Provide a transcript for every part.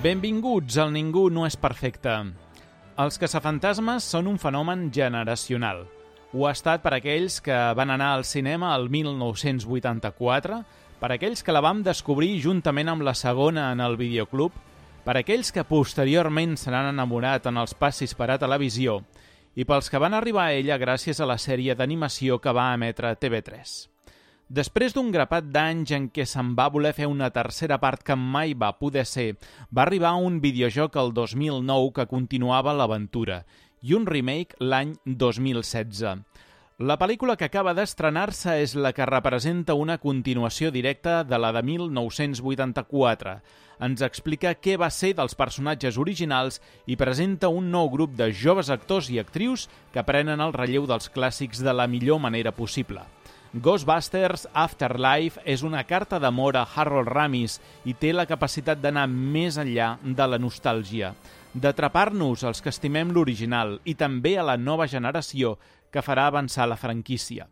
Benvinguts al Ningú no és perfecte. Els caçafantasmes són un fenomen generacional. Ho ha estat per aquells que van anar al cinema el 1984, per aquells que la vam descobrir juntament amb la segona en el videoclub, per aquells que posteriorment se n'han enamorat en els passis per a televisió i pels que van arribar a ella gràcies a la sèrie d'animació que va emetre TV3. Després d'un grapat d'anys en què se'n va voler fer una tercera part que mai va poder ser, va arribar un videojoc el 2009 que continuava l'aventura i un remake l'any 2016. La pel·lícula que acaba d'estrenar-se és la que representa una continuació directa de la de 1984. Ens explica què va ser dels personatges originals i presenta un nou grup de joves actors i actrius que prenen el relleu dels clàssics de la millor manera possible. Ghostbusters Afterlife és una carta d'amor a Harold Ramis i té la capacitat d'anar més enllà de la nostàlgia, d'atrapar-nos els que estimem l'original i també a la nova generació que farà avançar la franquícia.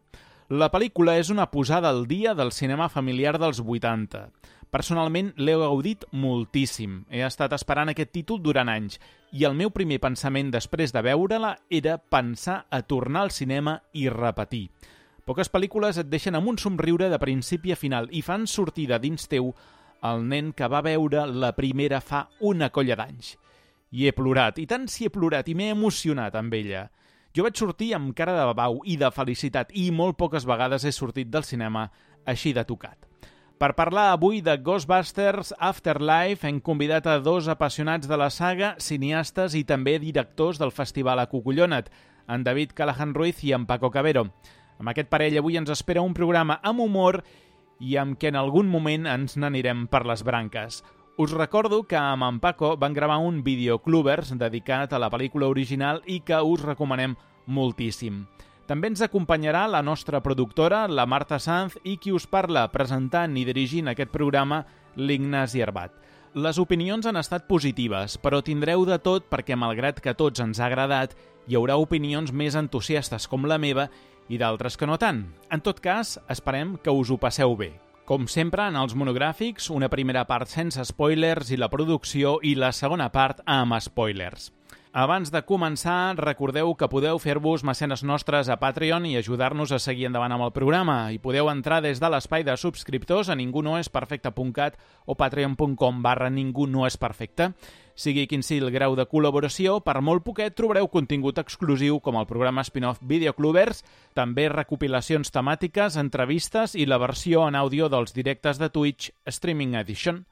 La pel·lícula és una posada al dia del cinema familiar dels 80. Personalment l'he gaudit moltíssim. He estat esperant aquest títol durant anys i el meu primer pensament després de veure-la era pensar a tornar al cinema i repetir. Poques pel·lícules et deixen amb un somriure de principi a final i fan sortir de dins teu el nen que va veure la primera fa una colla d'anys. I he plorat, i tant si he plorat, i m'he emocionat amb ella. Jo vaig sortir amb cara de babau i de felicitat i molt poques vegades he sortit del cinema així de tocat. Per parlar avui de Ghostbusters Afterlife hem convidat a dos apassionats de la saga, cineastes i també directors del Festival Acucullona't, en David Callahan Ruiz i en Paco Cabero. Amb aquest parell avui ens espera un programa amb humor i amb què en algun moment ens n'anirem per les branques. Us recordo que amb en Paco van gravar un videoclubers dedicat a la pel·lícula original i que us recomanem moltíssim. També ens acompanyarà la nostra productora, la Marta Sanz, i qui us parla, presentant i dirigint aquest programa, l'Ignasi Arbat. Les opinions han estat positives, però tindreu de tot perquè, malgrat que a tots ens ha agradat, hi haurà opinions més entusiastes com la meva i d'altres que no tant. En tot cas, esperem que us ho passeu bé. Com sempre, en els monogràfics, una primera part sense spoilers i la producció i la segona part amb spoilers. Abans de començar, recordeu que podeu fer-vos mecenes nostres a Patreon i ajudar-nos a seguir endavant amb el programa. I podeu entrar des de l'espai de subscriptors a ningunoesperfecte.cat o patreon.com/ningunoesperfecte. Sigui quin sigui el grau de col·laboració, per molt poquet trobareu contingut exclusiu com el programa spin-off Videoclubers, també recopilacions temàtiques, entrevistes i la versió en àudio dels directes de Twitch Streaming Edition.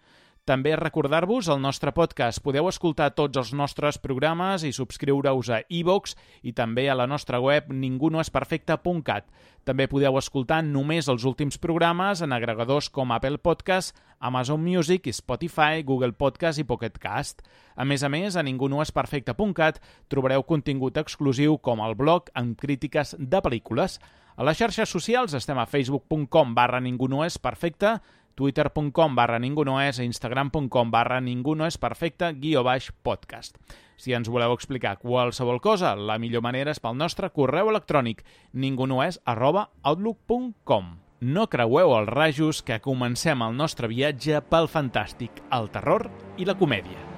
També recordar-vos el nostre podcast. Podeu escoltar tots els nostres programes i subscriure-us a iVoox i també a la nostra web ningunoesperfecte.cat. També podeu escoltar només els últims programes en agregadors com Apple Podcast, Amazon Music, Spotify, Google Podcast i Pocket Cast. A més, a ningunoesperfecte.cat trobareu contingut exclusiu com el blog amb crítiques de pel·lícules. A les xarxes socials estem a facebook.com/ningunoesperfecte, twitter.com/ningunoes i instagram.com/ningunoesperfecte_podcast. Si ens voleu explicar qualsevol cosa, la millor manera és pel nostre correu electrònic ningunoes@outlook.com. No creueu els rajos que comencem el nostre viatge pel fantàstic, el terror i la comèdia.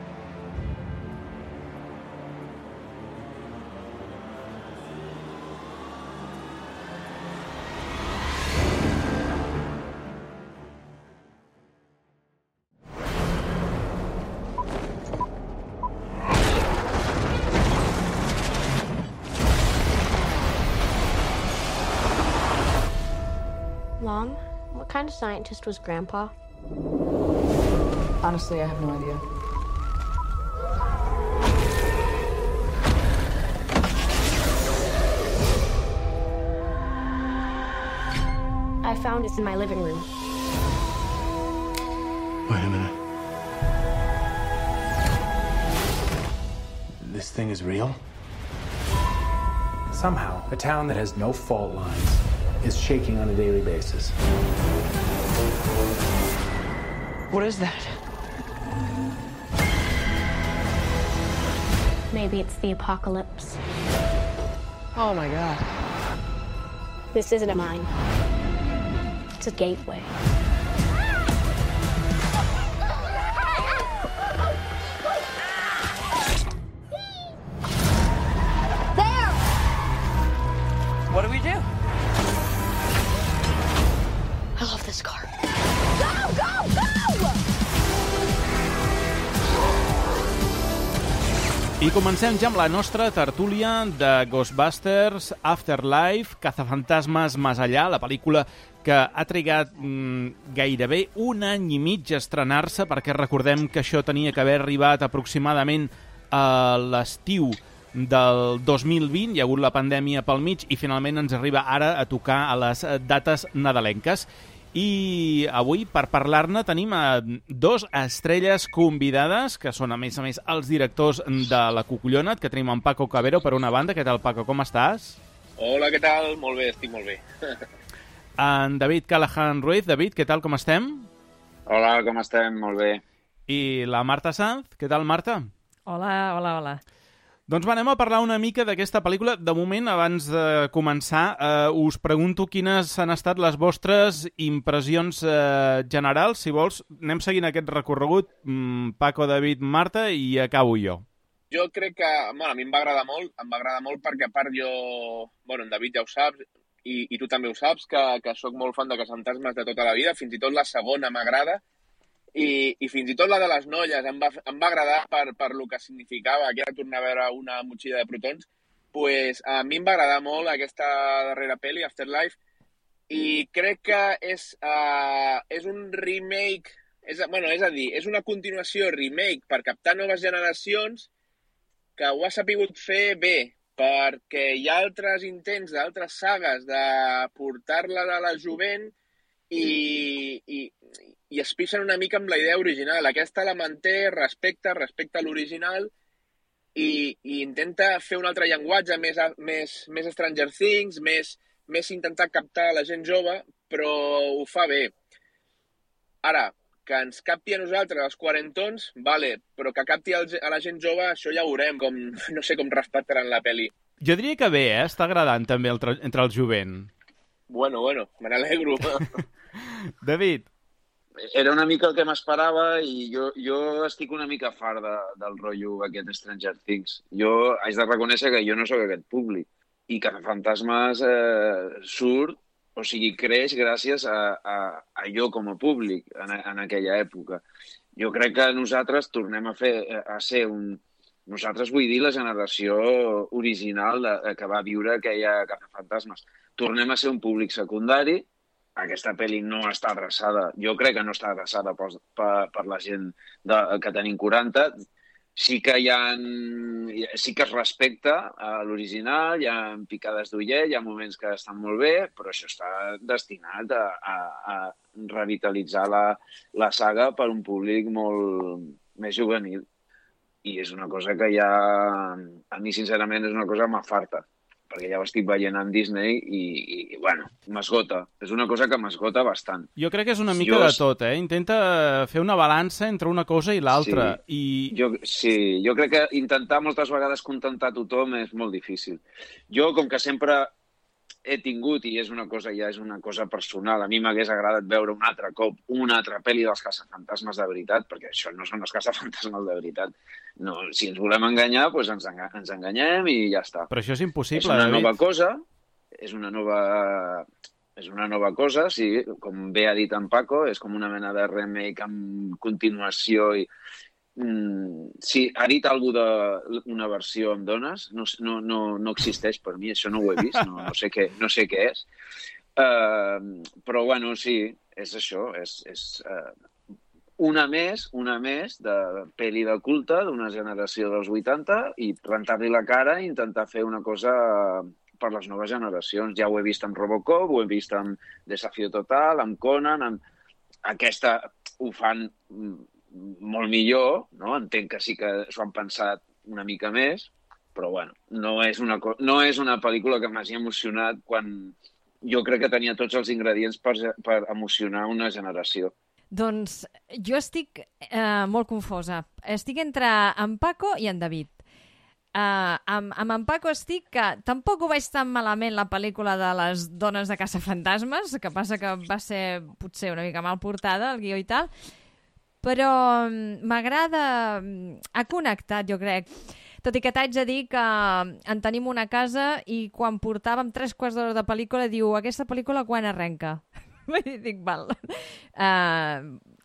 Mom, what kind of scientist was Grandpa? Honestly, I have no idea. I found it in my living room. Wait a minute. This thing is real? Somehow, a town that has no fault lines is shaking on a daily basis. What is that? Maybe it's the apocalypse. Oh my God. This isn't a mine. It's a gateway. I comencem ja amb la nostra tertúlia de Ghostbusters Afterlife, Cazafantasmes Más Allá, la pel·lícula que ha trigat gairebé un any i mig a estrenar-se, perquè recordem que això tenia que haver arribat aproximadament a l'estiu del 2020, hi ha hagut la pandèmia pel mig i finalment ens arriba ara a tocar a les dates nadalenques. I avui, per parlar-ne, tenim dos estrelles convidades, que són, a més, els directors de La Cucullona, que tenim en Paco Cabero, per una banda. Què tal, Paco? Com estàs? Hola, què tal? Molt bé, estic molt bé. En David Callahan Ruiz. David, què tal, com estem? Hola, com estem? Molt bé. I la Marta Sanz. Què tal, Marta? Hola. Doncs anem a parlar una mica d'aquesta pel·lícula. De moment, abans de començar, us pregunto quines han estat les vostres impressions generals. Si vols, anem seguint aquest recorregut. Paco, David, Marta, i acabo jo. Jo crec que, bueno, a mi em va agradar molt perquè a part jo, bueno, en David ja ho saps, i tu també ho saps, que sóc molt fan de Cazafantasmes de tota la vida, fins i tot la segona m'agrada, i fins i tot la de les noies em va agradar per lo que significava, que era tornar a veure una motxilla de protons. Pues a mi em va agradar molt aquesta darrera pel·li, Afterlife, i crec que és un remake, és una continuació remake per captar noves generacions que ho ha sapigut fer bé, perquè hi ha altres intents d'altres sagues de portar-la de la jovent i es pixen una mica amb la idea original. Aquesta la manté, respecta l'original i intenta fer un altre llenguatge, més Stranger Things, més intentar captar la gent jove, però ho fa bé. Ara, que ens capti a nosaltres, els quarantons, vale, però que capti a la gent jove, això ja ho veurem, no sé com respectaran la pel·li. Jo diria que bé, està agradant també entre el jovent. Bueno, me n'alegro. David. Era una mica el que m'esperava i jo estic una mica fart del rotllo aquest Stranger Things. Jo haig de reconèixer que jo no sóc aquest públic i Cazafantasmes surt, o sigui, creix gràcies a jo com a públic en aquella època. Jo crec que nosaltres tornem a ser nosaltres vull dir la generació original que va viure aquella Cazafantasmes. Tornem a ser un públic secundari. Aquesta pel·li no està adreçada, jo crec que no està adreçada per la gent que tenim 40. Sí que es respecta l'original, hi ha picades d'ullet, hi ha moments que estan molt bé, però això està destinat a revitalitzar la saga per un públic molt més juvenil. I és una cosa que a mi, sincerament, és una cosa que m'afarta, perquè ja ho estic veient amb Disney i bueno, m'esgota. És una cosa que m'esgota bastant. Jo crec que és una mica de tot, Intenta fer una balança entre una cosa i l'altra. Jo crec que intentar moltes vegades contentar tothom és molt difícil. Jo, com que sempre he tingut, i és una cosa personal, a mi m'hagués agradat veure un altre cop una altra pel·li dels Cazafantasmes de veritat, perquè això no són els Cazafantasmes de veritat. No, si ens volem enganyar, doncs ens enganyem i ja està. Però això és impossible, David. És una nova cosa, sí, com bé ha dit en Paco, és com una mena de remake amb continuació i sí, ha dit algú d'una versió amb dones, no existeix per mi, això no ho he vist, no sé què és. Però bueno, sí, és això, és una més de pel·li de culte d'una generació dels 80 i rentar-li la cara i intentar fer una cosa per les noves generacions. Ja ho he vist amb Robocop, ho he vist amb Desafío Total, amb Conan, aquesta ho fan molt millor, no? Entenc que sí que s'ho han pensat una mica més, però bueno, no és una pel·lícula que m'hagi emocionat quan jo crec que tenia tots els ingredients per emocionar una generació. Doncs jo estic molt confosa. Estic entre en Paco i en David. Amb en Paco estic que tampoc ho veig tan malament la pel·lícula de les dones de Cazafantasmes, que passa que va ser potser una mica mal portada, el guió i tal, però m'agrada, ha connectat, jo crec. Tot i que t'haig de dir que en tenim una casa i quan portàvem 3 quarts d'hora de pel·lícula diu, aquesta pel·lícula quan arrenca? Dic, val.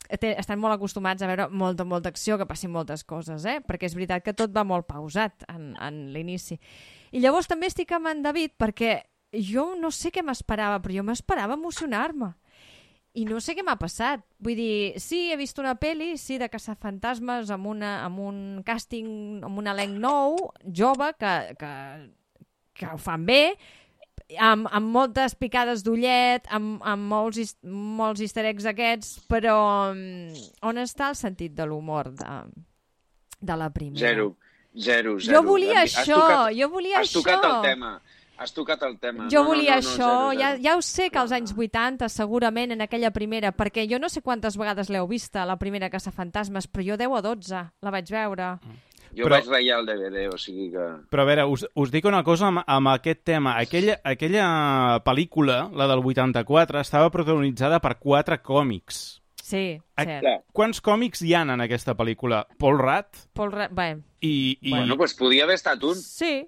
estan molt acostumats a veure molta acció, que passin moltes coses, perquè és veritat que tot va molt pausat en l'inici. I llavors també estic amb en David, perquè jo no sé què m'esperava, però jo m'esperava emocionar-me. I no sé què m'ha passat. Vull dir, sí, he vist una pel·li, sí, de caçafantasmes, amb un càsting, amb un elenc nou, jove, que ho fan bé, amb moltes picades d'ullet, amb molts easter eggs aquests, però on està el sentit de l'humor de la primera? Zero. Jo volia això. Has tocat el tema. Has tocat el tema. Jo volia això. Ja ho sé que als anys 80, segurament, en aquella primera, perquè jo no sé quantes vegades l'heu vista, la primera Caçafantasmes, però jo 10 o 12 la vaig veure. Jo vaig ratllar el DVD, o sigui que... Però a veure, us dic una cosa amb aquest tema. Aquella pel·lícula, la del 84, estava protagonitzada per 4 còmics. Sí, cert. Quants còmics hi ha en aquesta pel·lícula? Paul Rudd? Bé. Bueno, doncs podia haver estat un. Sí.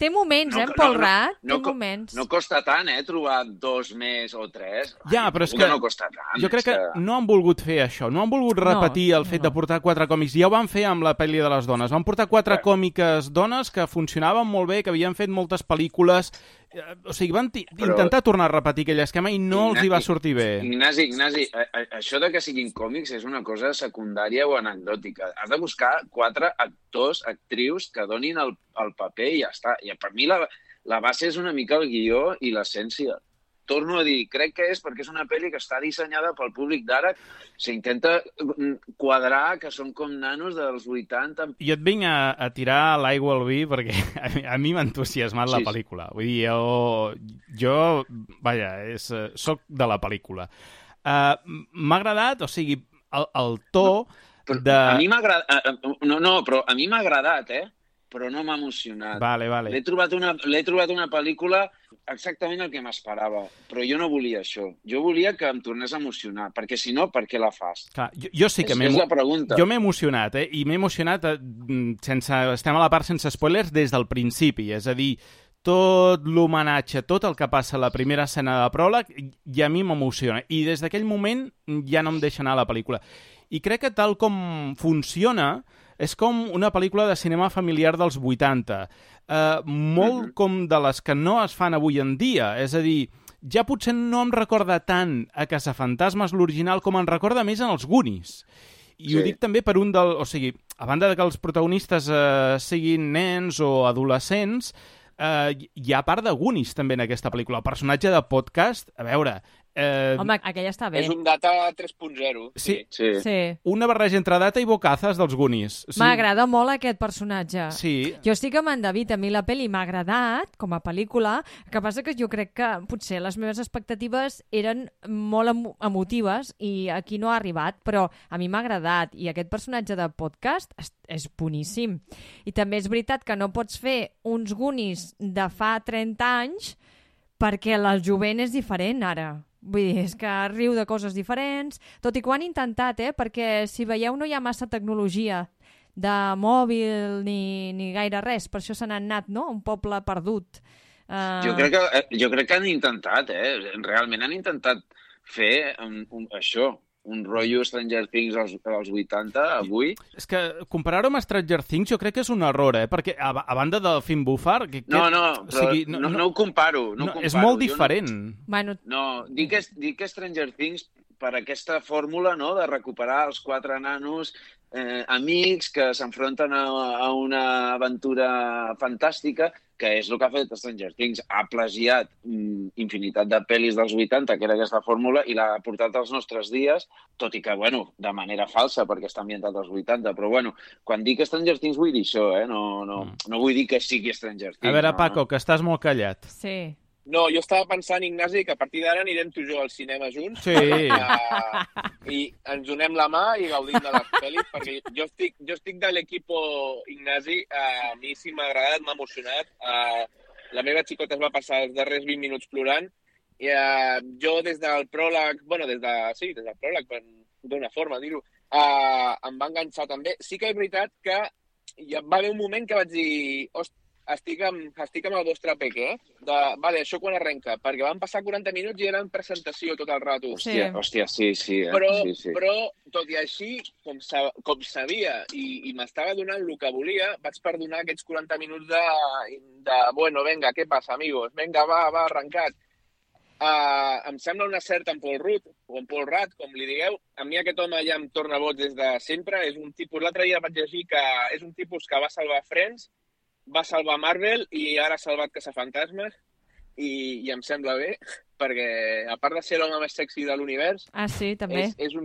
Té moments, Paul Rudd? Té moments. No costa tant, trobar 2 més o 3. Ja, però és que no costa tant. Jo crec que no han volgut fer això. No han volgut repetir el fet de portar 4 còmics. Ja ho van fer amb la pel·li de les dones. Van portar 4 còmiques dones que funcionaven molt bé, que havien fet moltes pel·lícules. O sigui, van intentar tornar a repetir aquell esquema i no els hi va sortir bé. Ignasi, això de que siguin còmics és una cosa secundària o anecdòtica. Has de buscar 4 actors, actrius que donin el paper i ja està. I per mi la base és una mica el guió i l'essència. Torno a dir, crec que és perquè és una pel·li que està dissenyada pel públic d'ara. S'intenta quadrar que són com nanos dels 80. Jo et vinc a tirar l'aigua al vi perquè a mi m'ha entusiasmat la pel·lícula. Vull dir, jo soc de la pel·lícula. M'ha agradat, o sigui, el to de... A mi m'ha agradat... No, però a mi m'ha agradat, però no m'ha emocionat. Vale. L'he trobat una pel·lícula exactament el que m'esperava, però jo no volia això. Jo volia que em tornés a emocionar, perquè si no, per què la fas? Clar, jo sí que és la pregunta. Jo m'he emocionat, i m'he emocionat estem a la part sense spoilers des del principi, és a dir, tot l'homenatge, tot el que passa a la primera escena de pròleg, i a mi m'emociona. I des d'aquell moment ja no em deixa anar a la pel·lícula. I crec que tal com funciona, és com una pel·lícula de cinema familiar dels 80, molt com de les que no es fan avui en dia. És a dir, ja potser no em recorda tant a Caçafantasmes l'original com em recorda més en els Goonies. I ho dic també per o sigui, a banda de que els protagonistes siguin nens o adolescents, hi ha part de Goonies també en aquesta pel·lícula. El personatge de Podcast, a veure... Home, aquella està bé. És un Data 3.0. Sí. Una barreja entre Data i Bocazas dels Goonies. Sí. M'agrada molt aquest personatge. Sí. Jo estic amb en David, a mi la pel·li m'ha agradat com a pel·lícula, el que passa que jo crec que potser les meves expectatives eren molt emotives i aquí no ha arribat, però a mi m'ha agradat i aquest personatge de Podcast és boníssim. I també és veritat que no pots fer uns Goonies de fa 30 anys perquè el jovent és diferent ara. Vull dir, és que riu de coses diferents, tot i que ho han intentat, perquè si veieu no hi ha massa tecnologia de mòbil ni gaire res, per això se n'han anat, no? Un poble perdut. Jo crec que han intentat, realment han intentat fer això, un rotllo Stranger Things als 80, avui. És que comparar-ho amb Stranger Things jo crec que és un error, perquè a banda del Finn Bufar... No ho comparo. És molt diferent. No, dic que Stranger Things per aquesta fórmula, no?, de recuperar els 4 nanos amics que s'enfronten a una aventura fantàstica, que és el que ha fet Stranger Things. Ha plagiat infinitat de pel·lis dels 80, que era aquesta fórmula, i l'ha portat als nostres dies, tot i que, de manera falsa, perquè està ambientat als 80. Però, quan dic Stranger Things vull dir això, no vull dir que sigui Stranger Things. A veure, Paco, que estàs molt callat. Sí. No, jo estava pensant, Ignasi, que a partir d'ara anirem tu i jo al cinema junts. Sí. I ens donem la mà i gaudim de les pel·lis, perquè jo estic de l'equipo Ignasi. A mi sí m'ha agradat, m'ha emocionat. La meva xicota es va passar els darrers 20 minuts plorant. I jo des del pròleg, des del pròleg, d'una forma dir-ho, em va enganxar també. Sí que és veritat que va haver un moment que vaig dir, estic amb el vostre peque, vale, això quan arrenca? Perquè van passar 40 minuts i eren presentació tot el rato. Hòstia, sí. Però, tot i així, com sabia i m'estava donant el que volia, vaig perdonar aquests 40 minuts bueno, venga, què passa, amigos? Venga, va, arrencat. Em sembla un acert en Paul Rudd, o en Paul Rudd, com li digueu. A mi aquest home ja em torna boig des de sempre. És un tipus, l'altre dia vaig llegir que és un tipus que va salvar Friends, va salvar Marvel i ara ha salvat Caçafantasmes i em sembla bé, perquè a part de ser l'home més sexy de l'univers, sí, també. És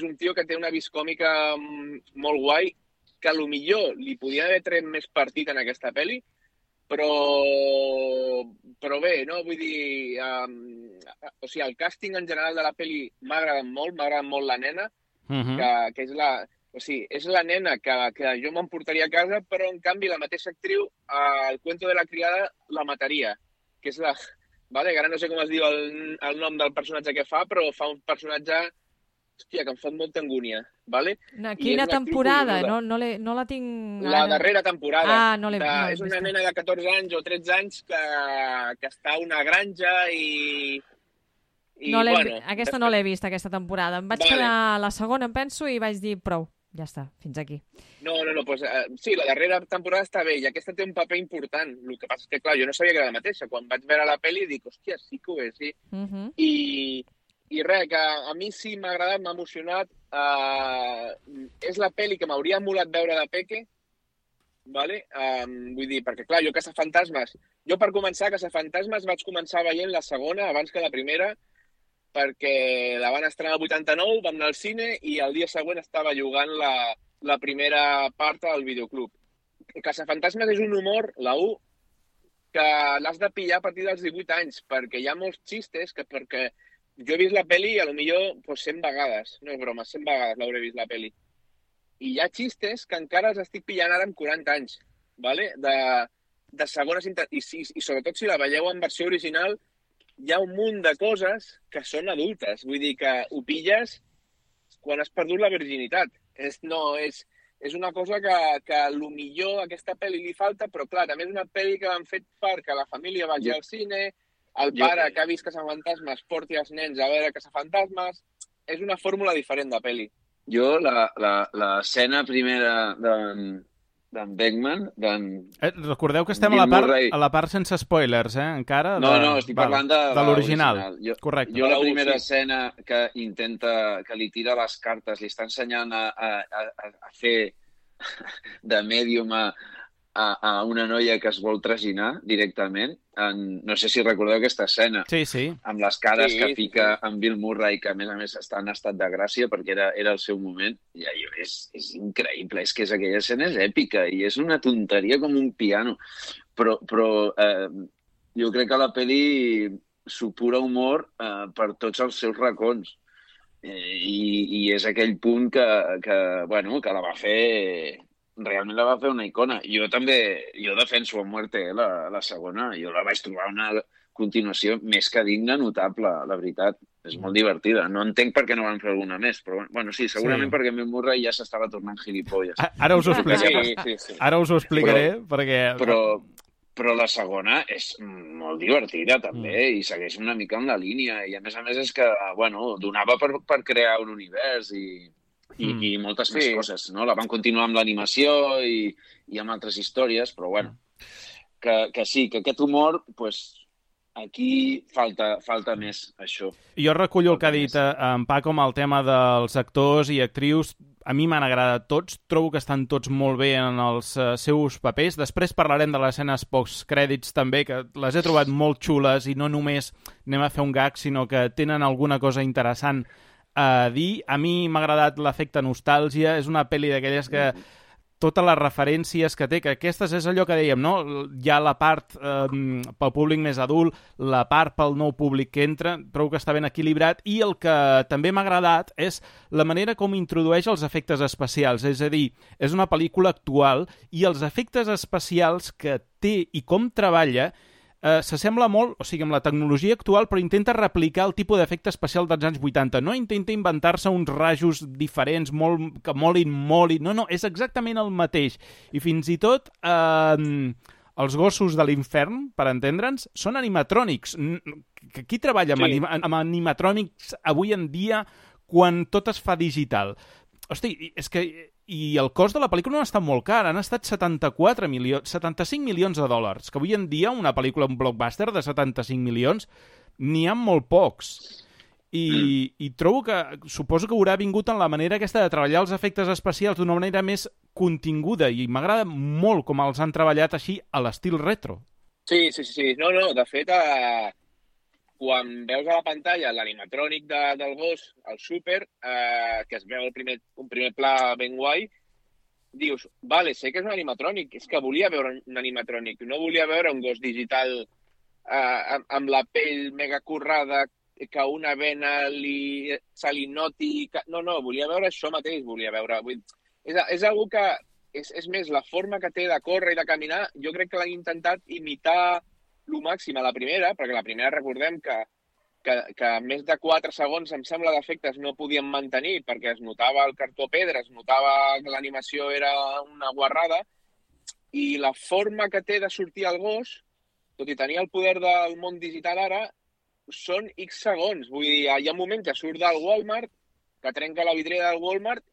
un tio que té una vis còmica molt guai, que a lo millor li podia haver tret més partit en aquesta pel·li, però bé, no? Vull dir, o sigui, el càsting en general de la pel·li m'ha agradat molt la nena, que és la... O sigui, és la nena que jo m'emportaria a casa, però en canvi la mateixa actriu, al cuento de la criada, la mataria, que és la... Vale? Ara no sé com es diu el nom del personatge que fa, però fa un personatge, hòstia, que em fa molta angúnia. Vale? Quina temporada? No la tinc... La darrera temporada. No l'he és una nena de 14 anys o 13 anys que està a una granja i aquesta no l'he vist, aquesta temporada. Em vaig quedar la segona, em penso, i vaig dir prou. Ja està, fins aquí. No, pues, sí, la darrera temporada està bé i aquesta té un paper important. El que passa és que, clar, jo no sabia que era la mateixa. Quan vaig veure la pel·li dic, hòstia, sí que ho és, sí. I res, que a mi sí m'ha agradat, m'ha emocionat. És la pel·li que m'hauria molat veure de peque, vale? Vull dir, perquè, clar, jo Caçafantasmes... Jo, per començar, Caçafantasmes vaig començar veient la segona abans que la primera, perquè la van estrenar el 89, vam anar al cine i el dia següent estava jugant la primera part al videoclub. Caçafantasmes és un humor, la 1, que l'has de pillar a partir dels 18 anys, perquè hi ha molts xistes que perquè jo he vist la pel·li a lo millor 100 vegades, no és broma, 100 vegades l'hauré vist la pel·li. I hi ha xistes que encara els estic pillant ara amb 40 anys, ¿vale? De segones... I sobretot si la veieu en versió original, hi ha un munt de coses que són adultes. Vull dir que ho pilles quan has perdut la virginitat. És una cosa que a lo millor a aquesta pel·li li falta, però clar, també és una pel·li que han fet perquè la família vagi al cine, el pare que ha vist Caçafantasmes porti els nens a veure Caçafantasmes. És una fórmula diferent de pel·li. Jo, l'escena primera d'en Beckman... Recordeu que estem a la part sense spoilers, encara? No, estic parlant de l'original. Correcte. Jo la primera escena que li tira les cartes, li està ensenyant a fer de mèdium a una noia que es vol traginar directament. No sé si recordeu aquesta escena. Sí. Amb les cares que fica en Bill Murray, que a més està en estat de gràcia perquè era el seu moment. I és increïble, és que aquella escena és èpica i és una tonteria com un piano. Però jo crec que la pel·li supura humor per tots els seus racons. I és aquell punt que la va fer... Realment la va fer una icona. Jo defenso a muerte la segona. Jo la vaig trobar una continuació més que digna, notable, la veritat. És molt divertida. No entenc per què no van fer alguna més, però bueno, sí, segurament perquè Bill Murray ja s'estava tornant gilipolles. Ara us ho explicaré. Sí. Ara us ho explicaré, perquè... Però la segona és molt divertida, també, i segueix una mica en la línia. I a més és que, donava per crear un univers i moltes més coses, no? La van continuar amb l'animació i amb altres històries, però que sí, que aquest humor, aquí falta més, això. Jo recullo el que ha dit en Paco amb el tema dels actors i actrius. A mi m'han agradat tots, trobo que estan tots molt bé en els seus papers. Després parlarem de les escenes post-crèdits també, que les he trobat molt xules i no només anem a fer un gag, sinó que tenen alguna cosa interessant a dir. A mi m'ha agradat l'efecte nostàlgia, és una pel·li d'aquelles que totes les referències que té, que aquestes és allò que dèiem, no? Hi ha la part pel públic més adult, la part pel nou públic que entra, trobo que està ben equilibrat, i el que també m'ha agradat és la manera com introdueix els efectes especials, és a dir, és una pel·lícula actual i els efectes especials que té i com treballa s'assembla molt, o sigui, amb la tecnologia actual, però intenta replicar el tipus d'efecte especial dels anys 80. No intenta inventar-se uns rajos diferents, que molin. No, és exactament el mateix. I fins i tot els gossos de l'infern, per entendre'ns, són animatrònics. Qui treballa amb animatrònics avui en dia quan tot es fa digital? Hosti, és que... I el cost de la pel·lícula no ha estat molt car, han estat 75 milions de dòlars, que avui en dia una pel·lícula, un blockbuster de 75 milions, n'hi ha molt pocs. I trobo que, suposo que haurà vingut en la manera aquesta de treballar els efectes especials d'una manera més continguda, i m'agrada molt com els han treballat així a l'estil retro. Sí. No, de fet, quan veus a la pantalla l'animatrònic del gos, el súper, que es veu un primer pla ben guai, dius, vale, sé que és un animatrònic, és que volia veure un animatrònic, no volia veure un gos digital amb la pell mega currada, que una vena se li noti... No, volia veure això mateix, volia veure... És algo que... És més, la forma que té de córrer i de caminar, jo crec que l'han intentat imitar lo màxim a la primera, perquè la primera recordem que més de 4 segons, em sembla, d'efectes no podien mantenir, perquè es notava el cartó pedra, es notava que l'animació era una guarrada, i la forma que té de sortir el gos, tot i tenir el poder del món digital ara, són X segons. Vull dir, hi ha un moment que surt del Walmart, que trenca la vidriera del Walmart,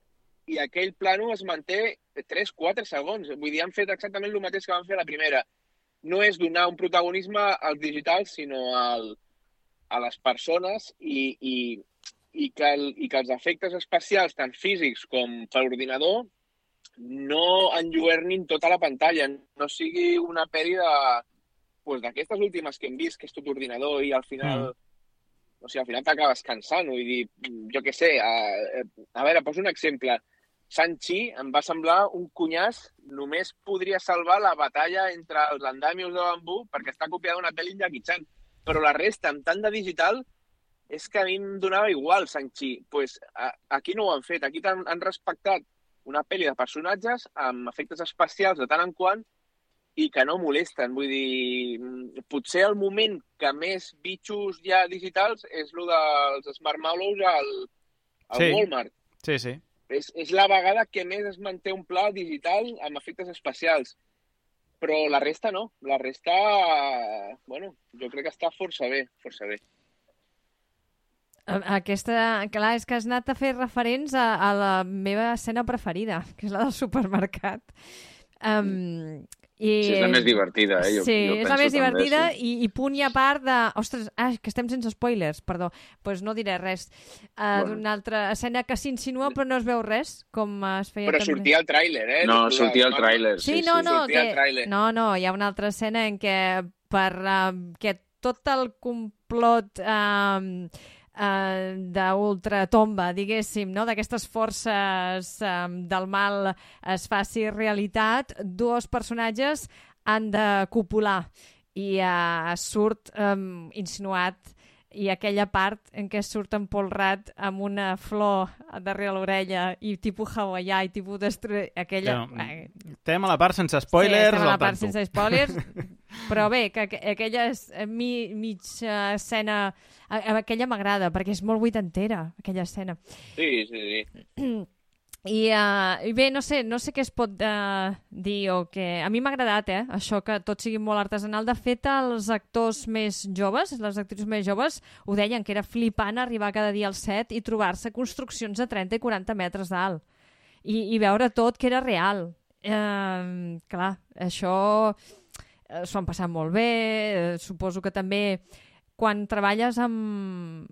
i aquell plano es manté 3-4 segons. Vull dir, han fet exactament el mateix que van fer a la primera. No és donar un protagonisme als digitals, sinó a les persones i que els efectes especials, tant físics com per ordinador, no enlluernin tota la pantalla, no sigui una pel·li d'aquestes últimes que hem vist, que és tot ordinador i al final... O sigui, al final t'acabes cansant. Vull dir, jo què sé, a veure, poso un exemple. Shang-Chi em va semblar un cunyàs, només podria salvar la batalla entre els andamios de bambú perquè està copiada d'una pel·li Jackie Chan. Però la resta, amb tant de digital, és que a mi em donava igual Shang-Chi. Pues, aquí no ho han fet. Aquí han respectat una pel·li de personatges amb efectes especials de tant en quant i que no molesten. Vull dir, potser el moment que més bitxos hi ha digitals és el dels Smart Mallows al Walmart. Sí. És la vegada que més es manté un pla digital amb efectes especials. Però la resta no. La resta, bueno, jo crec que està força bé. Aquesta, clar, és que has anat a fer referents a la meva escena preferida, que és la del supermercat. Sí, és la més divertida, jo és la més divertida també, sí. i punt i a part de... Ostres, que estem sense spoilers, perdó. Doncs no diré res. D'una altra escena que s'insinua però no es veu res, com es feia però també. Sortia el tràiler, No, sortia el tràiler. Sí, no, hi ha una altra escena en què que tot el complot... d'ultratomba, diguéssim, no? D'aquestes forces del mal es faci realitat, dos personatges han de copular i surt insinuat i aquella part en què surt empolrat amb una flor darrere l'orella i tipus hawaià i tipus aquella... Estem a la part sense spoilers. Sí, estem a la part sense spoilers, però bé, que aquella mitja escena, aquella m'agrada, perquè és molt vuitantera, aquella escena. Sí. I bé, no sé què es pot dir o què... A mi m'ha agradat, això que tot sigui molt artesanal. De fet, els actors més joves, les actrius més joves, ho deien, que era flipant arribar cada dia al set i trobar-se construccions de 30 i 40 metres d'alt. I veure tot que era real. Clar, això s'ho han passat molt bé. Suposo que també quan treballes amb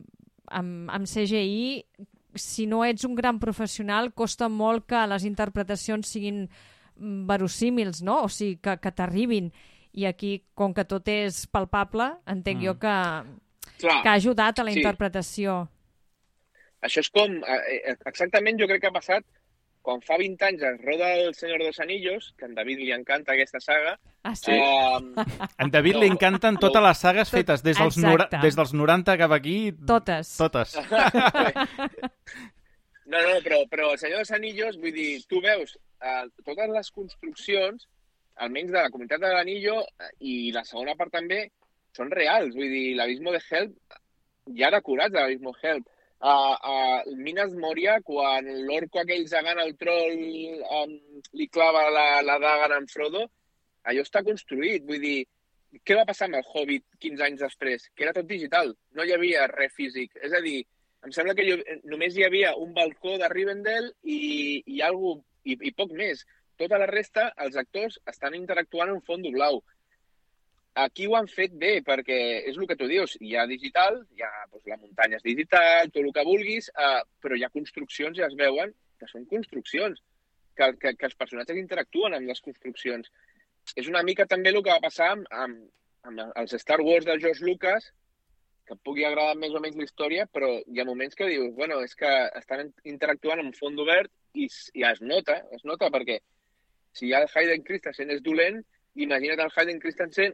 CGI... Si no ets un gran professional, costa molt que les interpretacions siguin verosímils, no? O sigui, que t'arribin. I aquí, com que tot és palpable, entenc jo que ha ajudat a la interpretació. Això és com... Exactament jo crec que ha passat quan fa 20 anys es roda El Senyor dels Anillos, que a en David li encanta aquesta saga. Ah, sí? A en David li encanten totes les sagues fetes des dels 90 cap aquí. Totes. No, però El Senyor dels Anillos, vull dir, tu veus totes les construccions, almenys de la Comunitat de l'Anillo, i la segona part també, són reals. Vull dir, l'Abismo de Help, hi ha decorats de l'Abismo de Help. Minas Moria, quan l'orco aquell gegant al troll li clava la daga en Frodo, allò està construït. Vull dir, què va passar amb el Hobbit 15 anys després? Que era tot digital, no hi havia res físic. És a dir, em sembla que només hi havia un balcó de Rivendell i poc més. Tota la resta, els actors estan interactuant en fons blau. Aquí ho han fet bé, perquè és el que tu dius, hi ha digital, la muntanya és digital, tot el que vulguis, però hi ha construccions i es veuen que són construccions, que els personatges interactuen amb les construccions. És una mica també el que va passar amb els Star Wars de George Lucas, que et pugui agradar més o menys la història, però hi ha moments que dius, bueno, és que estan interactuant amb fons obert i es nota perquè si ja el Hayden Christensen és dolent, imagina't el Hayden Christensen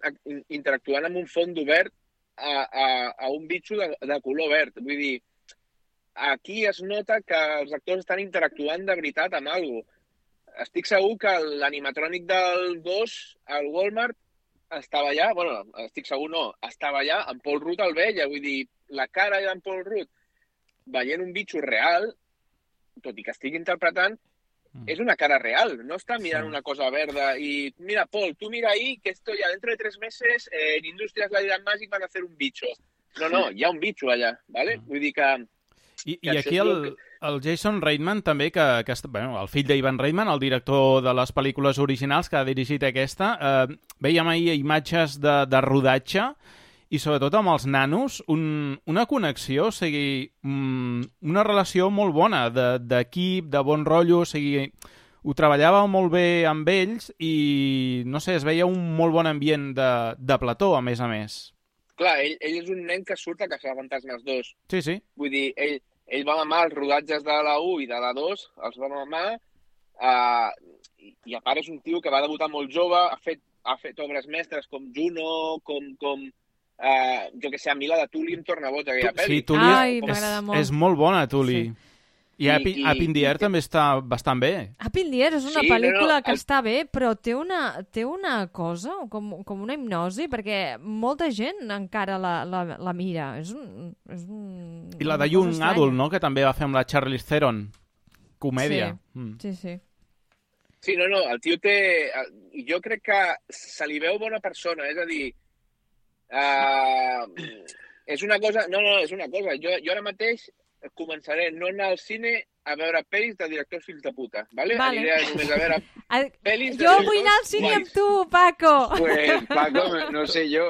interactuant amb un fons obert a un bitxo de color verd. Vull dir, aquí es nota que els actors estan interactuant de veritat amb alguna cosa. Estic segur que l'animatrònic del gos al Walmart estava allà, estic segur no, estava allà, en Paul Rudd el veia, vull dir, la cara d'en Paul Rudd veient un bitxo real, tot i que estigui interpretant, és una cara real, no està mirant una cosa verda i mira, Paul, tú mira ahí que esto ya dentro de 3 meses en Industrias Light and Magic van a hacer un bicho. No, hi ha un bitxo allà, ¿vale? Vull dir que... I aquí el Jason Reitman també, el fill d'Ivan Reitman, el director de les pel·lícules originals que ha dirigit aquesta, veiem ahir imatges de rodatge i sobretot amb els nanos, una connexió, o sigui, una relació molt bona d'equip, de bon rotllo, o sigui, ho treballava molt bé amb ells i, no sé, es veia un molt bon ambient de plató, a més a més. Clar, ell és un nen que surt a Caçafantasmes 2. Sí. Vull dir, ell va mamar els rodatges de la 1 i de la 2, els va mamar, i a part és un tio que va debutar molt jove, ha fet obres mestres com Juno, com jo que sé, a mi la de Tully em torna boig aquella pel·li. Sí, Tully és molt bona, Tully. Sí. I Up in the Air també està bastant bé. Up in the Air és una pel·lícula que està bé, però té una cosa, com una hipnosi, perquè molta gent encara la mira. I la de Young Adult, no?, que també va fer amb la Charlize Theron. Comèdia. Sí. Sí, no, el tio té... Jo crec que se li veu bona persona, és a dir... és una cosa... No, és una cosa. Jo ara mateix començaré no anar al cine a veure pel·lis de directors fills de puta, ¿vale? Aniré només a veure pel·lis de jo vull anar al cine amb tu, Paco! Pues, Paco, no sé jo,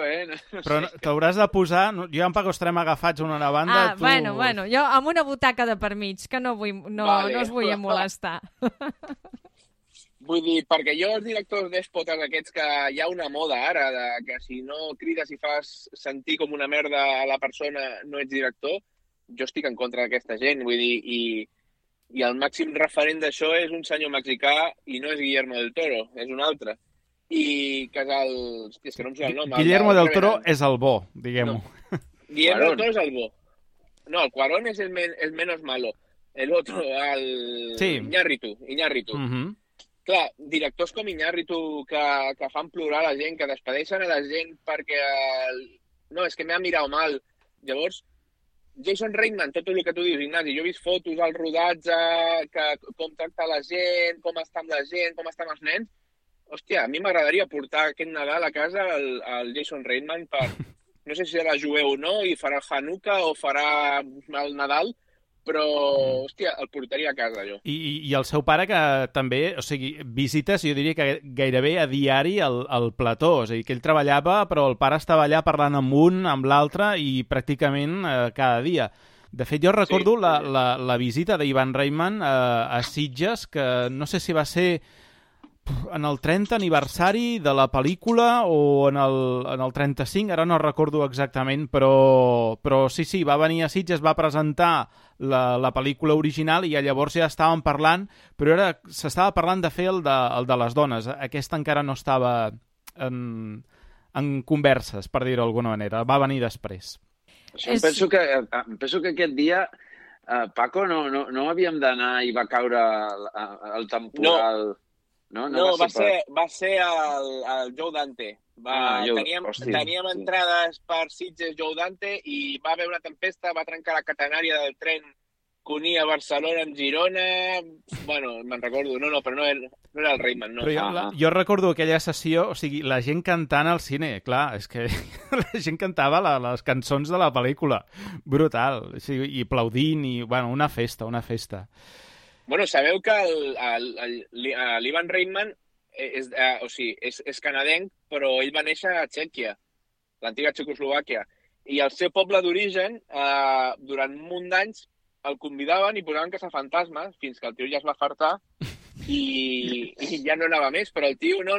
Però t'hauràs de posar... Jo i en Paco estarem agafats una a una banda. Bueno, jo amb una butaca de per mig, que no us vull molestar. Vull dir, perquè jo els directors dèspotes aquests que hi ha una moda ara, que si no crides i fas sentir com una merda a la persona no ets director, jo estic en contra d'aquesta gent, vull dir, i el màxim referent d'això és un senyor mexicà i no és Guillermo del Toro, és un altre. I que és el... Hòstia, és que no em surt el nom. Guillermo del Toro és el bo, diguem-ho. No. Guillermo del Toro és el bo. No, el Cuarón és el menos malo. El otro, Iñárritu. Clar, directors com Iñárritu que fan plorar la gent, que despedeixen a la gent perquè... No, és que m'ha mirat mal. Llavors, Jason Reitman, tot el que tu dius, Ignasi, jo he vist fotos al rodatge, com tracta la gent, com està amb la gent, com estan els nens. Hòstia, a mi m'agradaria portar aquest Nadal a casa el Jason Reitman per... No sé si serà jueu o no, i farà el Hanukkah o farà el Nadal, però, hòstia, el portaria a casa, jo. I el seu pare, que també, o sigui, visites, jo diria que gairebé a diari al plató, o sigui, que ell treballava, però el pare estava allà parlant amb un, amb l'altre, i pràcticament cada dia. De fet, jo recordo la visita d'Ivan Reitman a Sitges, que no sé si va ser en el 30 aniversari de la pel·lícula o en el 35, ara no recordo exactament, però sí, va venir a Sitges, va presentar la pel·lícula original i llavors ja estàvem parlant, però s'estava parlant de fer el de les dones. Aquesta encara no estava en converses, per dir-ho d'alguna manera. Va venir després. Penso que aquest dia, Paco, no havíem d'anar i va caure el temporal... No, va ser el Joe Dante. Teníem entrades per Sitges Joe Dante i va haver una tempesta, va trencar la catenària del tren que unia Barcelona amb Girona. Bueno, me'n recordo. No, però no era... No era el Reitman, no. Però jo recordo aquella sessió, o sigui, la gent cantant al cine, clar, és que la gent cantava les cançons de la pel·lícula. Brutal. O sigui, i aplaudint, i, bueno, una festa, una festa. Bueno, sabeu que l'Ivan Reitman és canadenc, però ell va néixer a Txèquia, l'antiga Txecoslovàquia. I el seu poble d'origen, durant un munt d'anys, el convidaven i posaven caçafantasmes, fins que el tio ja es va fartar i ja no anava més. Però el tio, no,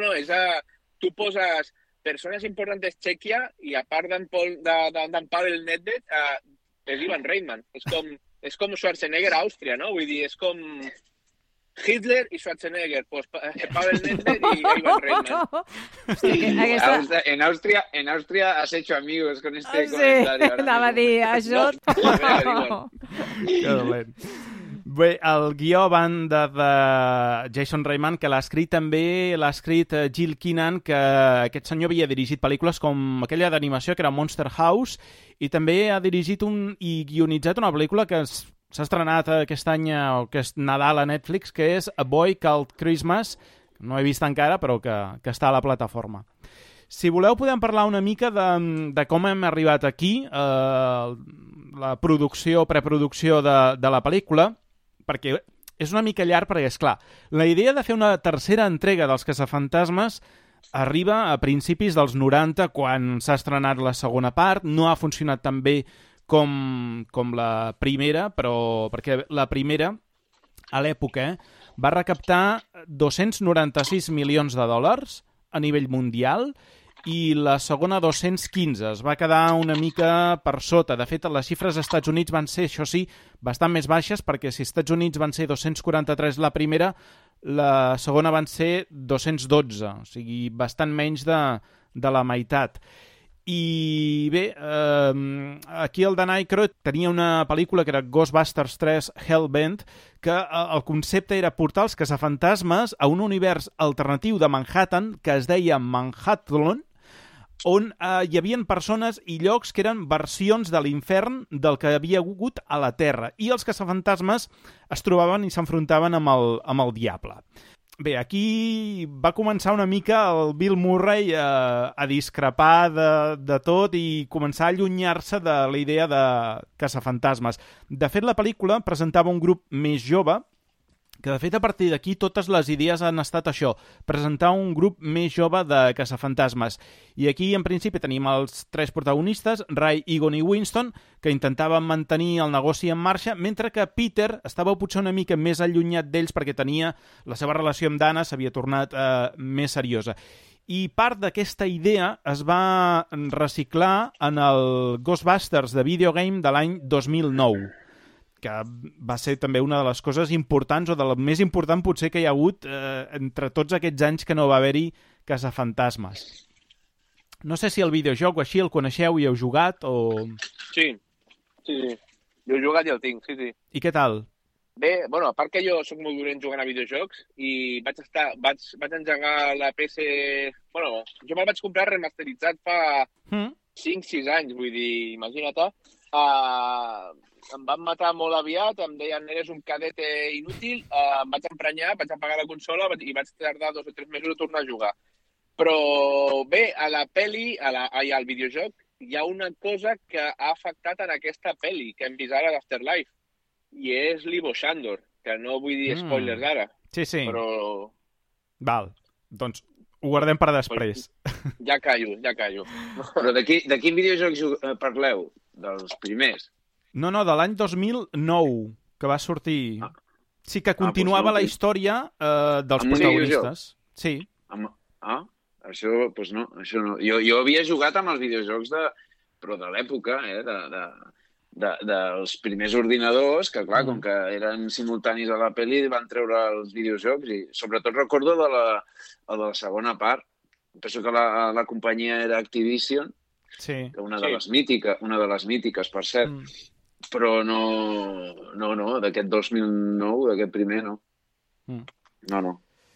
tu poses persones importants Txèquia i a part d'en Pavel Nedved, és Ivan Reitman. És com Schwarzenegger a Àustria, no? Vull dir, és com Hitler y Schwarzenegger, pues Pavel Nedved y Ivan Reitman. Sí, En Austria has hecho amigos con este comentario. Anava a dir, això... Que dolent. Bé, el guió banda de Jason Reitman, que l'ha escrit Jill Keenan, que aquest senyor havia dirigit pel·lícules com aquella d'animació que era Monster House, i també ha dirigit i guionitzat una pel·lícula que s'ha estrenat aquest any, o aquest Nadal a Netflix, que és A Boy Called Christmas, que no he vist encara, però que està a la plataforma. Si voleu, podem parlar una mica de com hem arribat aquí, la preproducció de la pel·lícula, perquè és una mica llarg, perquè, esclar, la idea de fer una tercera entrega dels Caçafantasmes arriba a principis dels 90, quan s'ha estrenat la segona part. No ha funcionat tan bé com la primera, però perquè la primera, a l'època, va recaptar 296 milions de dòlars a nivell mundial i la segona 215. Es va quedar una mica per sota. De fet, les xifres als Estats Units van ser, això sí, bastant més baixes, perquè si als Estats Units van ser 243 la primera, la segona van ser 212, o sigui, bastant menys de la meitat. I bé, aquí el Dan Aykroyd tenia una pel·lícula que era Ghostbusters 3 Hellbent, que el concepte era portar els caçafantasmes a un univers alternatiu de Manhattan que es deia Manhattan, on hi havia persones i llocs que eren versions de l'infern del que havia hagut a la Terra, i els caçafantasmes es trobaven i s'enfrontaven amb el diable. Bé, aquí va començar una mica el Bill Murray a discrepar de tot i començar a allunyar-se de la idea de caçafantasmes. De fet, la pel·lícula presentava un grup més jove, que de fet a partir d'aquí totes les idees han estat això, presentar un grup més jove de caçafantasmes. I aquí en principi tenim els tres protagonistes, Ray, Egon i Winston, que intentaven mantenir el negoci en marxa, mentre que Peter estava potser una mica més allunyat d'ells perquè tenia la seva relació amb Dana, s'havia tornat més seriosa. I part d'aquesta idea es va reciclar en el Ghostbusters de videogame de l'any 2009, que va ser també una de les coses importants, o de la més important potser que hi ha hagut entre tots aquests anys que no va haver-hi caçafantasmes. No sé si el videojoc o així el coneixeu i heu jugat, o... Sí. Jo he jugat i el tinc, sí. I què tal? Bé, bueno, a part que jo soc molt dolent jugant a videojocs i vaig engegar la PC... Bueno, jo me'l vaig comprar remasteritzat fa 5-6 anys, vull dir, imagina't. Em van matar molt aviat, em deien eres un cadete inútil, em vaig emprenyar, vaig apagar la consola i vaig tardar 2 o 3 mesos a tornar a jugar. Però bé, a la pel·li, al videojoc, hi ha una cosa que ha afectat en aquesta pel·li que hem vist ara d'Afterlife, i és l'Ivo Shandor, que no vull dir spoilers ara. Sí. Però... Val, doncs ho guardem per després. Ja callo. Però de quin videojoc parleu? Dels primers? No, de l'any 2009, que va sortir... Sí, que continuava la història dels protagonistes. Sí. Això no. Jo havia jugat amb els videojocs però de l'època, dels primers ordinadors, que clar, com que eren simultanis a la pel·li, van treure els videojocs i sobretot recordo de la segona part. Penso que la companyia era Activision, una de les mítiques, per cert. Però no, d'aquest 2009, d'aquest primer, no. No.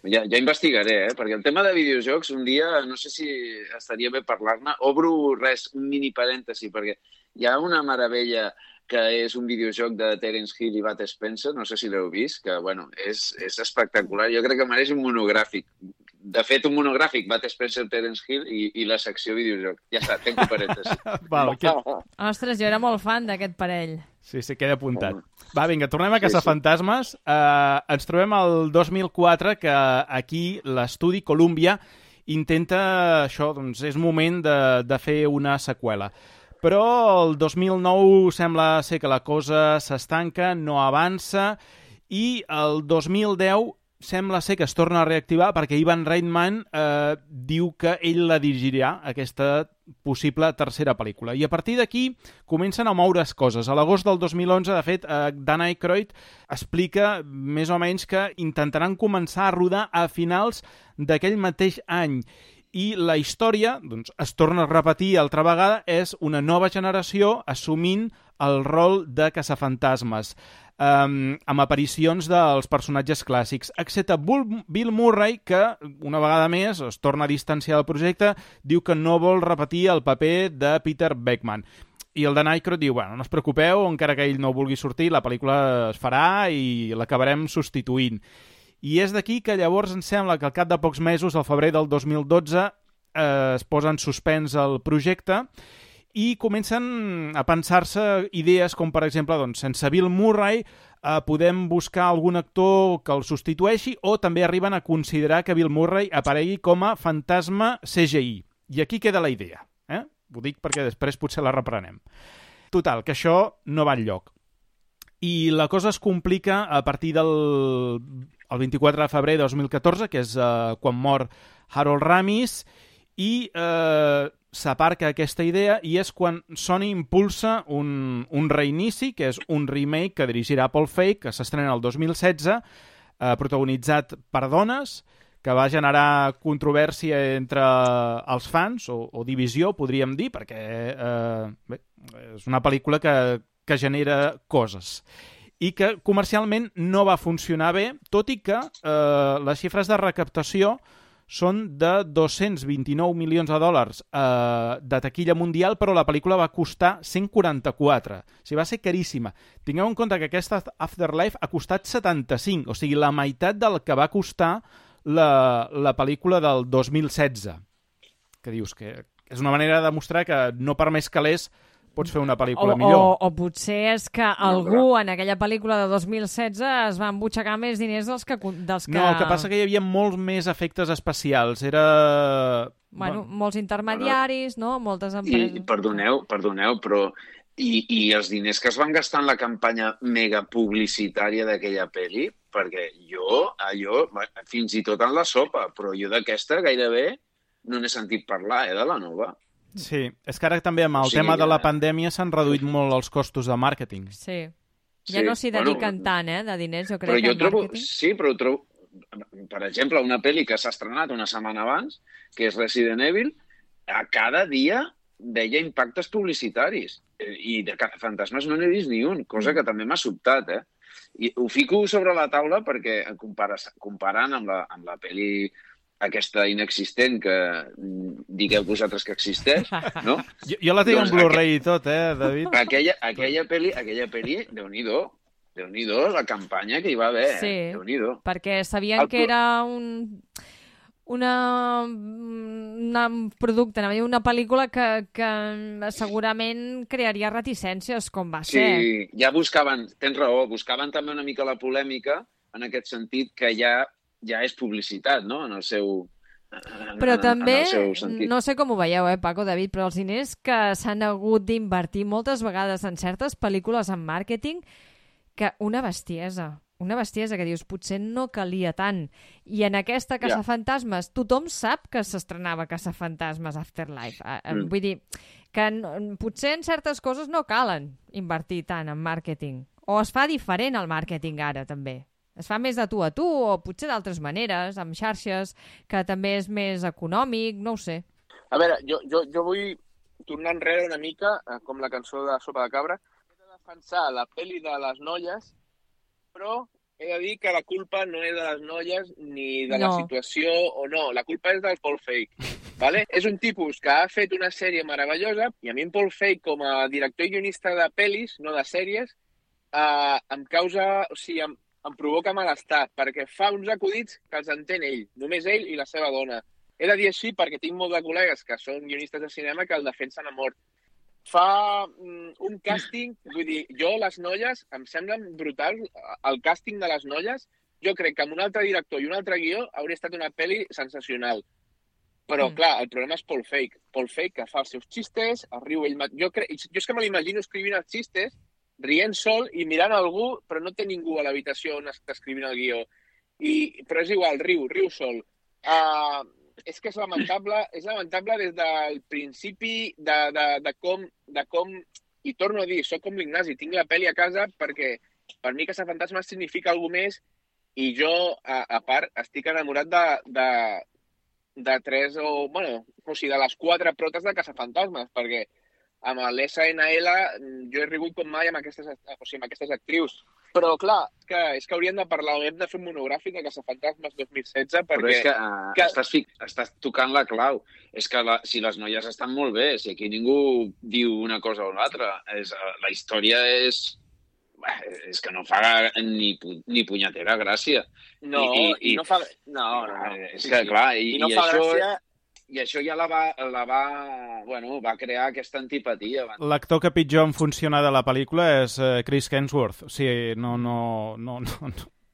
Ja investigaré, perquè el tema de videojocs un dia, no sé si estaria bé parlar-ne. Obro un mini parèntesi, perquè hi ha una meravella que és un videojoc de Terence Hill i Bud Spencer, no sé si l'heu vist, que, bueno, és espectacular. Jo crec que mereix un monogràfic. De fet, un monogràfic, Bud Spencer, Terence Hill i la secció videojoc. Ja està, tenc parèntesi. Val, Ostres, jo era molt fan d'aquest parell. Sí, queda apuntat. Va, vinga, tornem a Caçafantasmes. Ens trobem el 2004, que aquí l'estudi Columbia intenta això, doncs és moment de fer una seqüela. Però el 2009 sembla ser que la cosa s'estanca, no avança, i el 2010 sembla ser que es torna a reactivar perquè Ivan Reitman diu que ell la dirigirà, aquesta possible tercera pel·lícula. I a partir d'aquí comencen a moure's coses. A l'agost del 2011, de fet, Dan Aykroyd explica més o menys que intentaran començar a rodar a finals d'aquell mateix any. I la història, doncs, es torna a repetir altra vegada, és una nova generació assumint el rol de caçafantasmes, amb aparicions dels personatges clàssics, excepte Bill Murray, que una vegada més es torna a distanciar del projecte, diu que no vol repetir el paper de Peter Beckman. I el Dan Aykroyd diu, bueno, no us preocupeu, encara que ell no vulgui sortir, la pel·lícula es farà i l'acabarem substituint. I és d'aquí que llavors em sembla que al cap de pocs mesos, al febrer del 2012, es posa en suspens el projecte i comencen a pensar-se idees com, per exemple, doncs, sense Bill Murray podem buscar algun actor que el substitueixi, o també arriben a considerar que Bill Murray aparegui com a fantasma CGI. I aquí queda la idea. Ho dic perquè després potser la reprenem. Total, que això no va enlloc. I la cosa es complica a partir del 24 de febrer de 2014, que és quan mor Harold Ramis, i s'aparca aquesta idea, i és quan Sony impulsa un reinici, que és un remake que dirigirà Paul Feig, que s'estrena el 2016, protagonitzat per dones, que va generar controvèrsia entre els fans, o divisió, podríem dir, perquè és una pel·lícula que genera coses i que comercialment no va funcionar bé, tot i que les xifres de recaptació són de 229 milions de dòlars de taquilla mundial, però la pel·lícula va costar 144. O sigui, va ser caríssima. Tingueu en compte que aquesta Afterlife ha costat 75, o sigui, la meitat del que va costar la pel·lícula del 2016. Que dius que és una manera de demostrar que no per més calés pots fer una pel·lícula millor. O potser és que algú en aquella pel·lícula de 2016 es va embutxacar més diners dels que... No, el que passa que hi havia molts més efectes especials. Era... Bueno, molts intermediaris, no? Moltes empreses... I perdoneu, però... I els diners que es van gastar en la campanya mega publicitària d'aquella pel·li, perquè allò, fins i tot en la sopa, però jo d'aquesta gairebé no n'he sentit parlar, de la nova. Sí, és que ara també amb el tema de la pandèmia s'han reduït molt els costos de màrqueting. Sí, ja no s'hi dediquen tant, de diners, jo crec, però jo trobo, sí, però trobo, per exemple, una pel·li que s'ha estrenat una setmana abans, que és Resident Evil, a cada dia veia impactes publicitaris, i de Caçafantasmes no n'he vist ni un, cosa que també m'ha sobtat, I ho fico sobre la taula perquè, comparant amb la pel·li aquesta inexistent que digueu vosaltres que existeix, no? Jo la tinc en Blu-ray i tot, David? Aquella pel·li, Déu-n'hi-do, la campanya que hi va haver, sí, Déu-n'hi-do. Perquè sabien que era un producte, una pel·lícula que segurament crearia reticències, com va ser. Sí, ja buscaven, tens raó, buscaven també una mica la polèmica, en aquest sentit que ja és publicitat, no?, en el seu Però també, no sé com ho veieu, Paco, David, però els diners que s'han hagut d'invertir moltes vegades en certes pel·lícules en màrqueting, que una bestiesa que dius, potser no calia tant. I en aquesta Caçafantasmes, tothom sap que s'estrenava Caçafantasmes Afterlife. Vull dir que potser en certes coses no calen invertir tant en màrqueting. O es fa diferent el màrqueting ara, també. Es fa més de tu a tu, o potser d'altres maneres, amb xarxes, que també és més econòmic, no ho sé. A veure, jo vull tornar enrere una mica, com la cançó de Sopa de Cabra. He de defensar la pel·li de les noies, però he de dir que la culpa no és de les noies ni de la situació o no. La culpa és del Paul Feig. Vale? És un tipus que ha fet una sèrie meravellosa i a mi en Paul Feig, com a director i guionista de pel·lis, no de sèries, em causa... O sigui, em provoca malestar, perquè fa uns acudits que els entén ell, només ell i la seva dona. He de dir així perquè tinc molts de col·legues que són guionistes de cinema que el defensen a mort. Fa un càsting, vull dir, les noies em semblen brutals, el càsting de les noies, jo crec que amb un altre director i un altre guió hauria estat una pel·li sensacional. Però, clar, el problema és Paul Feig. Paul Feig, que fa els seus xistes, el riu ell... Jo és que me l'imagino escrivint els xistes, rient sol i mirant algú, però no té ningú a l'habitació on està escrivint el guió. Però és igual, riu sol. És que és lamentable des del principi de com... I torno a dir, soc com l'Ignasi, tinc la pel·li a casa perquè per mi Caçafantasmes significa alguna més i jo, a part, estic enamorat de tres de les 4 protes de Caçafantasmes, perquè amb l'SNL jo he rigut com mai amb aquestes actrius. Però, clar, és que hauríem de parlar, hem de fer un monogràfic de Caçafantasmes 2016, perquè... Però és que estàs tocant la clau. És que si les noies estan molt bé, si aquí ningú diu una cosa o l'altra, la història és que no fa ni punyetera gràcia. No, i no fa... No. És que, clar, i no fa gràcia... I això ja va crear aquesta antipatia. L'actor que pitjor em funciona de la pel·lícula és Chris Hemsworth. O sigui, no.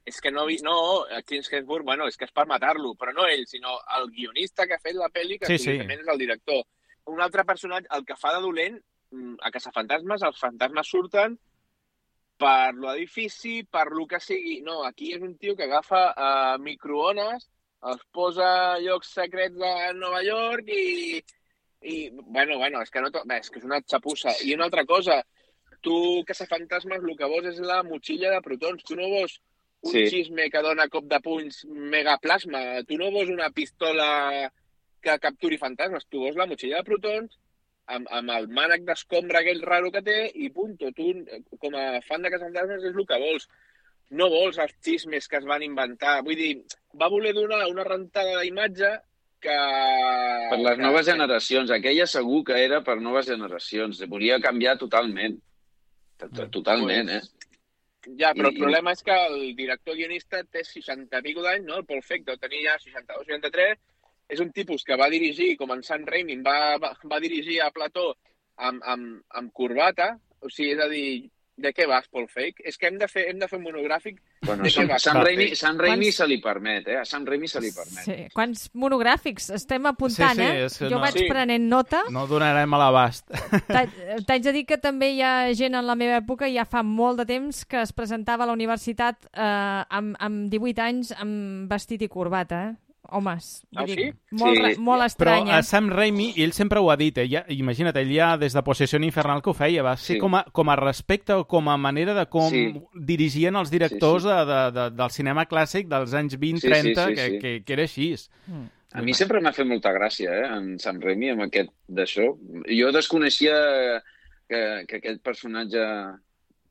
És que Chris Hemsworth, és que és per matar-lo, però no ell, sinó el guionista que ha fet la pel·li, que evidentment és el director. Un altre personatge, el que fa de dolent, a Caçafantasmes, els fantasmes surten per l'edifici, per lo que sigui. No, aquí és un tio que agafa microones, els posa a llocs secrets de Nova York i és que és una xapussa. I una altra cosa, tu, Caçafantasmes, el que vols és la motxilla de protons. Tu no vols un xisme que dona cop de punys megaplasma. Tu no vols una pistola que capturi fantasmes. Tu vols la motxilla de protons amb el mànec d'escombra aquell raro que té i punto. Tu, com a fan de Caçafantasmes, és el que vols. No vols els xismes que es van inventar. Vull dir, va voler donar una rentada d'imatge que... Per les noves generacions. Aquella segur que era per noves generacions. Volia canviar totalment. Totalment, Ja, però el problema és que el director guionista té 60 i pico d'anys, no? El Paul Feig deu tenir ja 62, 63. És un tipus que va dirigir, com en Sam Raimi, va dirigir a plató amb corbata. O sigui, és a dir... De què vas, Paul Feig? És que hem de fer un monogràfic de què vas. Sam Raimi se li permet, A Sam Raimi se li permet. Sí. Quants monogràfics estem apuntant, Jo vaig prenent nota. No donarem a l'abast. T'haig de dir que també hi ha gent en la meva època, ja fa molt de temps, que es presentava a la universitat amb 18 anys amb vestit i corbata, Homes, sí? Molt estranya. Però Sam Raimi, ell sempre ho ha dit, imagina't, ell ja des de Possessió Infernal que ho feia, va ser com a respecte o com a manera de com dirigien els directors del cinema clàssic dels anys 20-30, que era així. A mi sempre m'ha fet molta gràcia, en Sam Raimi, amb aquest d'això. Jo desconeixia que aquest personatge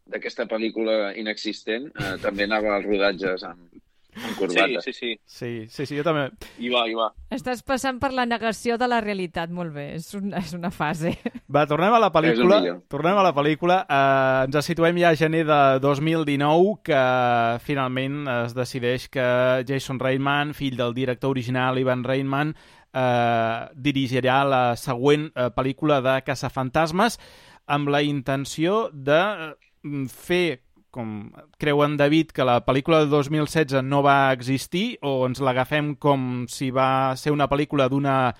d'aquesta pel·lícula inexistent també anava als rodatges amb corbata. Sí, jo també. I va. Estàs passant per la negació de la realitat, molt bé, és una fase. Va, tornem a la pel·lícula. Ens situem ja a gener de 2019, que finalment es decideix que Jason Reitman, fill del director original Ivan Reitman, dirigirà la següent pel·lícula de Caçafantasmes amb la intenció de fer, com creu en David, que la pel·lícula del 2016 no va existir, o ens l'agafem com si va ser una pel·lícula d'una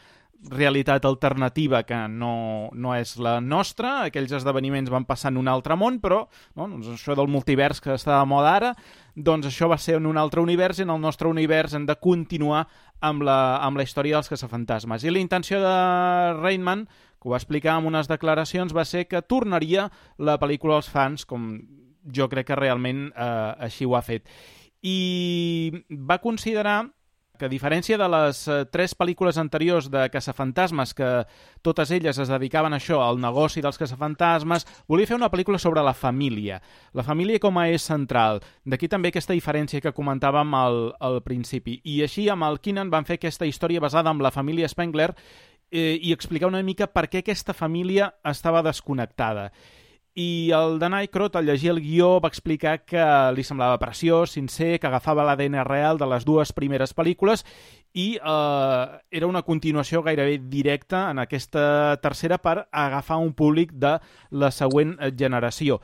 realitat alternativa que no és la nostra. Aquells esdeveniments van passar en un altre món, però doncs això del multivers que està de moda ara, doncs això va ser en un altre univers, i en el nostre univers hem de continuar amb la història dels Caçafantasmes. I la intenció de Reitman, que ho va explicar en unes declaracions, va ser que tornaria la pel·lícula als fans, com jo crec que realment així ho ha fet. I va considerar que a diferència de les 3 pel·lícules anteriors de caçafantasmes, que totes elles es dedicaven a això, al negoci dels caçafantasmes, volia fer una pel·lícula sobre la família com a eix central. D'aquí també aquesta diferència que comentàvem al principi. I així amb el Keenan van fer aquesta història basada en la família Spengler i explicar una mica per què aquesta família estava desconnectada. I el Dan Aykroyd, al llegir el guió, va explicar que li semblava preciós, sincer, que agafava l'ADN real de les 2 primeres pel·lícules i era una continuació gairebé directa en aquesta tercera per agafar un públic de la següent generació.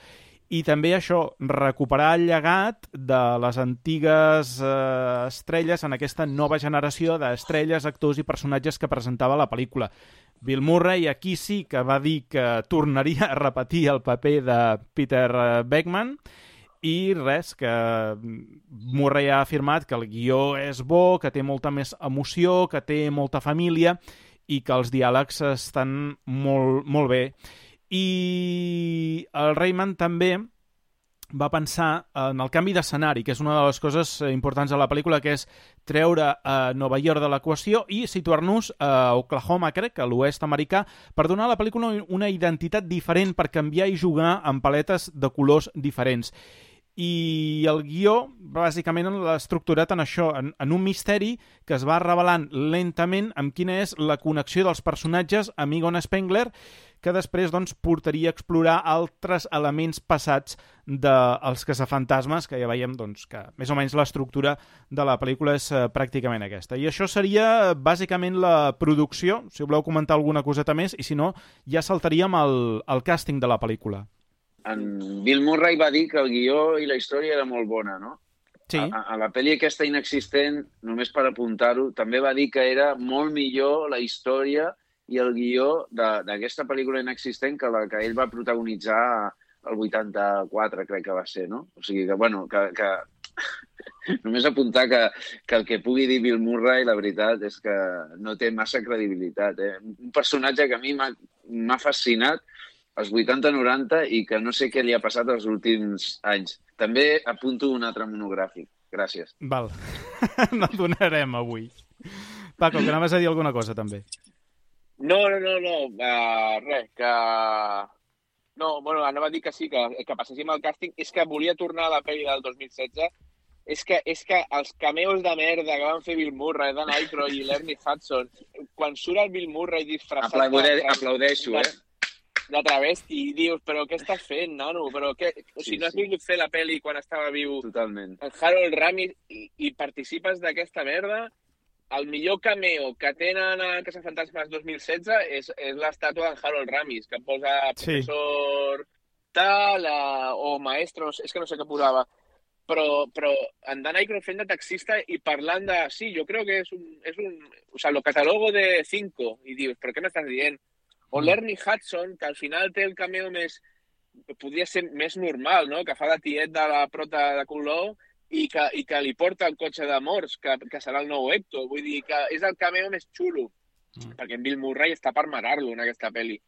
I també això, recuperar el llegat de les antigues estrelles en aquesta nova generació d'estrelles, actors i personatges que presentava la pel·lícula. Bill Murray aquí sí que va dir que tornaria a repetir el paper de Peter Venkman i res, que Murray ha afirmat que el guió és bo, que té molta més emoció, que té molta família i que els diàlegs estan molt, molt bé. I el Raymond també va pensar en el canvi d'escenari, que és una de les coses importants de la pel·lícula, que és treure Nova York de l'equació i situar-nos a Oklahoma, crec, a l'oest americà, per donar a la pel·lícula una identitat diferent, per canviar i jugar amb paletes de colors diferents. I el guió, bàsicament, l'ha estructurat en això, en un misteri que es va revelant lentament amb quina és la connexió dels personatges amb Egon Spengler, que després doncs, portaria a explorar altres elements passats dels caçafantasmes, que ja veiem doncs, que més o menys l'estructura de la pel·lícula és pràcticament aquesta. I això seria bàsicament la producció, si voleu comentar alguna coseta més, i si no, ja saltaríem al càsting de la pel·lícula. En Bill Murray va dir que el guió i la història era molt bona, no? Sí. A la pel·li aquesta inexistent, només per apuntar-ho, també va dir que era molt millor la història i el guió d'aquesta pel·lícula inexistent que la que ell va protagonitzar el 84, crec que va ser, no? O sigui que, bueno, que només apuntar que el que pugui dir Bill Murray, la veritat, és que no té massa credibilitat. Un personatge que a mi m'ha fascinat als 80-90 i que no sé què li ha passat els últims anys. També apunto un altre monogràfic. Gràcies. Val. No el donarem avui. Paco, que anaves a dir alguna cosa, també. No. Res, que... No, bueno, anava a dir que sí, que passéssim al càsting. És que volia tornar a la pel·li del 2016. És que els cameos de merda que van fer Bill Murray, Dan Aykroyd i l'Ernie Hudson, quan surt el Bill Murray disfressat... Aplaudeixo, de travesti, i dius, però què estàs fent, nano? Però què? O sigui, no has volgut fer la pel·li quan estava viu totalment el Harold Ramis i participes d'aquesta merda? El millor cameo que tenen a Caçafantasmes 2016 és l'estàtua d'en Harold Ramis, que posa professor tal o maestro, és que no sé què posava. Però en Dan Aykroyd fent de taxista i parlant de... Sí, jo crec que és un... O sea, lo catalogo de 5. I dius, però què m'estàs dient? O l'Ernie Hudson, que al final té el cameo més... Podria ser més normal, no? Que fa de tiet de la prota de Color i que li porta el cotxe de morts, que serà el nou Hector. Vull dir que és el cameo més xulo. Perquè en Bill Murray està per marar-lo en aquesta pel·li.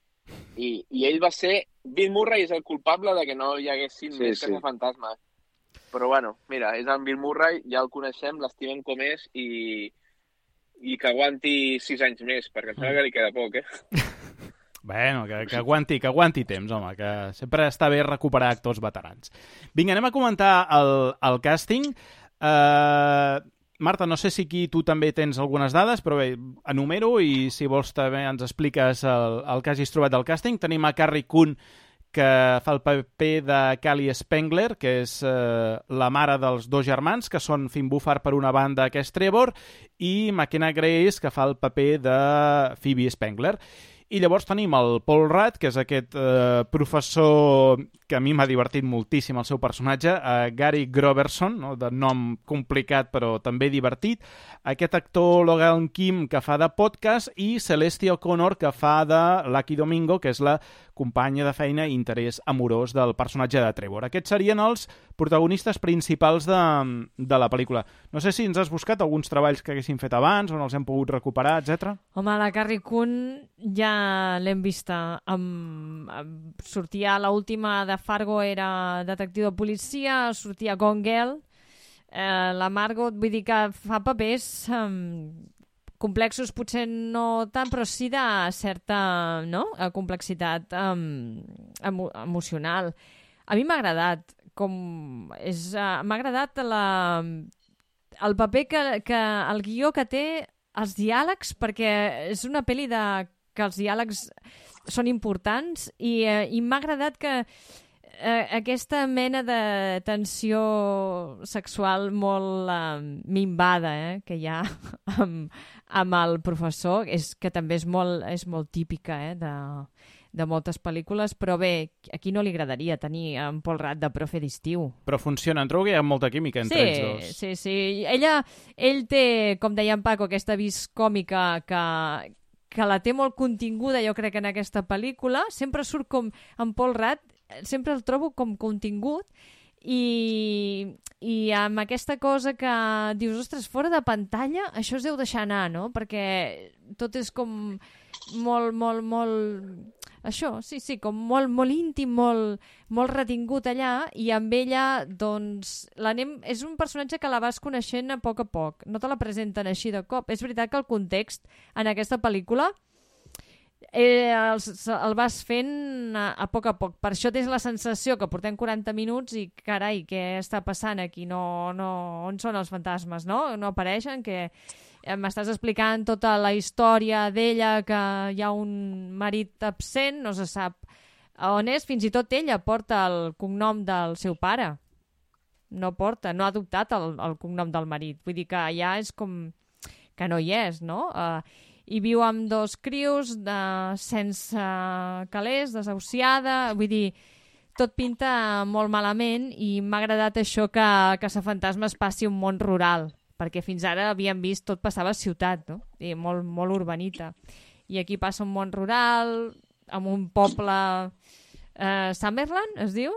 I ell va ser... Bill Murray és el culpable de que no hi haguessin més caçafantasmes. Però bueno, mira, és en Bill Murray, ja el coneixem, l'estimem com és i que aguanti 6 anys més, perquè em sembla que li queda poc, Bueno, que aguanti temps, home, que sempre està bé recuperar actors veterans. Vinga, anem a comentar el càsting. Marta, no sé si aquí tu també tens algunes dades, però bé, enumero i si vols també ens expliques el que hagis trobat del càsting. Tenim a Carrie Coon, que fa el paper de Callie Spengler, que és la mare dels 2 germans, que són Finn Wolfhard per una banda, que és Trevor, i McKenna Grace, que fa el paper de Phoebe Spengler. I llavors tenim el Paul Rudd, que és aquest professor que a mi m'ha divertit moltíssim el seu personatge, Gary Groverson, no? De nom complicat però també divertit, aquest actor Logan Kim, que fa de podcast, i Celestia O'Connor, que fa de Lucky Domingo, que és la companya de feina i interès amorós del personatge de Trevor. Aquests serien els protagonistes principals de la pel·lícula. No sé si ens has buscat alguns treballs que haguessin fet abans, on els hem pogut recuperar, etc. Home, la Carrie Coon ja l'hem vista. Sortia l'última de Fargo, era detectiu de policia, sortia Gone Girl, la Margot, vull dir que fa papers complexos, potser no tant, però sí de certa complexitat emocional. A mi m'ha agradat, m'ha agradat el paper que el guió que té, els diàlegs, perquè és una pel·li que els diàlegs són importants i m'ha agradat que aquesta mena de tensió sexual molt minvada que hi ha amb el professor, que també és molt típica de moltes pel·lícules, però bé, aquí no li agradaria tenir en Paul Rudd de profe d'estiu. Però funciona, em trobo que hi ha molta química entre ells dos. Sí. Ell té, com deia en Paco, aquesta vis còmica que la té molt continguda, jo crec, en aquesta pel·lícula. Sempre surt com en Paul Rudd, sempre el trobo com contingut, i amb aquesta cosa que dius, ostres, fora de pantalla això es deu deixar anar, no? Perquè tot és com molt això, sí, com molt íntim, molt retingut allà, i amb ella, doncs, és un personatge que la vas coneixent a poc, no te la presenten així de cop. És veritat que el context en aquesta pel·lícula el vas fent a poc. Per això tens la sensació que portem 40 minuts i, carai, què està passant aquí? On són els fantasmes, no? No apareixen, que m'estàs explicant tota la història d'ella, que hi ha un marit absent, no se sap on és, fins i tot ella porta el cognom del seu pare. No ha adoptat el cognom del marit. Vull dir que ja és com que no hi és, no? I viu amb 2 crios sense calés, desahuciada, vull dir, tot pinta molt malament, i m'ha agradat això que Caçafantasmes passi un món rural, perquè fins ara havíem vist tot passava a ciutat, no? I molt urbanita. I aquí passa un món rural, amb un poble Summerland, es diu?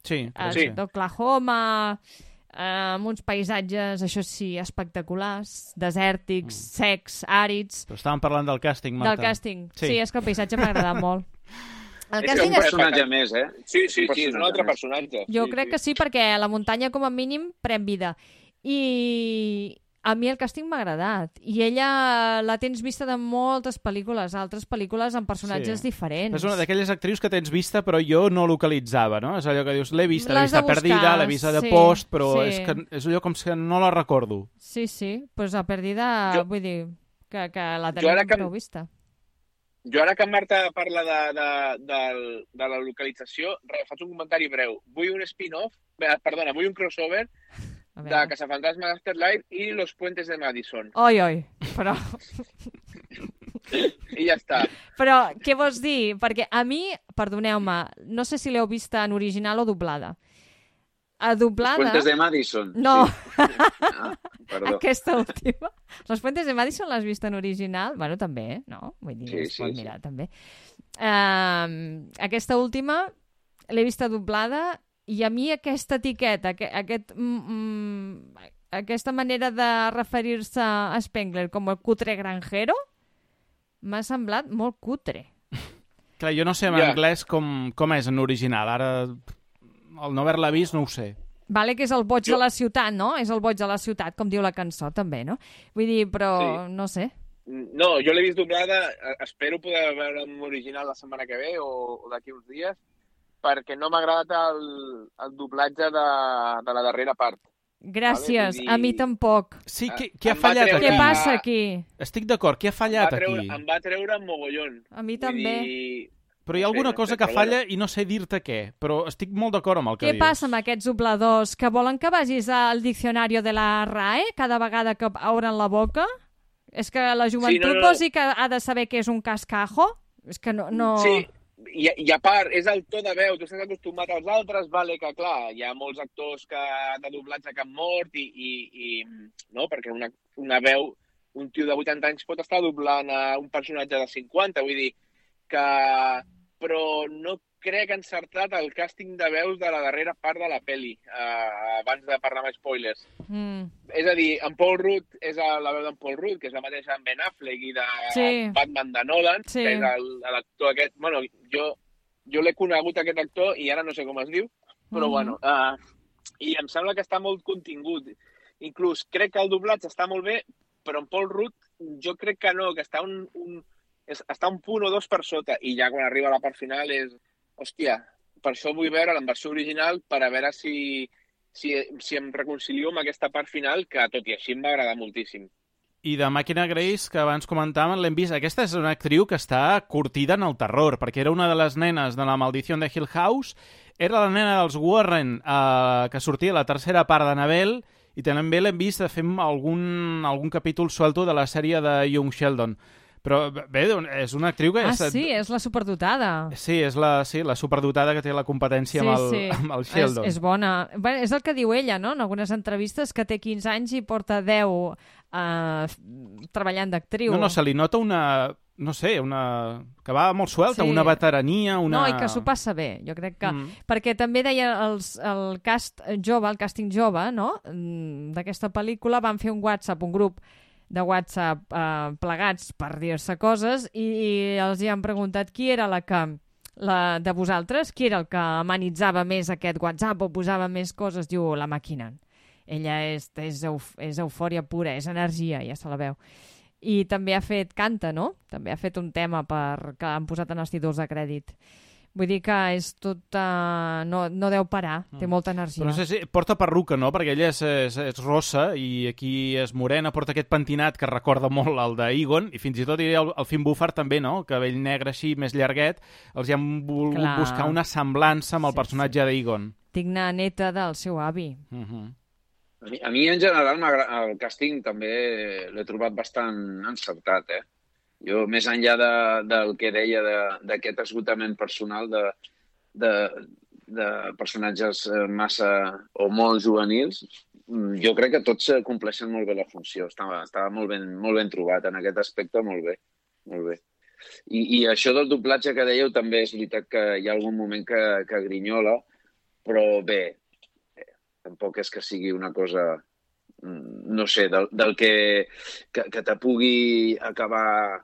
Sí. D'Oklahoma, amb uns paisatges, això sí, espectaculars, desèrtics, secs, àrids. Però estàvem parlant del càsting, Marta. Del càsting, sí, és que el paisatge m'ha agradat molt. És un personatge més, eh? Sí, és un altre personatge. Jo crec que sí, perquè la muntanya, com a mínim, pren vida. I a mi el càsting m'ha agradat. I ella la tens vista de moltes pel·lícules, altres pel·lícules amb personatges diferents. És una d'aquelles actrius que tens vista, però jo no localitzava, no? És allò que dius, l'he vista perdida, l'he vista de post, però és allò com que no la recordo. Sí, doncs a perdida, vull dir, que la tenim prou vista. Jo ara que Marta parla de la localització, faig un comentari breu. Vull un spin-off, vull un crossover de Caçafantasmes Afterlife i Los Puentes de Madison. Oi, però... I ja està. Però què vols dir? Perquè a mi, perdoneu-me, no sé si l'heu vista en original o doblada. A doblada... Los Puentes de Madison? No. Sí. Perdó. Aquesta última. Los Puentes de Madison l'has vist en original? Bueno, també, no? Vull dir, es pot mirar, també. Aquesta última l'he vista doblada, i a mi aquesta etiqueta, aquesta manera de referir-se a Spengler com el cutre granjero, m'ha semblat molt cutre. Clar, jo no sé en anglès com és en original. Ara, al no haver-la vist, no ho sé. Vale, que és el boig de la ciutat, no? És el boig de la ciutat, com diu la cançó, també, no? Vull dir, però no sé. No, jo l'he vist doblada, espero poder veure en original la setmana que ve o d'aquí uns dies, perquè no m'ha agradat el doblatge de la darrera part. Gràcies, a mi tampoc. Sí, què ha fallat aquí? Què passa aquí? Estic d'acord, què ha fallat aquí? Em va treure mogollón. A mi també. Però hi ha alguna cosa que falla i no sé dir-te què, però estic molt d'acord amb el que dius. Què passa amb aquests dobladors? Que volen que vagis al diccionari de la RAE cada vegada que obren la boca? És que la joventut vols dir que ha de saber què és un cascajo? És que no... Sí. I a part, és el to de veu, tu estàs acostumat als altres, vale, que clar, hi ha molts actors de doblatge que han mort no, perquè una veu, un tio de 80 anys pot estar doblant a un personatge de 50, vull dir que... Però no crec encertat el càsting de veus de la darrera part de la pel·li, abans de parlar amb spoilers. És a dir, en Paul Rudd és la veu d'en Paul Rudd, que és la mateixa en Ben Affleck i de Batman de Nolan, que és l'actor aquest... Bueno, jo l'he conegut, aquest actor, i ara no sé com es diu, però bueno... i em sembla que està molt contingut. Inclús crec que el doblatge està molt bé, però en Paul Rudd jo crec que no, que està està un punt o dos per sota, i ja quan arriba a la part final és... Hòstia, per això vull veure en versió original per a veure si em reconcilio amb aquesta part final, que tot i així em va agradar moltíssim. I de Màquina Grace, que abans comentàvem, l'hem vist. Aquesta és una actriu que està curtida en el terror, perquè era una de les nenes de La Maldició de Hill House, era la nena dels Warren, que sortia a la tercera part d'Annabelle, i també l'hem vist fent algun capítol suelto de la sèrie de Young Sheldon. Però bé, és una actriu que... sí, és la superdotada. Sí, és la superdotada que té la competència amb el Sheldon. És bona. Bé, és el que diu ella, no?, en algunes entrevistes, que té 15 anys i porta 10 treballant d'actriu. No, se li nota no sé, que va molt suelta, una veterania, No, i que s'ho passa bé, jo crec que... Perquè també deia el càsting jove, no?, d'aquesta pel·lícula, van fer un grup de WhatsApp plegats per dir-se coses, i els hi han preguntat qui era de vosaltres, qui era el que amenitzava més aquest WhatsApp o posava més coses. Diu, la màquina. Ella és eufòria pura, és energia, ja se la veu. I també canta, no? També ha fet un tema que han posat en els títols de crèdit. Vull dir que és tot... no deu parar, té molta energia. Però no sé si porta perruca, no? Perquè ella és rossa i aquí és morena, porta aquest pentinat que recorda molt el d'Egon, i fins i tot diré el Finn Wolfhard també, no? El cabell negre així, més llarguet, els hi han volgut buscar una semblança amb el personatge d'Egon. Digna neta del seu avi. A mi, en general, el càsting també l'he trobat bastant encertat, Jo, més enllà del que deia d'aquest esgotament personal de personatges massa o molt juvenils, jo crec que tots compleixen molt bé la funció. Estava molt ben trobat en aquest aspecte, molt bé. Molt bé. I això del doblatge que dèieu també és veritat que hi ha algun moment que grinyola, però bé, tampoc és que sigui una cosa, no sé, del que te pugui acabar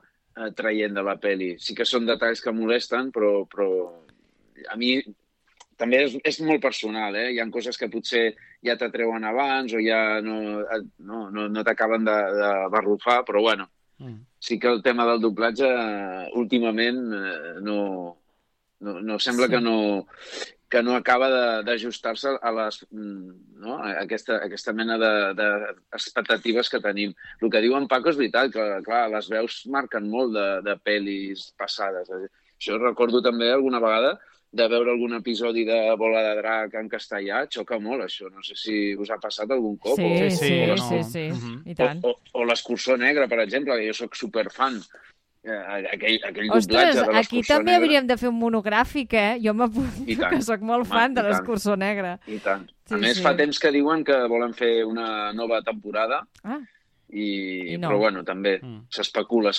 traient de la pel·li. Sí que són detalls que molesten, però a mi també és molt personal, Hi ha coses que potser ja t'atreuen abans o ja no t'acaben de barrufar, però bueno, sí que el tema del doblatge últimament no sembla que no acaba d'ajustar-se a aquesta mena d'expectatives que tenim. El que diu en Paco és veritat, que clar, les veus marquen molt de pel·lis passades. Jo recordo també alguna vegada de veure algun episodi de Bola de Drac en castellà, xoca molt això. No sé si us ha passat algun cop. Sí, i tant. O l'Escurçó Negre, per exemple, que jo soc superfan. Aquell Ostres, doblatge de aquí també hauríem de fer un monogràfic, Jo m'apunto, que sóc molt fan de l'Escurçó Negre. I tant. A més, fa temps que diuen que volen fer una nova temporada, però bueno, també s'especula,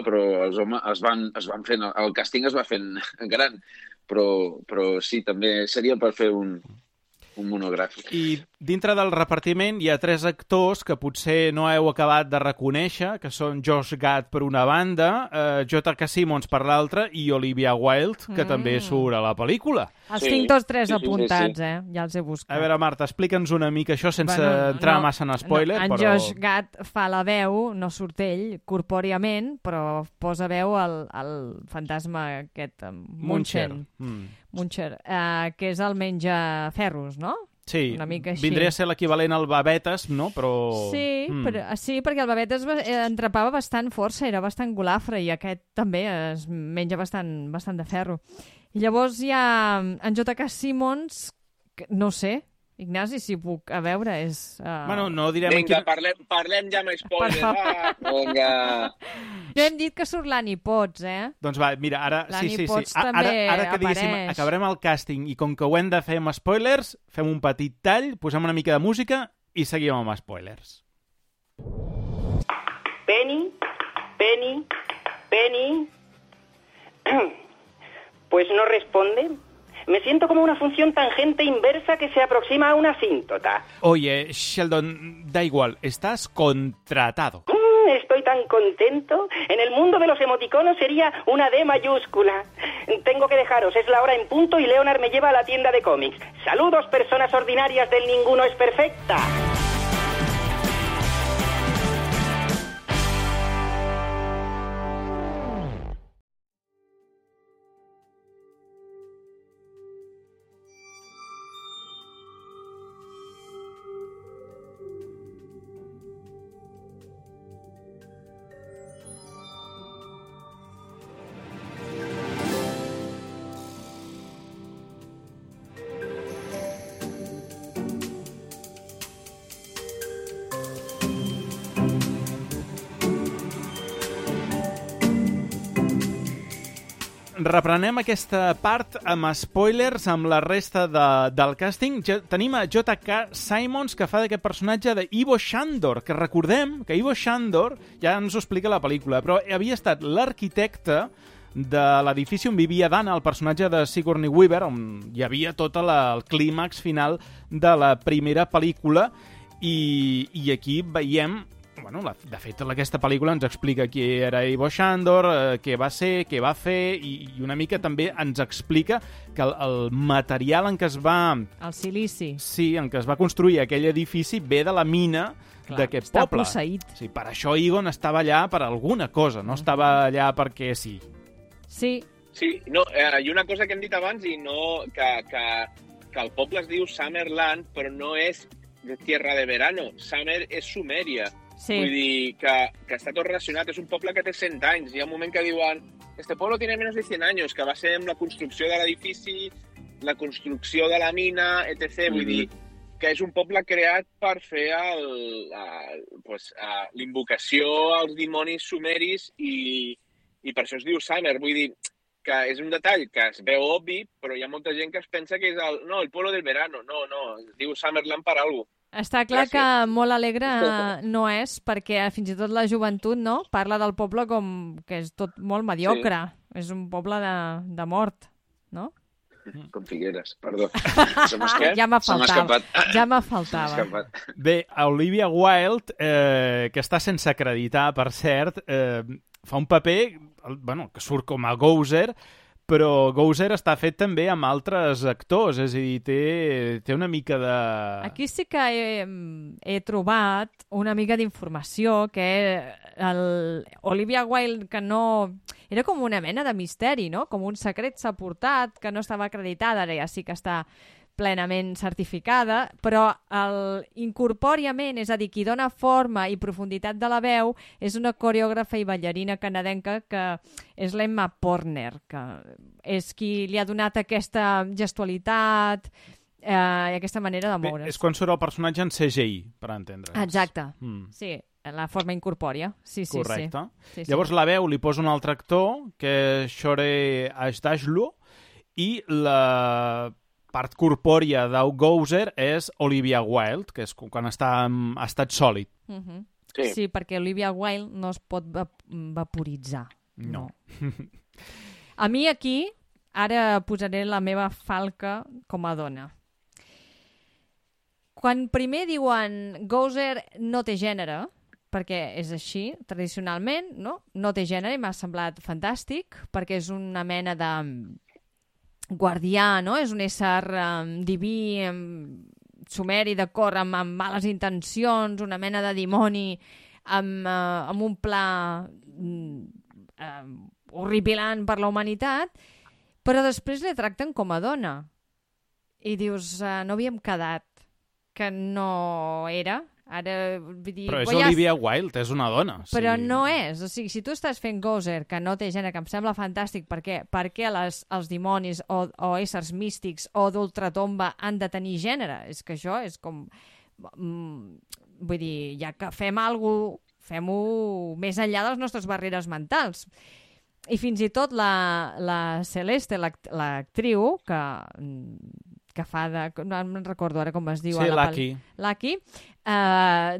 però els homes es van fent, el càsting es va fent gran, però sí, també seria per fer un monogràfic. I dintre del repartiment hi ha 3 actors que potser no heu acabat de reconèixer, que són Josh Gad per una banda, J.K. Simmons per l'altra i Olivia Wilde, que també surt a la pel·lícula. Els tinc tots 3 apuntats, Ja els he buscat. A veure, Marta, explica'ns una mica això sense entrar massa en spoiler. En Josh Gad fa la veu, no surt ell corpòriament, però posa veu al fantasma aquest, Muncher, que és el menjaferros, no? Sí, una mica així. Vindria a ser l'equivalent al Babetes, no? Però... Sí, perquè el Babetes entrepava bastant força, era bastant golafre, i aquest també es menja bastant de ferro. I llavors hi ha en J.K. Simmons, no sé, Ignasi, si puc, a veure, és... Bueno, no direm... Vinga, parlem ja amb spoilers. Vinga. No hem dit que surt l'Annie Potts, Doncs va, mira, ara... L'Annie Potts també ara que diguéssim, acabarem el càsting i com que ho hem de fer amb spoilers, fem un petit tall, posem una mica de música i seguim amb spoilers. Penny. Pues no responde. Me siento como una función tangente inversa que se aproxima a una asíntota. Oye, Sheldon, da igual, estás contratado. Estoy tan contento. En el mundo de los emoticonos sería una D mayúscula. Tengo que dejaros, es la hora en punto y Leonard me lleva a la tienda de cómics. Saludos, personas ordinarias del Ninguno es Perfecta. Reprenem aquesta part amb spoilers amb la resta del càsting. Tenim a J.K. Simmons, que fa d'aquest personatge d'Ivo Shandor, que recordem que Ivo Shandor, ja ens ho explica la pel·lícula, però havia estat l'arquitecte de l'edifici on vivia Dana, el personatge de Sigourney Weaver, on hi havia tot el clímax final de la primera pel·lícula, i aquí veiem... Bueno, de fet, aquesta pel·lícula ens explica qui era Ivo Shandor, què va ser, què va fer, i una mica també ens explica que el material en què es va... El silici. Sí, en què es va construir aquell edifici ve de la mina d'aquest poble. Està posseït. Sí, per això Egon estava allà per alguna cosa, no estava allà perquè sí. Sí. Sí, no, i una cosa que hem dit abans, i no, que el poble es diu Summerland, però no és de Tierra de Verano. Summer és Sumèria. Sí. Vull dir que està tot relacionat. És un poble que té 100 anys. Hi ha un moment que diuen este pueblo tiene menos de 100 años, que va ser amb la construcció de l'edifici, la construcció de la mina, etc. Vull dir que és un poble creat per fer l'invocació als dimonis sumeris i per això es diu Summer. Vull dir que és un detall que es veu obvi, però hi ha molta gent que es pensa que és el pueblo del verano. No, es diu Summerland per alguna cosa. Està clar que molt alegre no és, perquè fins i tot la joventut no parla del poble com que és tot molt mediocre. Sí. És un poble de mort, no? Com Figueres, perdó. Ja m'ha faltava. Bé, Olivia Wilde, que està sense acreditar, per cert, fa un paper que surt com a Gozer, però Gozer està fet també amb altres actors, és a dir, té una mica de... Aquí sí que he trobat una mica d'informació, que Olivia Wilde, que no... Era com una mena de misteri, no? Com un secret s'ha portat, que no estava acreditada, ara ja sí que està plenament certificada, però incorpòriament, és a dir, qui dona forma i profunditat de la veu és una coreògrafa i ballarina canadenca que és l'Emma Porner, que és qui li ha donat aquesta gestualitat i aquesta manera de moure's. És quan surt el personatge en CGI, per entendre. Exacte, sí, la forma incorpòria. Sí, correcte. Sí. Llavors la veu li posa un altre actor, que és Shore Ashdashlu, i la part corpòria d'Au Gozer és Olivia Wilde, que és quan està en estat sòlid. Sí, perquè Olivia Wilde no es pot vaporitzar. No. A mi aquí, ara posaré la meva falca com a dona. Quan primer diuen Gozer no té gènere, perquè és així, tradicionalment, no té gènere, i m'ha semblat fantàstic, perquè és una mena de guardià, no? És un ésser diví, sumeri, de cor, amb males intencions, una mena de dimoni, amb un pla horripilant per la humanitat, però després li tracten com a dona. I dius, no havíem quedat que no era... Ara, vull dir, però és Olivia Wilde, és una dona. Però no és. O sigui, si tu estàs fent Gozer, que no té gènere, que em sembla fantàstic, perquè els dimonis o éssers místics o d'ultratomba han de tenir gènere? És que això és com... Vull dir, ja que fem alguna cosa, fem-ho més enllà de les nostres barreres mentals. I fins i tot la Celeste, l'actriu, que fa de... No em recordo ara com es diu. Sí, Lucky.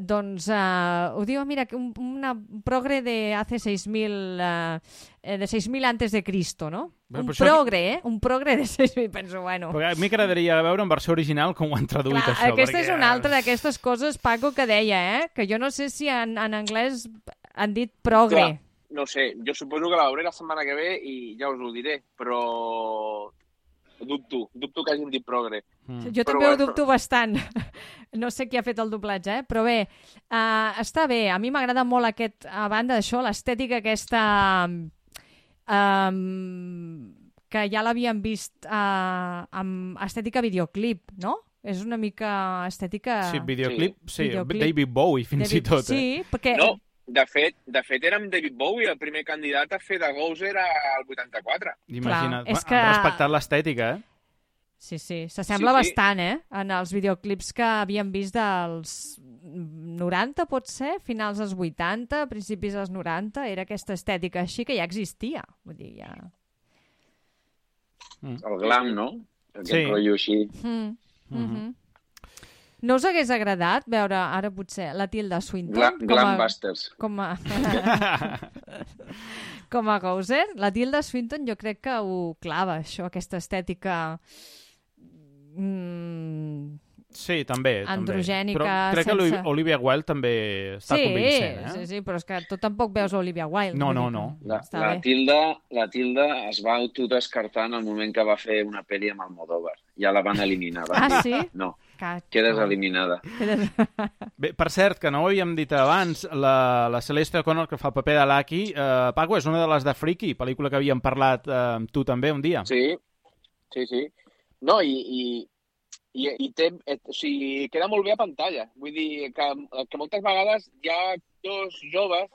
Doncs ho diu, mira, una progre de hace 6.000 antes de Cristo, no? Un progre de 6.000, penso, bueno. Perquè a mi m'agradaria veure en versió original com ho han traduït. Clar, això. Aquesta és una altra d'aquestes coses, Paco, que deia, que jo no sé si en anglès Han dit progre. Clar, no sé, jo suposo que la veuré la setmana que ve i ja us ho diré, però dubto que hagin dit progre. Jo també ho dubto bastant. No sé qui ha fet el doblatge, però bé, està bé. A mi m'agrada molt a banda d'això, l'estètica aquesta que ja l'havíem vist amb estètica videoclip, no? És una mica estètica... Sí, videoclip, sí. David Bowie, fins i tot. Sí, perquè... No, de fet era amb David Bowie el primer candidat a fer de Gozer al 84. Imagina't, és que... han respectat l'estètica, Sí, s'assembla bastant, en els videoclips que havíem vist dels 90, pot ser, finals dels 80, principis dels 90, era aquesta estètica així que ja existia. Vull dir, ja... El glam, no? Aquest rotllo així. No us hagués agradat veure ara potser la Tilda Swinton Glambusters. Com a Gozer? La Tilda Swinton jo crec que ho clava, això, aquesta estètica Sí, també. androgènica. Però crec que Olivia Wilde també està convincent. Sí, però és que tu tampoc veus Olivia Wilde. No. La Tilda es va autodescartar en el moment que va fer una pel·li amb Almodóvar. Ja la van eliminar. Sí? No, quedes eliminada. Bé, per cert, que no ho havíem dit abans, la Celeste O'Connor, que fa el paper de Lucky, Paco, és una de les de Freaky, pel·lícula que havíem parlat amb tu també un dia. Sí. No, i té, o sigui, queda molt bé a pantalla. Vull dir que moltes vegades hi ha actors joves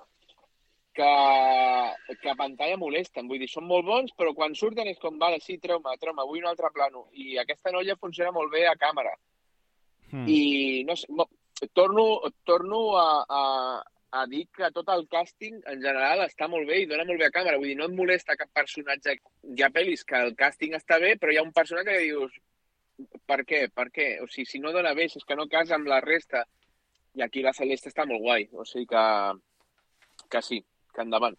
que a pantalla molesten. Vull dir, són molt bons, però quan surten és com, vale, sí, treu-me, vull un altre plano. I aquesta noia funciona molt bé a càmera. I no sé, torno a dir que tot el càsting en general està molt bé i dona molt bé a càmera. Vull dir, no et molesta cap personatge. Hi ha pel·lis que el càsting està bé, però hi ha un personatge que dius per què? O sigui, si no dona bé, si és que no casa amb la resta. I aquí la Celeste està molt guai. O sigui que sí, que endavant.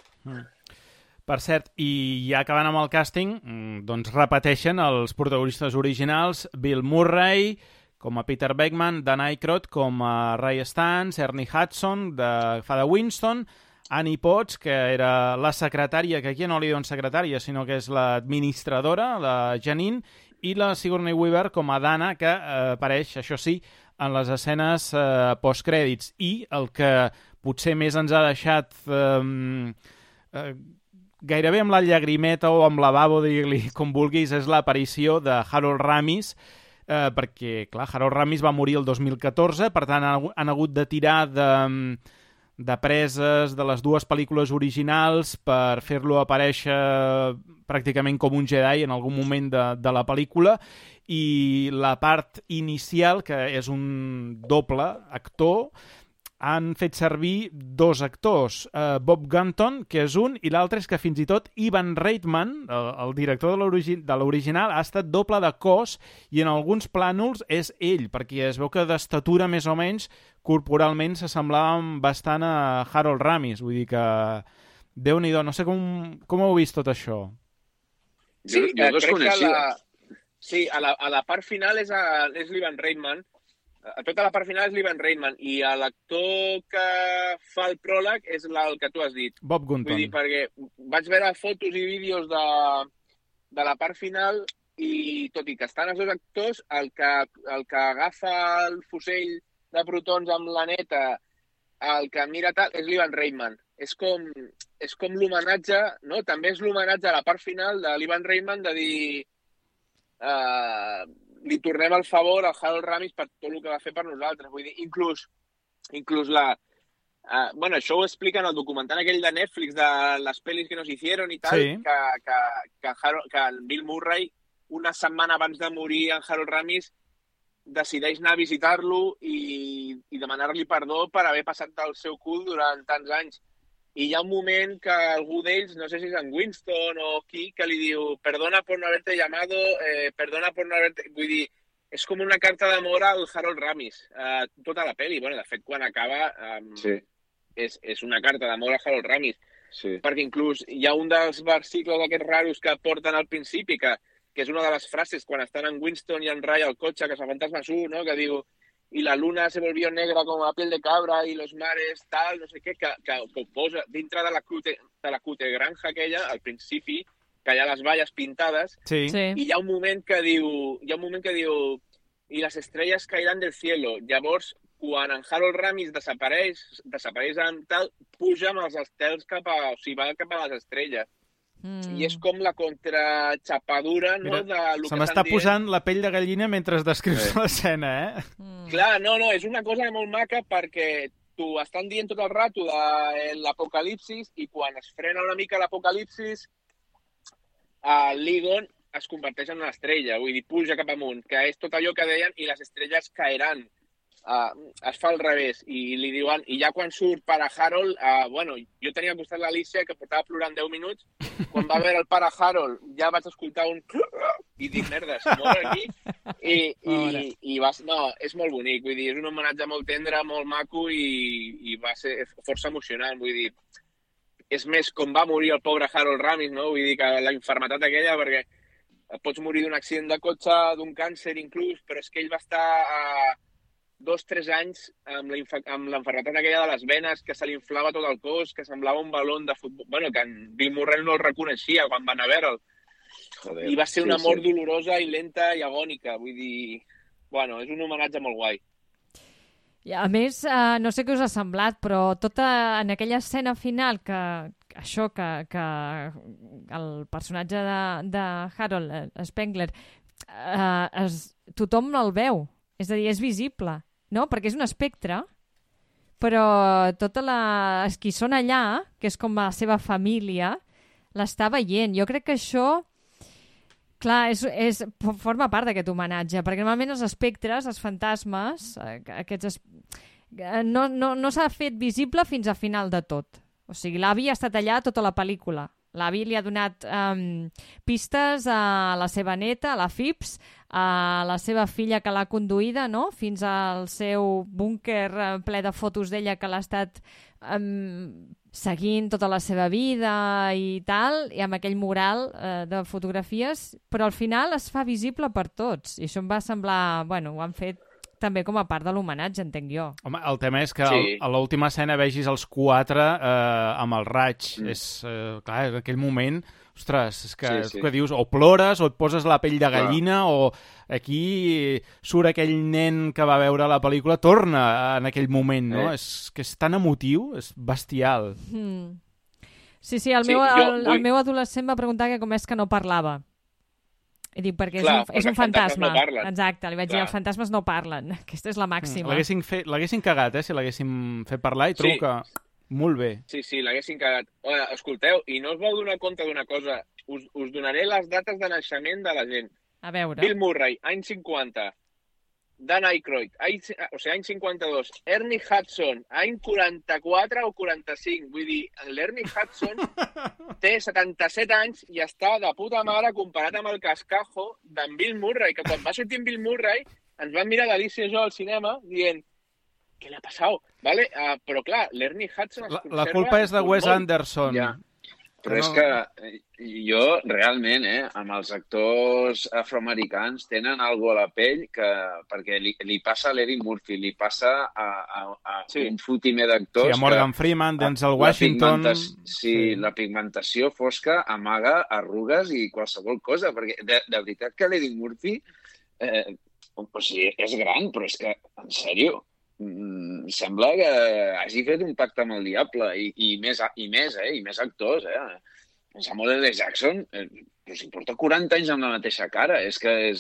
Per cert, i ja acabant amb el càsting, doncs repeteixen els protagonistes originals, Bill Murray com a Peter Venkman, Dan Aykroyd com a Ray Stantz, Ernie Hudson fa de Winston, Annie Potts, que era la secretària, que aquí no li diuen secretària, sinó que és l'administradora, la Janine, i la Sigourney Weaver com a Dana, que apareix, això sí, en les escenes postcrèdits. I el que potser més ens ha deixat gairebé amb la llagrimeta o amb la babo, digue-li com vulguis, és l'aparició de Harold Ramis, perquè, clar, Harold Ramis va morir el 2014, per tant han hagut de tirar de preses de les dues pel·lícules originals per fer-lo aparèixer pràcticament com un Jedi en algun moment de la pel·lícula, i la part inicial, que és un doble actor, han fet servir dos actors, Bob Gunton, que és un, i l'altre és que fins i tot Ivan Reitman, el director de l'original, ha estat doble de cos, i en alguns plànols és ell, perquè es veu que d'estatura més o menys corporalment s'assemblaven bastant a Harold Ramis, vull dir que Déu-n'hi-do, no sé com heu vist tot això. Sí, jo desconeixia. Sí, a la part final és l'Ivan Reitman. A tota la part final és l'Ivan Reitman, i l'actor que fa el pròleg és el que tu has dit. Bob Gunton. Vull dir, perquè vaig veure fotos i vídeos de la part final, i tot i que estan els dos actors, el que agafa el fusell de protons amb la neta, el que mira tal, és l'Ivan Reitman. És com l'homenatge, no? També és l'homenatge a la part final de l'Ivan Reitman de dir li tornem el favor al Harold Ramis per tot el que va fer per nosaltres. Vull dir, inclús bueno, això ho explica en el documental aquell de Netflix de les pel·lis que nos hicieron i tal, sí. que el Bill Murray, una setmana abans de morir en Harold Ramis, decideix anar a visitar-lo i demanar-li perdó per haver passat del seu cul durant tants anys. I hi ha un moment que algú d'ells, no sé si és en Winston o qui, que li diu perdona por no haberte llamado, perdona por no haberte... Vull dir, és com una carta d'amor al Harold Ramis, tota la pel·li. Bueno, de fet, quan acaba, sí. és una carta d'amor a Harold Ramis. Sí. Perquè inclús hi ha un dels versicles aquests raros que porten al principi, que és una de les frases quan estan en Winston i en Ray al cotxe, que s'afantasma su, no? Que diu y la luna se volvió negra como la piel de cabra y los mares tal, no sé què, que ho posa dintre de la cute granja aquella, al principi, que hi ha les valles pintades, Sí. i hi ha un moment que diu y las estrellas caerán del cielo. Llavors, quan en Harold Ramis desapareix amb tal, puja amb els estels o sigui, va cap a les estrelles. I és com la contraxapadura, no? Mira, de lo se que m'està estan dient. posant la pell de gallina mentre descrius l'escena, Clar, no, és una cosa molt maca perquè t'ho estan dient tot el rato de l'apocalipsis i quan es frena una mica l'apocalipsis, l'Egon es converteix en una estrella, vull dir, puja cap amunt, que és tot allò que deien i les estrelles caeran. Es fa al revés i li diuen, i ja quan surt pare Harold, bueno, jo tenia al costat l'Alicia que portava plorant 10 minuts, quan va veure el pare Harold ja vaig escoltar un i dic, merda, se mor aquí i vas, no, és molt bonic, vull dir, és un homenatge molt tendre, molt maco i va ser força emocionant, vull dir, és més com va morir el pobre Harold Ramis, no? Vull dir que la infermetat aquella, perquè pots morir d'un accident de cotxe, d'un càncer inclús, però és que ell va estar 2-3 anys amb l'enfermetat aquella de les venes, que se li inflava tot el cos, que semblava un balón de futbol. Bueno, que en Bill Murray no el reconeixia quan van a veure'l. I va ser una mort dolorosa i lenta i agònica. Vull dir, bueno, és un homenatge molt guai. I a més, no sé què us ha semblat, però tota en aquella escena final que el personatge de Harold Spengler tothom el veu, és a dir, és visible, no? Perquè és un espectre, però tota qui són allà, que és com la seva família, l'està veient. Jo crec que això, clar, forma part d'aquest homenatge, perquè normalment els espectres, els fantasmes, no s'ha fet visible fins a final de tot. O sigui, l'avi ha estat allà tota la pel·lícula. L'avi li ha donat pistes a la seva neta, a la Phipps, a la seva filla que l'ha conduïda, no? Fins al seu búnquer ple de fotos d'ella que l'ha estat seguint tota la seva vida i tal, i amb aquell mural de fotografies, però al final es fa visible per tots. I això em va semblar... Bueno, ho han fet també com a part de l'homenatge, entenc jo. Home, el tema és que a l'última escena vegis els 4 amb el raig. Clar, en aquell moment, ostres, és que dius, o plores o et poses la pell de gallina o aquí surt aquell nen que va veure la pel·lícula, torna en aquell moment, no? És que és tan emotiu, és bestial. Sí, el meu adolescent va preguntar que com és que no parlava. I dic, perquè és un fantasma. No exacte, li vaig dir, els fantasmes no parlen. Aquesta és la màxima. L'haguessin cagat, si l'haguessin fet parlar, i trobo que molt bé. Sí, l'haguessin cagat. Escolteu, i no us vau donar compte d'una cosa. Us donaré les dates de naixement de la gent. A veure. Bill Murray, any 50. Dan Aykroyd, any 52. Ernie Hudson, any 44 o 45. Vull dir, l'Ernie Hudson té 77 anys i està de puta mare comparat amb el cascajo d'en Bill Murray, que quan va sortir en Bill Murray ens van mirar l'Alicia i jo al cinema dient què li ha passat? Vale? Però clar, l'Ernie Hudson es conserva... La culpa és de Wes Anderson. Ja. Però és que jo, realment, amb els actors afroamericans tenen alguna a la pell perquè li passa a l'Eddie Murphy, li passa a un fotimer d'actors... Sí, a Morgan Freeman, Denzel Washington... La pigmentació fosca amaga arrugues i qualsevol cosa, perquè de veritat que l'Eddie Murphy és gran, però és que, en sèrio, sembla que hagi fet un pacte amb el diable i més actors, Samuel L. Jackson però si porta 40 anys amb la mateixa cara, és que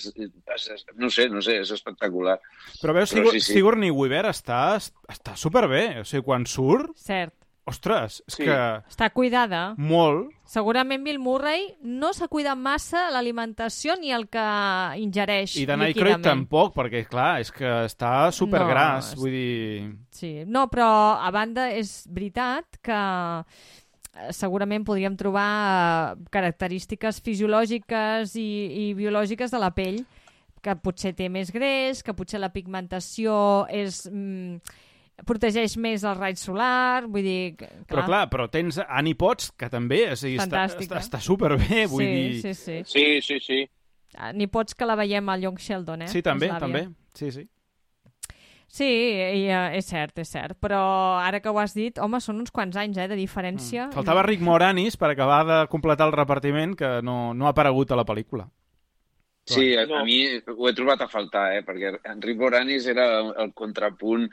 no sé, és espectacular. Però veus, Sigourney Weaver està superbé, o sigui, quan surt... Cert. Ostres, és que... Està cuidada. Molt. Segurament Bill Murray no s'ha cuidat massa l'alimentació ni el que ingereix líquidament. I Dan Aykroyd tampoc, perquè, clar, és que està supergras, vull dir... Sí, no, però a banda és veritat que segurament podríem trobar característiques fisiològiques i biològiques de la pell, que potser té més greix, que potser la pigmentació és... protegeix més el raig solar, vull dir... Clar. Però tens Annie Potts, que també està superbé, vull dir... Sí. Annie Potts, que la veiem al Young Sheldon, Sí, també. Sí. Sí, és cert, però ara que ho has dit, home, són uns quants anys de diferència. Faltava Rick Moranis per acabar de completar el repartiment, que no ha aparegut a la pel·lícula. Sí, a mi ho he trobat a faltar, perquè Rick Moranis era el contrapunt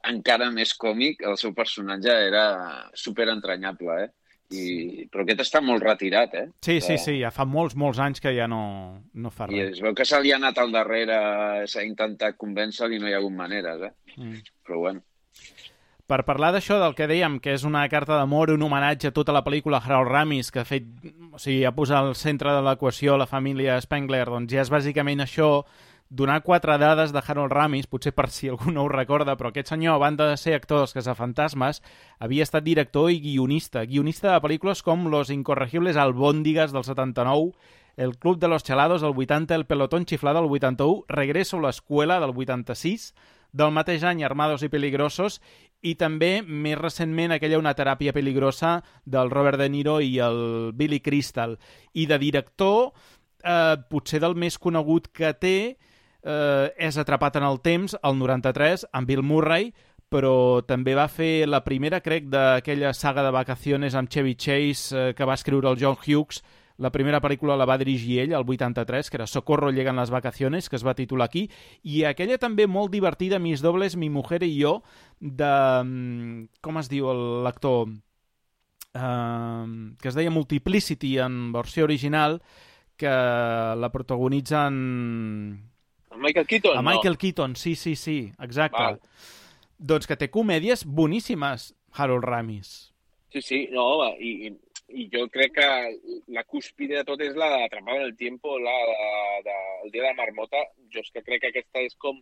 encara més còmic, el seu personatge era superentranyable, però aquest està molt retirat, Sí, ja fa molts anys que ja no fa res. I es veu que se li ha anat al darrere, s'ha intentat convèncer i no hi ha hagut maneres, Però bueno. Per parlar d'això, del que dèiem, que és una carta d'amor, un homenatge a tota la pel·lícula Harold Ramis, que ha posat al centre de l'equació la família Spengler, doncs ja és bàsicament això, donar 4 dades de Harold Ramis, potser per si algú no ho recorda, però aquest senyor, a banda de ser actor dels Caçafantasmes, havia estat director i guionista de pel·lícules com Los Incorregibles Albóndigas del 79, El Club de los Chalados del 80, El Pelotón Chiflado del 81, Regreso a l'escuela del 86, del mateix any Armados y Peligrosos, i també, més recentment, aquella Una teràpia peligrosa del Robert De Niro i el Billy Crystal. I de director, potser del més conegut que té, és Atrapat en el temps, el 93, amb Bill Murray, però també va fer la primera, crec, d'aquella saga de vacaciones amb Chevy Chase que va escriure el John Hughes. La primera pel·lícula la va dirigir ell, el 83, que era Socorro, llegan las vacaciones, que es va titular aquí, i aquella també molt divertida, Mis dobles, mi mujer y yo, de... com es diu l'actor? Que es deia Multiplicity en versió original, que la protagonitzen... Michael Keaton, a Michael Keaton, sí, exacte. Val. Doncs que té comèdies boníssimes, Harold Ramis. Sí, no, i jo crec que la cúspide de tot és la d'Atrapada en el tiempo, el dia de la marmota. Jo és que crec que aquesta és com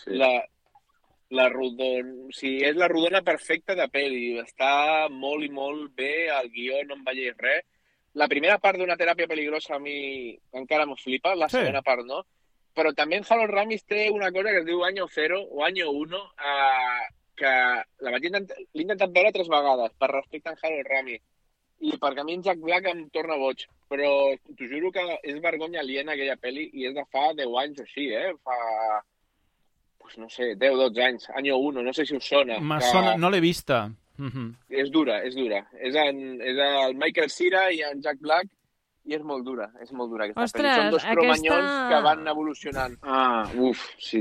la rodona... O sigui, és la rodona perfecta de pel·li. Està molt i molt bé, el guió no em veiés res. La primera part d'Una teràpia peligrosa a mi encara m'ho flipa, la segona part no. Però també en Harold Ramis té una cosa que es diu Año Cero o Año Uno, que l'he intentat veure 3 vegades per respecte a Harold Ramis. I perquè a mi en Jack Black em torna boig. Però t'ho juro que és vergonya aliena aquella pel·li i és de fa 10 anys o així, Fa, pues no sé, 10-12 anys. Año Uno, no sé si us sona. Sona, no l'he vista. És dura. És el Michael Cera i en Jack Black i és molt dura aquesta pel·li. Són 2 cromanyons que van evolucionant. Sí.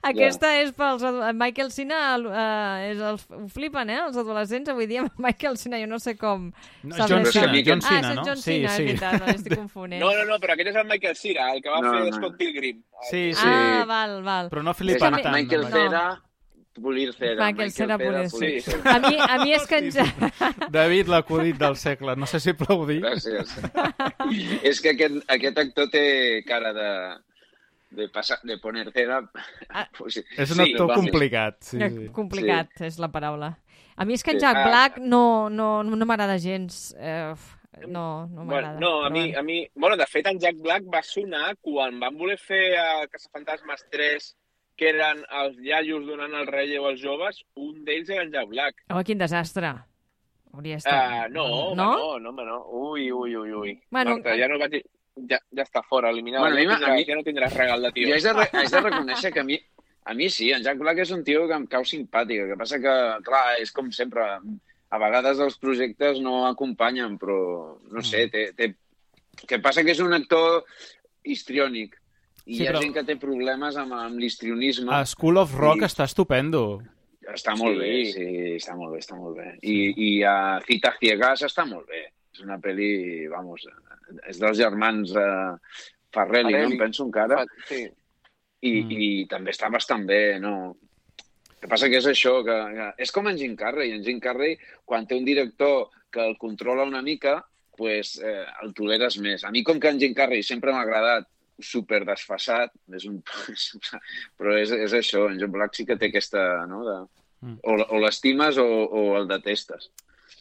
Aquesta és pels... Michael Cera ho flipen, els adolescents avui dia. Michael Cera, jo no sé com... John Cena, no? John Cena, és veritat, estic confonent. No, però aquest és el Michael Cera, el que va fer Scott Pilgrim. Sí. Val. Però no flipen tant. Michael Cera... Polir cera. Michael Cera, sí. A mi és que David, l'acudit del segle. No sé si aplaudir. Gràcies. És que aquest actor té cara de poner cera. És un actor complicat. Sí. Complicat, és la paraula. A mi és que en Jack Black no m'agrada gens. No m'agrada. No, a mi... Bueno, de fet, en Jack Black va sonar quan van voler fer Caçafantasmes 3, que eren els iaios donant el relleu als joves, un d'ells era en Jack Black. Quin desastre. Hauria estat... No. Ui. Bueno, Marta, ja no vaig... Ja està fora, eliminada. Ja no tindràs regal de tio. Jo haig de reconèixer que a mi sí, en Jack Black és un tio que em cau simpàtic. El que passa que, clar, és com sempre, a vegades els projectes no acompanyen, però, no sé, que passa que és un actor histriònic. I hi ha gent que té problemes amb l'histrionisme. A School of Rock està estupendo. Està molt bé, sí, està molt bé. I a Citas Ciegas està molt bé. És una pel·li, vamos, és dels germans Farrelly, no? Em penso encara. Sí. I també està bastant bé, no? El que passa que és això, que és com en Jim Carrey. En Jim Carrey, quan té un director que el controla una mica, pues, el toleres més. A mi, com que en Jim Carrey sempre m'ha agradat super desfasat, però és això, en Jack Black sí que té aquesta, no? O l'estimes o el detestes.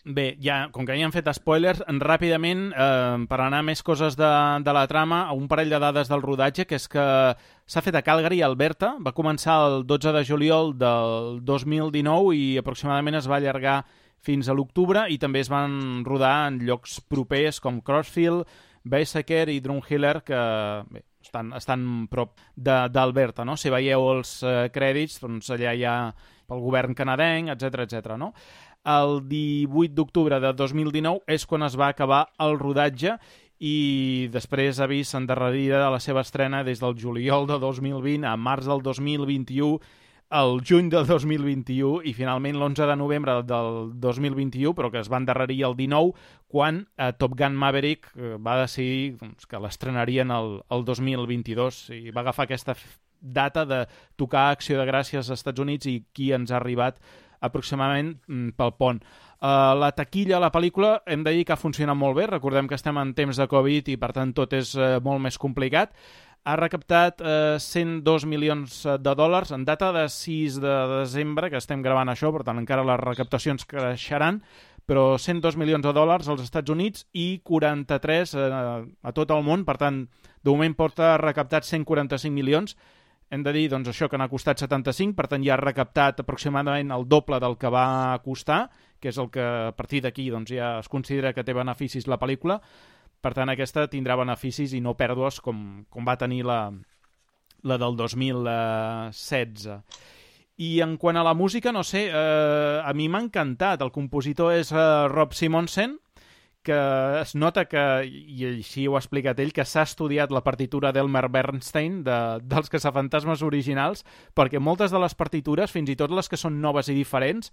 Bé, ja, com que ja han fet spoilers, ràpidament, per anar a més coses de la trama, un parell de dades del rodatge, que és que s'ha fet a Calgary, Alberta, va començar el 12 de juliol del 2019 i aproximadament es va allargar fins a l'octubre, i també es van rodar en llocs propers com Crossfield, Beisaker i Drumheller, que bé, estan prop d'Alberta, no? Si veieu els crèdits, doncs allà hi ha pel govern canadenc, etc, no? El 18 d'octubre de 2019 és quan es va acabar el rodatge i després ha vist endarrerida de la seva estrena des del juliol de 2020 a març del 2021, el juny del 2021 i finalment l'11 de novembre del 2021, però que es va endarrerir el 19, quan Top Gun Maverick va decidir que l'estrenarien el 2022 i va agafar aquesta data de tocar Acció de Gràcies als Estats Units i qui ens ha arribat aproximadament pel pont. La taquilla, la pel·lícula, hem de dir que ha funcionat molt bé. Recordem que estem en temps de Covid i, per tant, tot és molt més complicat. Ha recaptat 102 milions de dòlars en data de 6 de desembre, que estem gravant això, per tant, encara les recaptacions creixeran, però 102 milions de dòlars als Estats Units i 43 a tot el món. Per tant, de moment porta recaptat 145 milions. Hem de dir, doncs, això que n'ha costat 75, per tant ja ha recaptat aproximadament el doble del que va costar, que és el que a partir d'aquí doncs, ja es considera que té beneficis la pel·lícula. Per tant, aquesta tindrà beneficis i no pèrdues com va tenir la del 2016. I en quant a la música, no sé, a mi m'ha encantat. El compositor és Rob Simonsen, que es nota que, i així ho ha explicat ell, que s'ha estudiat la partitura d'Elmer Bernstein dels Caçafantasmes originals, perquè moltes de les partitures, fins i tot les que són noves i diferents,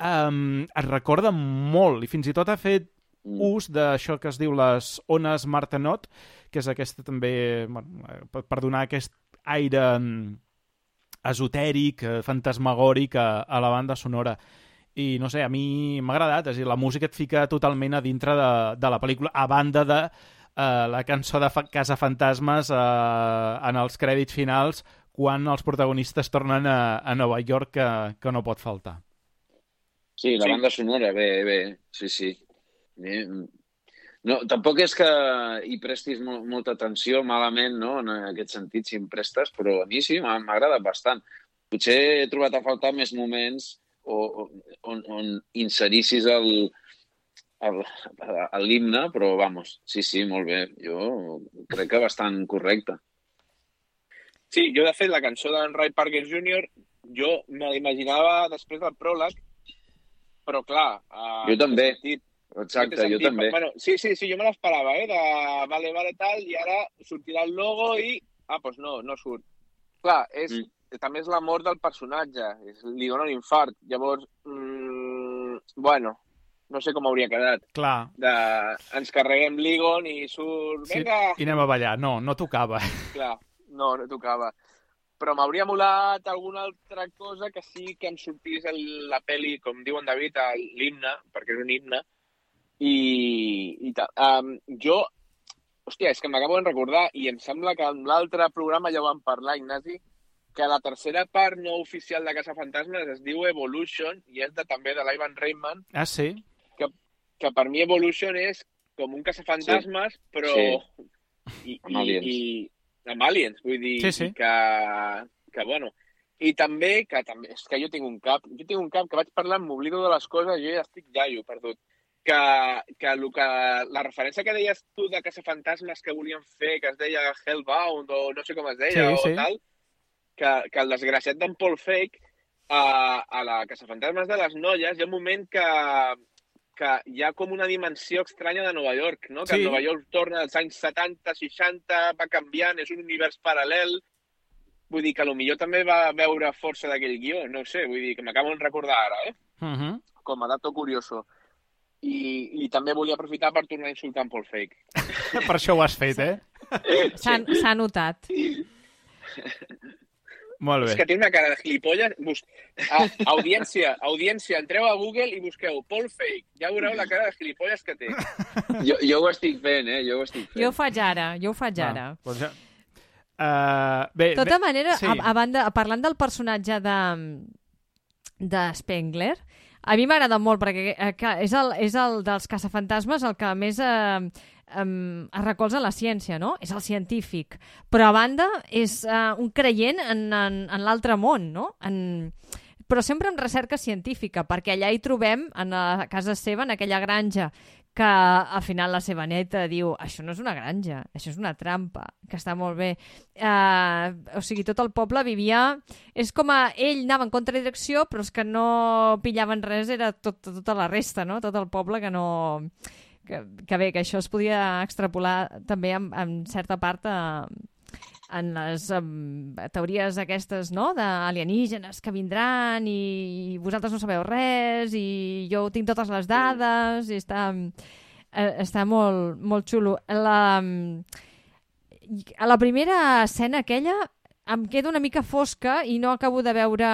es recorden molt, i fins i tot ha fet ús d'això que es diu les ones Martenot, que és aquesta també, per donar aquest aire esotèric, fantasmagòric a la banda sonora. I no sé, a mi m'ha agradat, és a dir, la música et fica totalment a dintre de la pel·lícula, a banda de la cançó de Caçafantasmes en els crèdits finals, quan els protagonistes tornen a Nova York, que no pot faltar. Sí, la banda sonora, bé, sí. No, tampoc és que hi prestis molta atenció malament, no?, en aquest sentit, si em prestes, però a mi sí, m'ha agradat bastant. Potser he trobat a faltar més moments on inserissis l'himne, però, vamos, sí, molt bé. Jo crec que bastant correcte. Sí, jo, de fet, la cançó d'en Ray Parker Jr., jo me l'imaginava després del pròleg, però, clar... Jo també. Exacte, jo també. Bueno, sí, jo me l'esperava, de vale, tal, i ara sortirà el logo i... doncs no surt. Clar, també és l'amor del personatge, li dona un infart. Llavors, bueno, no sé com hauria quedat. Clar. Ens carreguem l'Egon i surt... Vinga! I anem a ballar. No tocava. Clar, no tocava. Però m'hauria molat alguna altra cosa que sí que em sortís la pel·li, com diu en David, l'himne, perquè és un himne, i tal. Jo, hòstia, és que m'acabo de recordar, i em sembla que en l'altre programa ja ho vam parlar, Ignasi, que la tercera part no oficial de Caçafantasmes es diu Evolution i és també de l'Ivan Reitman. Ah, sí? Que per mi Evolution és com un Caçafantasmes, però... Sí. Amb aliens. Amb aliens, vull dir, sí. que bueno... I també, és que jo tinc un cap que vaig parlant, m'oblido de les coses, jo ja estic iaio, perdut. Que la referència que deies tu de Caçafantasmes que volien fer, que es deia Hellbound, o no sé com es deia, o tal, que el desgraciat d'en Paul Feig, a la Caçafantasmes de les Noies, hi ha un moment que hi ha com una dimensió estranya de Nova York, no? Que Nova York torna als anys 70, 60, va canviant, és un univers paral·lel. Vull dir que potser també va veure força d'aquell guió, no ho sé, vull dir que m'acabo de recordar ara, com a dato curioso. I també volia aprofitar per tornar a insultar en Paul Feig. Per això ho has fet, S'ha notat. Molt bé. És que té una cara de gilipolles. Audiència, entreu a Google i busqueu Paul Feig. Ja veureu la cara de gilipolles que té. Jo ho estic fent, Jo ho faig ara. Doncs ja... De tota manera, parlant del personatge de Spengler, a mi m'agrada molt perquè és el dels caçafantasmes el que més es recolza la ciència, no? És el científic. Però a banda és un creient en l'altre món, no? Però sempre amb recerca científica, perquè allà hi trobem, a casa seva, en aquella granja que al final la seva neta diu això no és una granja, això és una trampa, que està molt bé. O sigui, tot el poble vivia... És com ell anava en contradirecció, però els que no pillaven res era tota la resta, no? Tot el poble que no... Que bé, que això es podia extrapolar també en certa part en les teories aquestes, no?, d'alienígenes que vindran i vosaltres no sabeu res i jo tinc totes les dades i està molt, molt xulo. A la primera escena aquella em queda una mica fosca i no acabo de veure...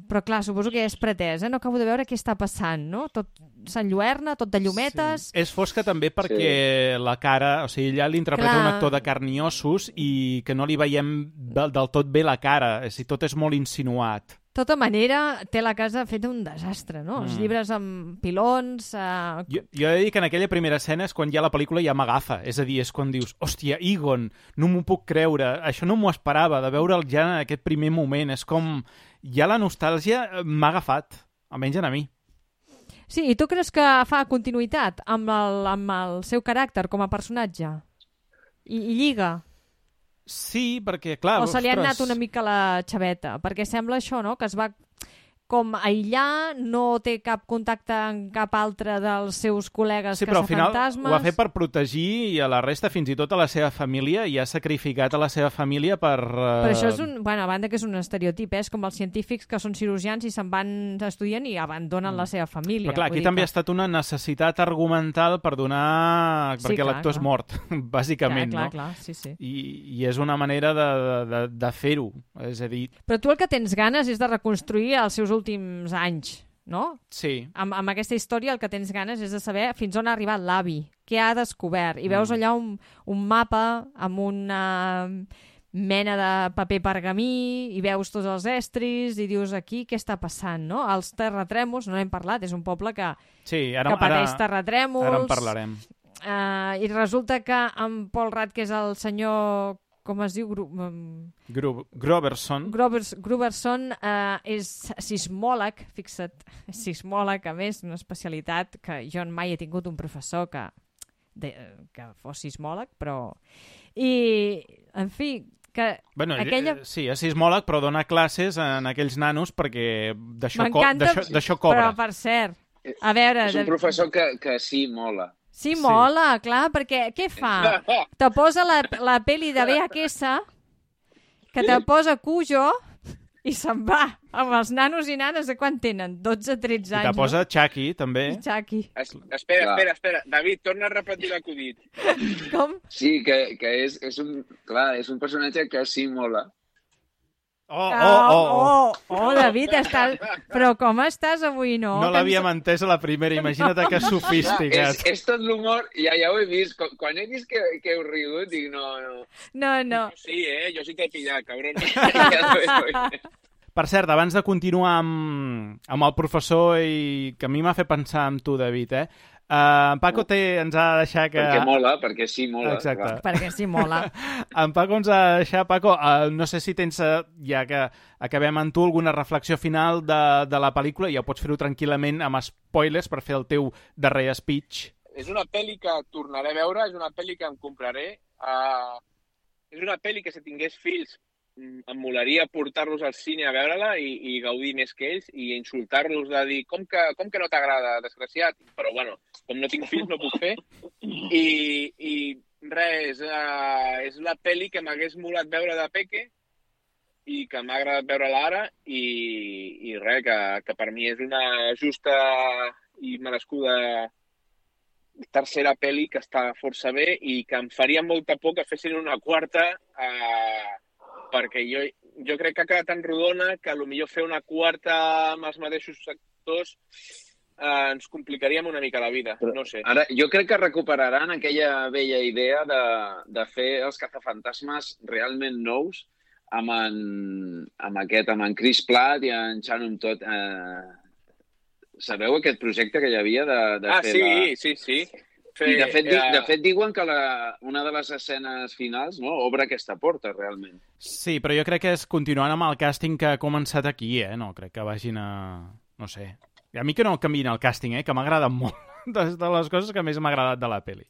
Però clar, suposo que és pretès, no acabo de veure què està passant, no? Tot s'enlluerna, tot de llumetes... Sí. És fosca també perquè la cara... O sigui, allà l'interpreta un actor de carn i ossos i que no li veiem del tot bé la cara. Tot és molt insinuat. De tota manera, té la casa feta un desastre, no? Els llibres amb pilons... Jo he de dir que en aquella primera escena és quan ja la pel·lícula ja m'agafa. És a dir, és quan dius, hòstia, Egon, no m'ho puc creure. Això no m'ho esperava, de veure'l ja en aquest primer moment. És com... Ja la nostàlgia m'ha agafat, almenys a mi. Sí, i tu creus que fa continuïtat amb el seu caràcter com a personatge? I lliga? Sí, perquè, clar... O se li ha anat una mica la xaveta? Perquè sembla això, no?, que es va com aïllar, no té cap contacte amb cap altre dels seus col·legues caçafantasmes... Sí, però al final ho ha fet per protegir i a la resta, fins i tot a la seva família, i ha sacrificat a la seva família per... Però això és bueno, a banda que és un estereotip, és com els científics que són cirurgians i se'n van estudien i abandonen la seva família. Però clar, aquí també ha estat una necessitat argumental per donar... perquè l'actor és mort, bàsicament, no? Clar, sí. I és una manera de fer-ho, és a dir... Però tu el que tens ganes és de reconstruir els seus últims anys, no? Sí. Amb aquesta història el que tens ganes és de saber fins on ha arribat l'avi, què ha descobert. I veus allà un mapa amb una mena de paper pergamí i veus tots els estris i dius aquí què està passant, no? Els terratrèmols, no n'hem parlat, és un poble que pateix terratrèmols. Ara en parlarem. I resulta que en Paul Rudd, que és el senyor... com es diu? Groverson. Groverson és sismòleg, fixa't, sismòleg, a més, una especialitat que jo mai he tingut un professor que fos sismòleg, però... I, en fi, que aquella... Sí, és sismòleg, però dona classes en aquells nanos perquè d'això cobra. Però, per cert, a veure... És un professor que sí mola. Sí, mola, clar, perquè què fa? Te posa la pel·li de VHS, que te posa Cujo, i se'n va amb els nanos i nanes de quan tenen? 12-13 anys. I te posa Chucky, també. I Chucky. Espera. David, torna a repetir l'acudit. Com? Sí, que és un personatge que sí mola. David, però com estàs avui, no? No l'havíem entès a la primera, imagina't que sofisticat. És tot l'humor, ja ho he vist. Quan he vist que heu rigut, dic no. No. Sí, jo sí t'he pillat, cabron. Per cert, abans de continuar amb el professor, i que a mi m'ha fet pensar amb tu, David, en Paco ens ha de deixar que... Perquè sí mola. Exacte. Clar. Perquè sí mola. En Paco ens ha de deixar, Paco, no sé si tens, ja que acabem amb tu, alguna reflexió final de la pel·lícula, ja pots fer-ho tranquil·lament amb spoilers per fer el teu darrer speech. És una pel·li que tornaré a veure, és una pel·li que em compraré. És una pel·li que si tingués fills em molaria portar-los al cine a veure-la i gaudir més que ells i insultar-los de dir com que no t'agrada, desgraciat? Però bueno, com no tinc fills no puc fer. I res, és la pel·li que m'hagués molat veure de peque i que m'ha agradat veure-la ara i res, que per mi és una justa i merescuda tercera pel·li que està força bé i que em faria molta por que fessin una quarta perquè jo crec que ha quedat tan rodona que potser fer una quarta amb els mateixos actors ens complicaríem una mica la vida, no sé. Ara, jo crec que recuperaran aquella vella idea de fer els cazafantasmes realment nous amb en Chris Pratt i en Shannon Todd. Sabeu aquest projecte que hi havia de fer sí. I de fet diuen que una de les escenes finals obre aquesta porta, realment. Sí, però jo crec que és continuant amb el càsting que ha començat aquí, no crec que vagin a... no sé. A mi que no canviïn el càsting, que m'ha agradat molt. de les coses que més m'ha agradat de la pel·li.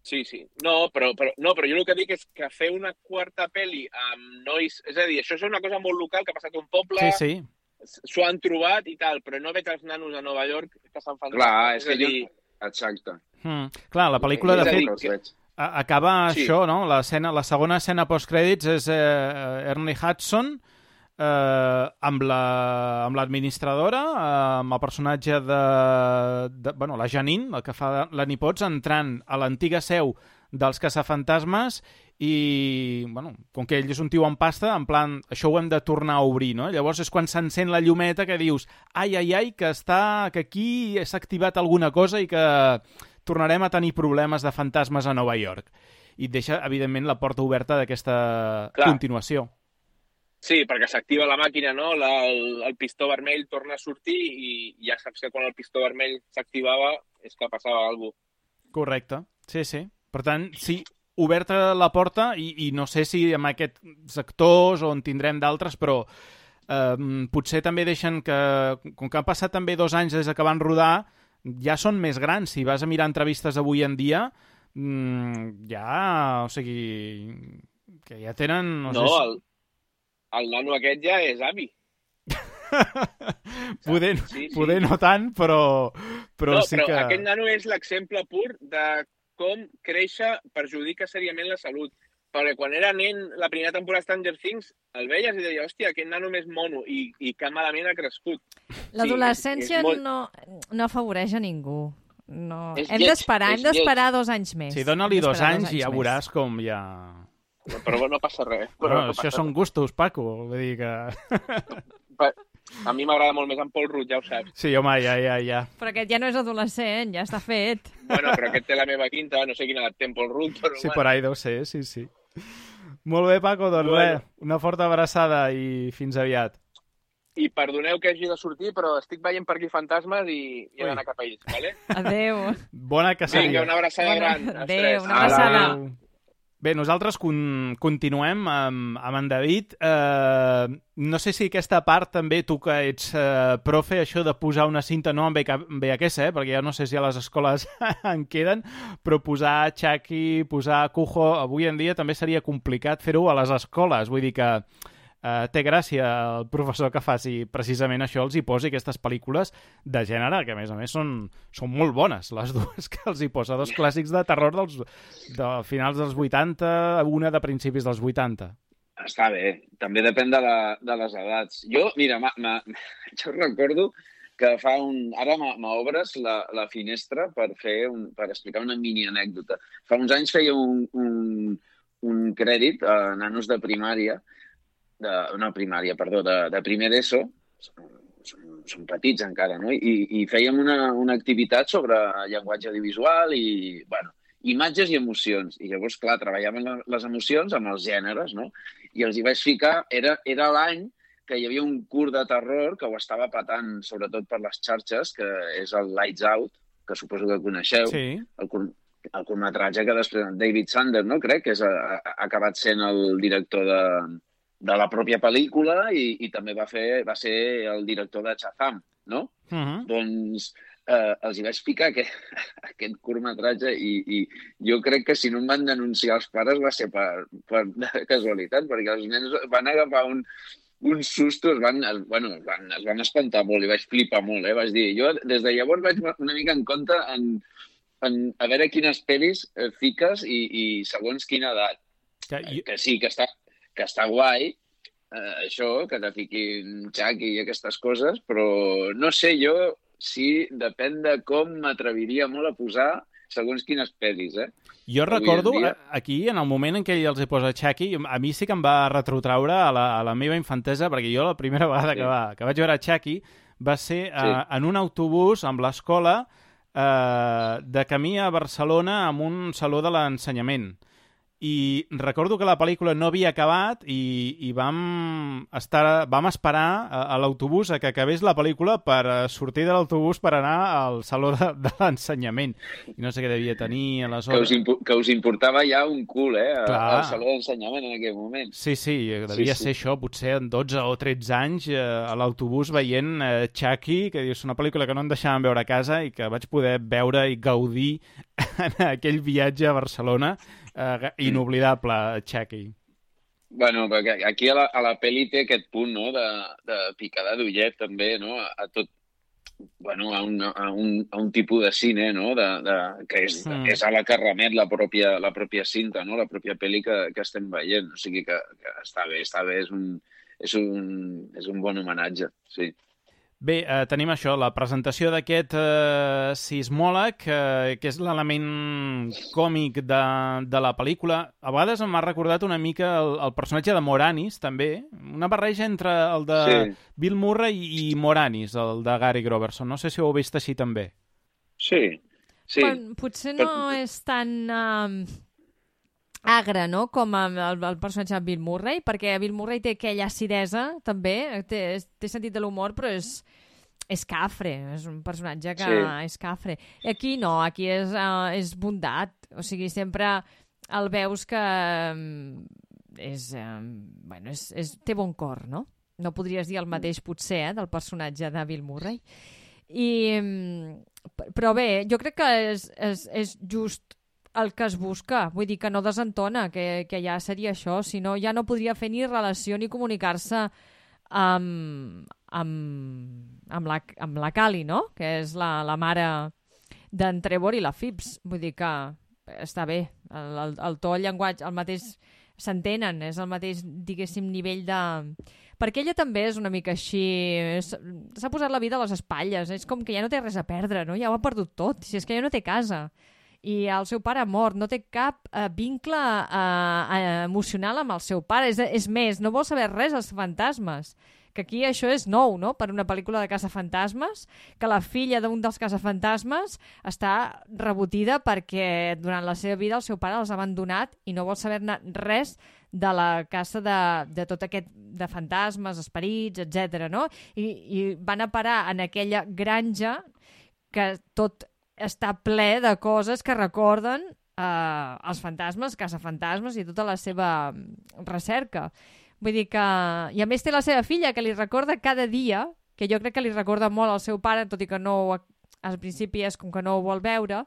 Sí. No, però jo el que dic és que fer una quarta pel·li amb nois... És a dir, això és una cosa molt local que ha passat a un poble... Sí. S'ho han trobat i tal, però no veig els nanos a Nova York que se'n fan... Clar, és que jo... Exacte. Clar, la pel·lícula, de fet, acaba Sí. això, no? La segona escena post-crèdits és Ernie Hudson amb l'administradora, amb el personatge la Janine, el que fa la Nipots, entrant a l'antiga seu dels caçafantasmes i, com que ell és un tio amb pasta, en plan, això ho hem de tornar a obrir, no? Llavors és quan s'encén la llumeta que dius ai, que aquí s'ha activat alguna cosa i que tornarem a tenir problemes de fantasmes a Nova York. I et deixa, evidentment, la porta oberta d'aquesta continuació. Sí, perquè s'activa la màquina, no? El pistó vermell torna a sortir i ja saps que quan el pistó vermell s'activava és que passava alguna cosa. Correcte, sí. Per tant, sí, oberta la porta i no sé si amb aquests actors o en tindrem d'altres, però potser també deixen que, com que han passat també 2 anys des que van rodar, ja són més grans. Si vas a mirar entrevistes avui en dia, o sigui, que ja tenen... El nano aquest ja és avi. Poder no tant, però sí que... Però aquest nano és l'exemple pur de com créixer perjudica seriament la salut. Perquè quan era nen, la primera temporada de Stranger Things, el veies i deia, hòstia, aquest nano més mono, i que malament ha crescut. L'adolescència no afavoreix a ningú. No. Hem d'esperar 2 anys més. Sí, dona-li 2 anys i ja veuràs com ja... Però no passa res. Això són gustos, Paco. Vull dir que... A mi m'agrada molt més en Paul Rudd, ja ho saps. Sí, home, ja. Però aquest ja no és adolescent, ja està fet. Bueno, però aquest té la meva quinta, no sé quina edat té en Paul Rudd, però... Sí, per ahí deu ser, sí. Molt bé, Paco, doncs res, una forta abraçada i fins aviat. I perdoneu que hagi de sortir, però estic veient per aquí fantasmes i he d'anar cap a ells, vale? Adéu. Bona caçaria. Vinga, una abraçada gran. Adéu, una abraçada. Bé, nosaltres continuem amb en David. No sé si aquesta part també, tu que ets profe, això de posar una cinta, no en VHS, perquè ja no sé si a les escoles en queden, però posar Chucky, posar Cujo, avui en dia també seria complicat fer-ho a les escoles. Vull dir que té gràcia el professor que faci precisament això, els hi posi aquestes pel·lícules de gènere, que a més són molt bones, les dues que els hi posa, 2 clàssics de terror de finals dels 80, una de principis dels 80. Està bé, també depèn de les edats. Jo, mira, jo recordo que ara m'obres la finestra per explicar una mini anècdota. Fa uns anys feia un crèdit a nanos de primària, de primer d'ESO, són petits encara, no? I fèiem una activitat sobre llenguatge audiovisual i, imatges i emocions. I llavors, clar, treballàvem les emocions amb els gèneres, no? I els hi vaig ficar, era l'any que hi havia un curt de terror que ho estava patant, sobretot per les xarxes, que és el Lights Out, que suposo que coneixeu, sí. El curtmetratge que després David Sander, no? Crec que ha acabat sent el director de la pròpia pel·lícula i també va ser el director de Shazam, no? Doncs els hi vaig ficar aquest curtmetratge i jo crec que si no em van denunciar els pares va ser per casualitat, perquè els nens van agafar un susto, es van espantar molt i vaig flipar molt, Vaig dir, jo des de llavors vaig una mica en compte a veure quines pel·lis fiques i segons quina edat. Que sí, que està guai, això, que te fiquin Chucky i aquestes coses, però no sé jo si depèn de com m'atreviria molt a posar segons quines pel·lis, Jo recordo, aquí, en el moment en què ell els hi posa Chucky, a mi sí que em va retrotraure a la meva infantesa, perquè jo la primera vegada que vaig veure Chucky va ser en un autobús amb l'escola de camí a Barcelona amb un saló de l'ensenyament. i recordo que la pel·lícula no havia acabat i vam esperar a l'autobús a que acabés la pel·lícula per sortir de l'autobús per anar al saló de l'ensenyament. I no sé què devia tenir aleshores. Que us importava ja un cul, Clar. al saló d'ensenyament en aquell moment. Sí, devia ser això, potser en 12 o 13 anys a l'autobús veient Chucky, que dius, una pel·lícula que no em deixaven veure a casa i que vaig poder veure i gaudir en aquell viatge a Barcelona. Inoblidable, Chucky. Bueno, perquè aquí a la pel·li té aquest punt, no?, de picada d'ullet, també, no?, a tot, bueno, a un tipus de cine, no?, que és a la que remet la pròpia cinta, no?, la pròpia pel·li que estem veient. O sigui que està bé, és un bon homenatge, sí. Bé, tenim això, la presentació d'aquest sismòleg, que és l'element còmic de la pel·lícula. A vegades m'ha recordat una mica el personatge de Moranis, també. Una barreja entre el de Bill Murray i Moranis, el de Gary Groverson. No sé si ho heu vist així també. Sí. Bueno, potser no és tan agre, no?, com el personatge de Bill Murray, perquè Bill Murray té aquella acidesa, també, té sentit de l'humor, però és cafre, és un personatge que és cafre. Aquí no, aquí és bondat, o sigui, sempre el veus que té bon cor, no? No podries dir el mateix, potser, del personatge de Bill Murray. Però bé, jo crec que és just el que es busca, vull dir que no desentona, que ja seria això, si no ja no podria fer ni relació ni comunicar-se amb la Callie, no?, que és la mare d'en Trevor i la Phipps, vull dir que està bé, el to, el llenguatge, el mateix, s'entenen, és el mateix, diguéssim, nivell de... Perquè ella també és una mica així, s'ha posat la vida a les espatlles, és com que ja no té res a perdre, no?, ja ho ha perdut tot, si és que ja no té casa, i el seu pare ha mort, no té cap vincle emocional amb el seu pare, és més, no vol saber res dels fantasmes, que aquí això és nou, no?, per una pel·lícula de caçafantasmes, que la filla d'un dels caçafantasmes està rebotida perquè durant la seva vida el seu pare els ha abandonat i no vol saber-ne res de la caça de tot aquest, de fantasmes, esperits, etc. no? I van a parar en aquella granja que tot està ple de coses que recorden els fantasmes, caçafantasmes i tota la seva recerca. Vull dir que... I a més té la seva filla, que li recorda cada dia, que jo crec que li recorda molt al seu pare, tot i que no, al principi és com que no ho vol veure,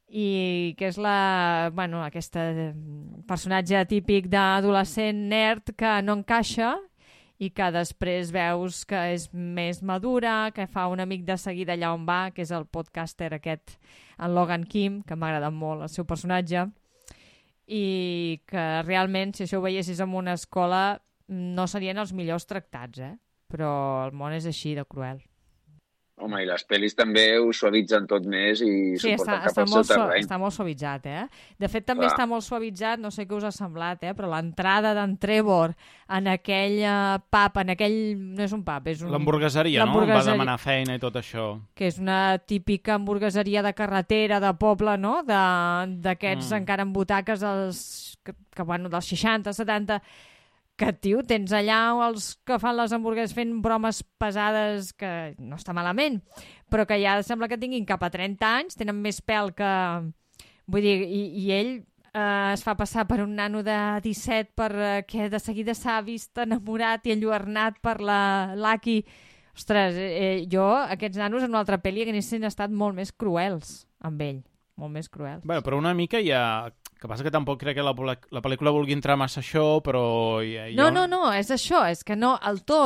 i que és aquest personatge típic d'adolescent nerd que no encaixa i que després veus que és més madura, que fa un amic de seguida allà on va, que és el podcaster aquest, en Logan Kim, que m'ha agradat molt el seu personatge, i que realment, si això ho veiessis en una escola, no serien els millors tractats, però el món és així de cruel. Home, i les pel·lis també ho suavitzen tot més i suporten cap al seu terreny. Està molt suavitzat, De fet, també està molt suavitzat, no sé què us ha semblat, però l'entrada d'en Trevor en aquell pub, en aquell... No és un pub, és un... L'hamburgueseria, no? Va demanar feina i tot això. Que és una típica hamburgueseria de carretera, de poble, no? D'aquests encara amb butaques dels 60, 70... que, tio, tens allà els que fan les hamburgueses fent bromes pesades, que no està malament, però que ja sembla que tinguin cap a 30 anys, tenen més pèl que... Vull dir, i ell es fa passar per un nano de 17 perquè de seguida s'ha vist enamorat i enlluernat per la Lucky. Ostres, jo, aquests nanos en una altra pel·li haguessin estat molt més cruels amb ell, molt més cruels. Bueno, però una mica ja... Que passa que tampoc crec que la pel·lícula vulgui entrar massa això, però... No, és això, és que no, el to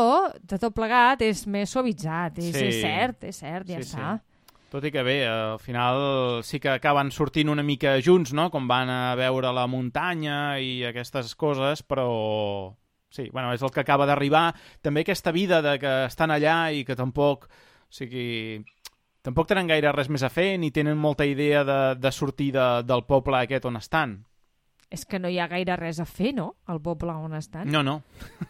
de tot plegat és més suavitzat, és cert, ja està. Tot i que bé, al final sí que acaben sortint una mica junts, no?, com van a veure la muntanya i aquestes coses, però... Sí, bueno, és el que acaba d'arribar. També aquesta vida de que estan allà i que tampoc... O sigui... Tampoc tenen gaire res més a fer, ni tenen molta idea de sortir del poble aquest on estan. És que no hi ha gaire res a fer, no?, al poble on estan. No.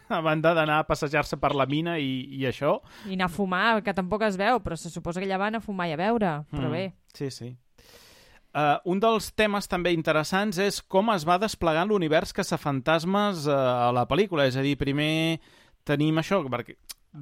A banda d'anar a passejar-se per la mina i això... I anar a fumar, que tampoc es veu, però se suposa que allà van a fumar i a beure, però bé. Sí. Un dels temes també interessants és com es va desplegant l'univers caçafantasmes a la pel·lícula. És a dir, primer tenim això, perquè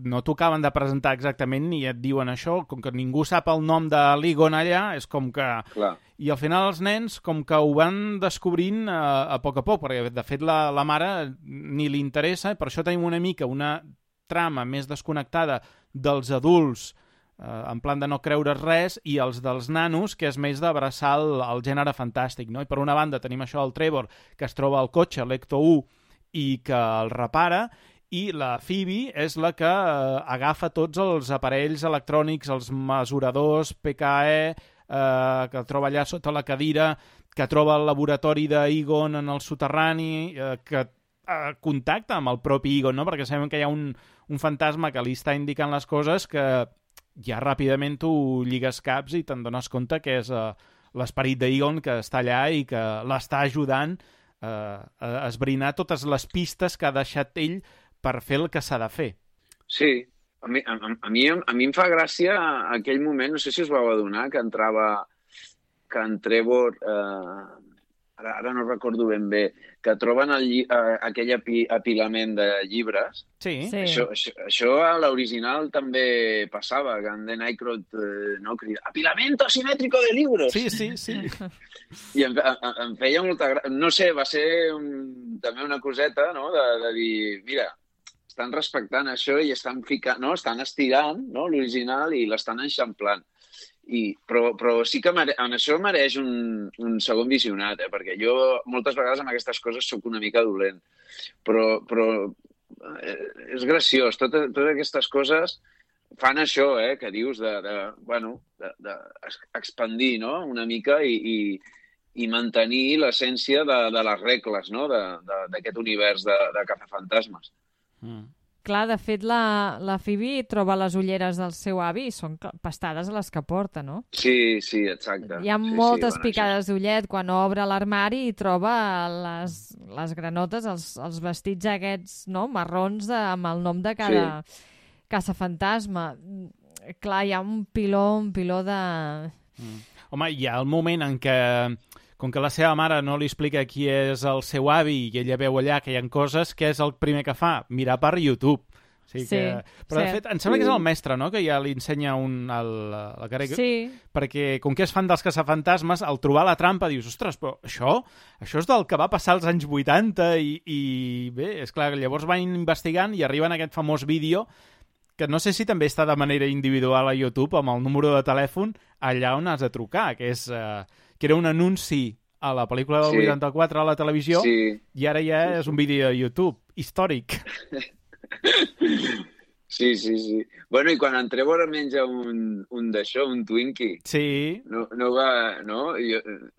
no t'ho acaben de presentar exactament ni et diuen això, com que ningú sap el nom de l'Egon allà, és com que... Clar. I al final els nens com que ho van descobrint a poc, perquè de fet la mare ni li interessa, per això tenim una mica una trama més desconnectada dels adults, en plan de no creure res, i els dels nanos, que és més d'abraçar el gènere fantàstic, no? I per una banda tenim això del Trevor, que es troba al cotxe, l'Ecto-1, i que el repara, i la Phoebe és la que agafa tots els aparells electrònics, els mesuradors PKE, que troba allà sota la cadira, que troba el laboratori d'Egon en el soterrani, que contacta amb el propi Egon, no? Perquè sabem que hi ha un fantasma que li està indicant les coses que ja ràpidament tu lligues caps i te'n dones compte que és l'esperit d'Egon que està allà i que l'està ajudant a esbrinar totes les pistes que ha deixat ell per fer el que s'ha de fer. Sí, a mi em fa gràcia aquell moment, no sé si us vau adonar, que en Trevor, ara no recordo ben bé, que troben aquell apilament de llibres. Sí. Això a l'original també passava, que en Dan Aykroyd crida «Apilamiento asimétrico de libros!» Sí. I em feia molta gràcia. No sé, va ser també una coseta, no?, de dir, mira, estan respectant això i estan ficant, no?, estan estirant, no?, l'original i l'estan enxamplant. Però sí que en això mereix un segon visionat, perquè jo moltes vegades amb aquestes coses sóc una mica dolent. Però és graciós. Totes aquestes coses fan això, que dius, d'expandir, no?, una mica i mantenir l'essència de les regles, no?, d'aquest univers de caçafantasmes. Clar, de fet, la Phoebe troba les ulleres del seu avi i són pastades a les que porta, no? Sí, exacte. Hi ha moltes picades d'ullet quan obre l'armari i troba les granotes, els vestits aquests, no?, marrons amb el nom de cada caçafantasma. Clar, hi ha un piló de... Home, hi ha el moment en què, com que la seva mare no li explica qui és el seu avi i ella veu allà que hi ha coses, què és el primer que fa? Mirar per YouTube. Però de fet, em sembla que és el mestre, no?, que ja li ensenya la cara. Sí. Perquè com que és fan dels caçafantasmes, al trobar la trampa dius, ostres, però això és del que va passar als anys 80 i bé, és clar, llavors van investigant i arriben a aquest famós vídeo que no sé si també està de manera individual a YouTube amb el número de telèfon allà on has de trucar, que era un anunci a la pel·lícula del 84 a la televisió i ara ja és un vídeo de YouTube històric. Sí. Bueno, i quan en Trevor menja un d'això, un Twinkie, no va... No?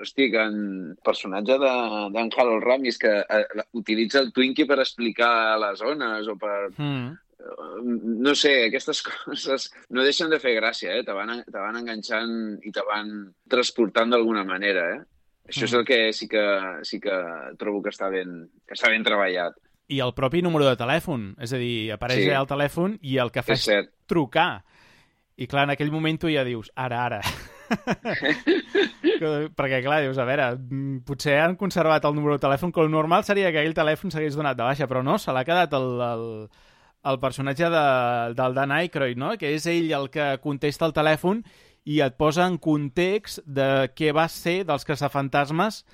Hosti, que en personatge d'en Harold Ramis que utilitza el Twinkie per explicar les zones o per... No sé, aquestes coses no deixen de fer gràcia, te van enganxant i te van transportant d'alguna manera, Això és el que sí que trobo que està ben treballat. I el propi número de telèfon, és a dir, apareix allà el telèfon i el que fa és trucar. I clar, en aquell moment tu ja dius, ara. Perquè clar, dius, a veure, potser han conservat el número de telèfon, que el normal seria que aquell telèfon s'hagués donat de baixa, però no, se l'ha quedat el personatge del Dan Aykroyd, no?, que és ell el que contesta el telèfon i et posa en context de què va ser dels caçafantasmes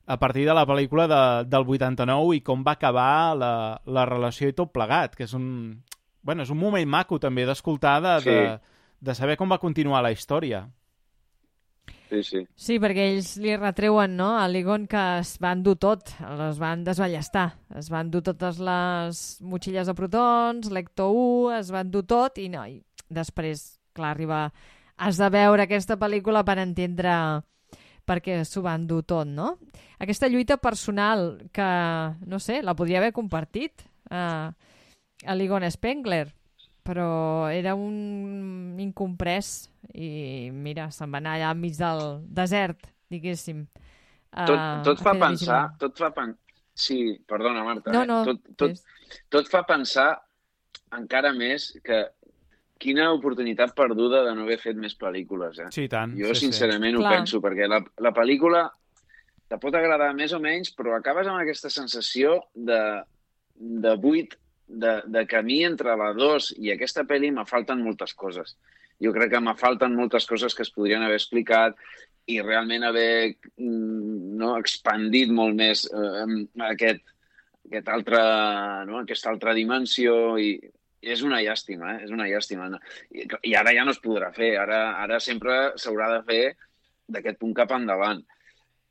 a partir de la pel·lícula del 89 i com va acabar la relació i tot plegat, que és un moment maco també d'escoltar, de saber com va continuar la història. Sí, perquè ells li retreuen, no?, a l'Egon que es van dur tot, es van desballestar, es van dur totes les motxilles de protons, l'Ecto-1, es van dur tot i després, clar, has de veure aquesta pel·lícula per entendre per què s'ho van dur tot, no? Aquesta lluita personal que, no sé, la podria haver compartit a l'Egon Spengler, però era un incomprès i mira, se'n va anar allà enmig del desert, diguéssim. Tot fa pensar... Sí, perdona, Marta. No. Tot fa pensar encara més que quina oportunitat perduda de no haver fet més pel·lícules, eh? Sí, tant. Jo, sincerament, ho Clar. penso, perquè la pel·lícula te pot agradar més o menys, però acabes amb aquesta sensació de buit, de camí entre la 2 i aquesta pel·li. Me falten moltes coses. Jo crec que me falten moltes coses que es podrien haver explicat i realment haver expandit molt més aquesta altra dimensió, i és una llàstima, és una llàstima. I ara ja no es podrà fer, ara sempre s'haurà de fer d'aquest punt cap endavant.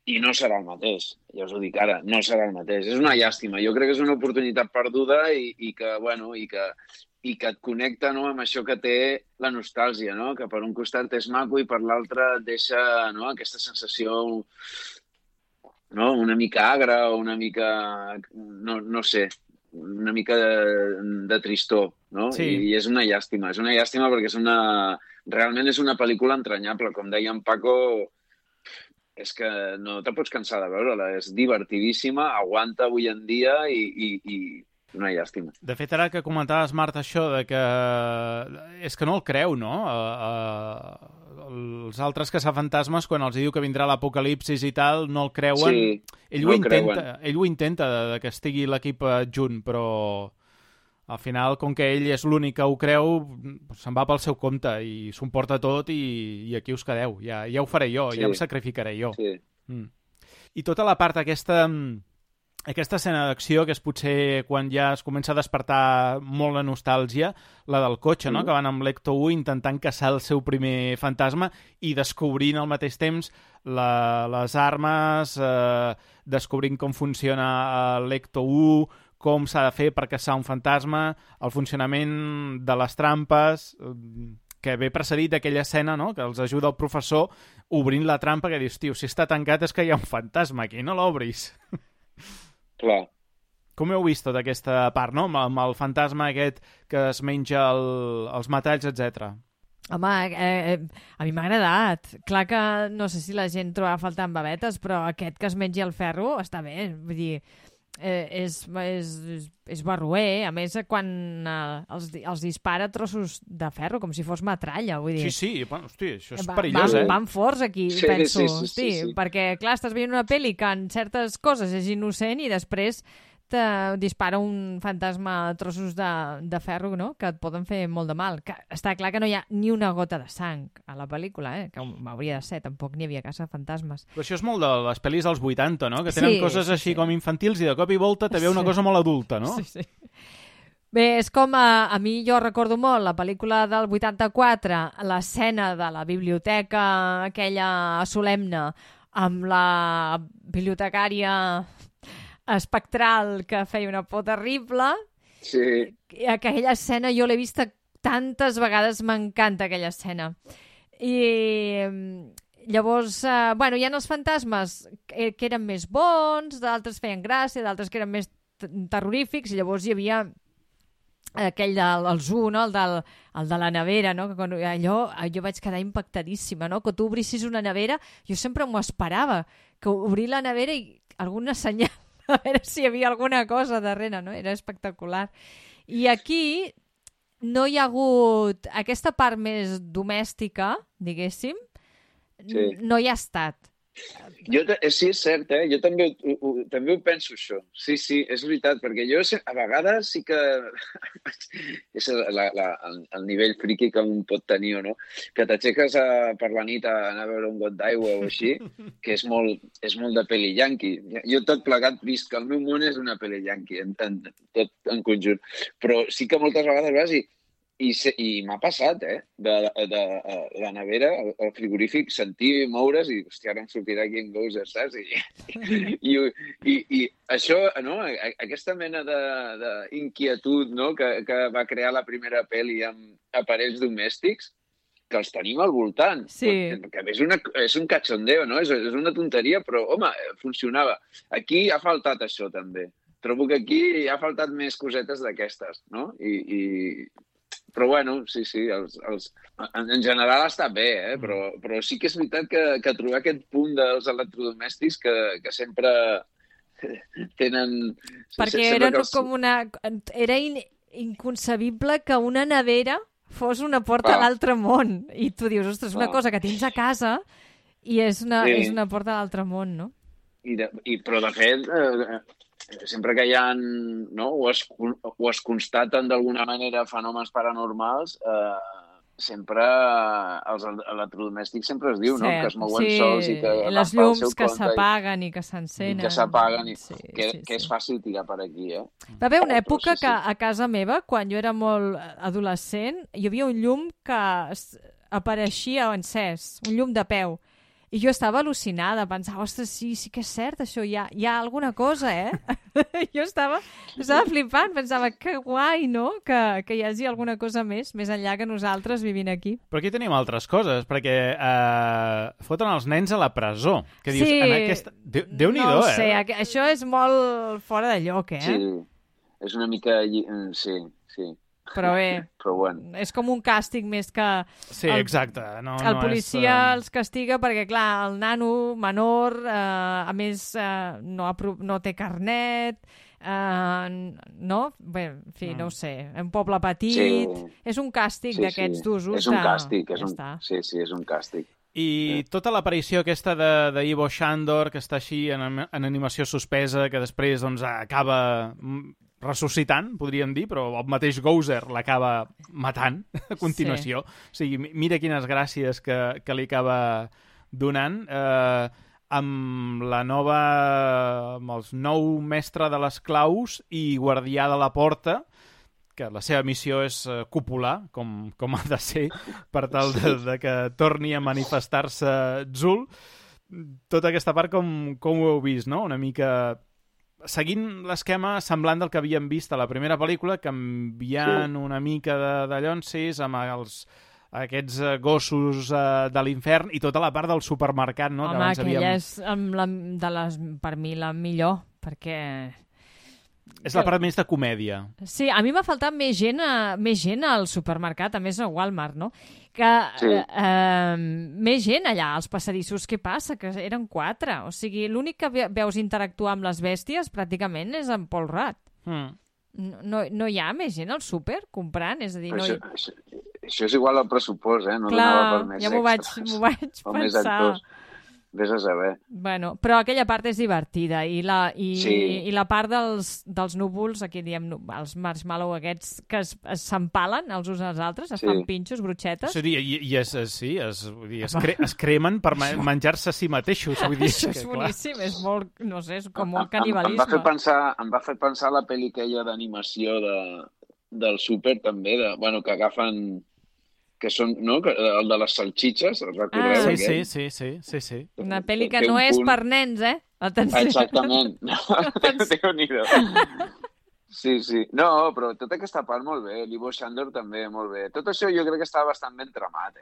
I no serà el mateix, ja us ho dic ara, no serà el mateix. És una llàstima. Jo crec que és una oportunitat perduda i que et connecta, no, amb això que té la nostàlgia, no? Que per un costat és maco i per l'altre et deixa, no, aquesta sensació, no, una mica agra o una mica, no sé, una mica de tristor, no? Sí. I és una llàstima perquè realment és una pel·lícula entranyable. Com deia en Paco, és que no te pots cansar de veure-la, és divertidíssima, aguanta avui en dia i una llàstima. De fet, ara que comentaves, Marta, això de que és que no el creu, no? Els altres caçafantasmes, quan els diu que vindrà l'apocalipsis i tal, no el creuen. Sí, ell ho intenta de que estigui l'equip junt, però al final, com que ell és l'únic que ho creu, se'n va pel seu compte i s'ho emporta tot i aquí us quedeu. Ja ho faré jo, sí. Ja em sacrificaré jo. Sí. I tota la part aquesta escena d'acció, que és potser quan ja es comença a despertar molt la nostàlgia, la del cotxe, no? Que van amb l'Ecto 1 intentant caçar el seu primer fantasma i descobrint al mateix temps les armes, descobrint com funciona l'Ecto 1, com s'ha de fer per caçar un fantasma, el funcionament de les trampes, que ve precedit d'aquella escena, no?, que els ajuda el professor obrint la trampa, que dius, tio, si està tancat és que hi ha un fantasma aquí, no l'obris. Clar. Com heu vist tota aquesta part, no?, amb el fantasma aquest que es menja els metalls, etc. Home, a mi m'ha agradat. Clar que no sé si la gent troba a faltar amb babetes, però aquest que es mengi el ferro està bé. Vull dir, és barroer. A més, quan els dispara trossos de ferro, com si fos metralla. Vull dir, sí, bueno, hosti, això és perillós, van forts aquí, sí, penso. Sí. Perquè, clar, estàs veient una pel·li que en certes coses és innocent i després te dispara un fantasma a trossos de ferro, no?, que et poden fer molt de mal. Que està clar que no hi ha ni una gota de sang a la pel·lícula, que m'hauria de ser, tampoc n'hi havia caçafantasmes. Però això és molt de les pel·lis dels 80, no?, que tenen coses així com infantils i de cop i volta te ve una cosa molt adulta, no? Sí. Bé, és com a mi jo recordo molt la pel·lícula del 84, l'escena de la biblioteca aquella solemne amb la bibliotecària espectral que feia una por terrible. Sí. Aquella escena jo l'he vista tantes vegades, m'encanta aquella escena. I llavors, bueno, hi ha els fantasmes que eren més bons, d'altres feien gràcia, d'altres que eren més terrorífics, i llavors hi havia aquell del Zoo, no? el de la nevera, no? Que allò jo vaig quedar impactadíssima, no? Que tu obrissis una nevera, jo sempre m'ho esperava, que obrir la nevera i alguna senyal, a veure si hi havia alguna cosa darrere, no? Era espectacular. I aquí no hi ha hagut aquesta part més domèstica, diguéssim, no hi ha estat. Sí, és cert, jo també ho penso, això. Sí, és veritat, perquè jo a vegades sí que és el nivell friqui que un pot tenir, o no? Que t'aixeques per la nit a anar a veure un got d'aigua o així, que és molt de pel·li yanqui. Jo tot plegat vist que el meu món és una pel·li yanqui, tot en conjunt. Però sí que moltes vegades vas i m'ha passat, de la nevera, el frigorífic, sentir moure's i, hòstia, ara em sortirà aquí en Ghost, saps? I això, no?, aquesta mena d'inquietud, no?, que va crear la primera pel·li amb aparells domèstics, que els tenim al voltant. Sí. Que és un cachondeo, no? És una tonteria, però, home, funcionava. Aquí ha faltat això, també. Trobo que aquí ha faltat més cosetes d'aquestes, no? Però, bueno, sí, en general està bé, però sí que és veritat que trobar aquest punt dels electrodomèstics que sempre tenen... Perquè era com era inconcebible que una nevera fos una porta a l'altre món. I tu dius, ostres, una cosa que tens a casa i és una porta a l'altre món, no? Però, de fet, sempre que hi ha, no, o es constaten d'alguna manera fenòmens paranormals, sempre els electrodomèstics sempre es diu, no? Que es mouen sols i que les llums que s'apaguen i que s'encenen. I que s'apaguen, que és fàcil tirar per aquí, eh? Va haver una època que a casa meva, quan jo era molt adolescent, hi havia un llum que apareixia encès, un llum de peu. I jo estava al·lucinada, pensava, ostres, sí que és cert això, hi ha alguna cosa, Jo estava flipant, pensava, que guai, no?, que hi hagi alguna cosa més enllà que nosaltres vivint aquí. Però aquí tenim altres coses, perquè foten els nens a la presó. Que dius, en aquesta... Déu-n'hi-do, No ho sé, això és molt fora de lloc, Sí, és una mica... Sí. Però bé, bueno. És com un càstig més que... Sí, exacte. El policia els castiga perquè, clar, el nano menor, a més, no té carnet, no? Bé, en fi, no ho sé. Un poble petit... És un càstig d'aquests d'usos. És un càstig. Sí, és un càstig. I tota l'aparició aquesta d'Ivo Shandor, que està així en animació suspesa, que després doncs, acaba ressuscitant, podríem dir, però el mateix Gozer l'acaba matant a continuació. O sigui, mira quines gràcies que li acaba donant. Amb el nou mestre de les claus i guardià de la porta, que la seva missió és copular, com ha de ser, per tal de que torni a manifestar-se Zul. Tota aquesta part com ho heu vist, no? Una mica seguint l'esquema semblant del que havíem vist a la primera pel·lícula, canviant una mica de llonsis amb aquests gossos de l'infern i tota la part del supermercat, no? Home, aquella és per mi la millor, perquè... És la part més de comèdia. Sí, a mi m'ha faltat més gent al supermercat, a més a Walmart, no? Més gent allà, als passadissos. Què passa? Que eren 4. O sigui, l'únic que veus interactuar amb les bèsties pràcticament és en Paul Rudd. No hi ha més gent al súper comprant? És a dir, això és igual al pressupost, no? Clar, ja m'ho vaig pensar. Vés a saber. Bueno, però aquella part és divertida i la part dels núvols, aquí diem els marshmallow aquests que s'empalen els uns als altres, es fan pinxos, brutxetes. Sí, es cremen per menjar-se a si mateixos. Vull dir, això és boníssim, és molt, no sé, és com un canibalisme. Em va fer pensar la pel·li aquella d'animació del súper també, que agafen... que són, no? El de les salxitxes, el recordeu? Sí. Una pel·li que no és per nens, Atenció. Exactament. Déu-n'hi-do. Sí. No, però tota aquesta part molt bé. L'Ivo Shandor també molt bé. Tot això jo crec que està bastant ben tramat,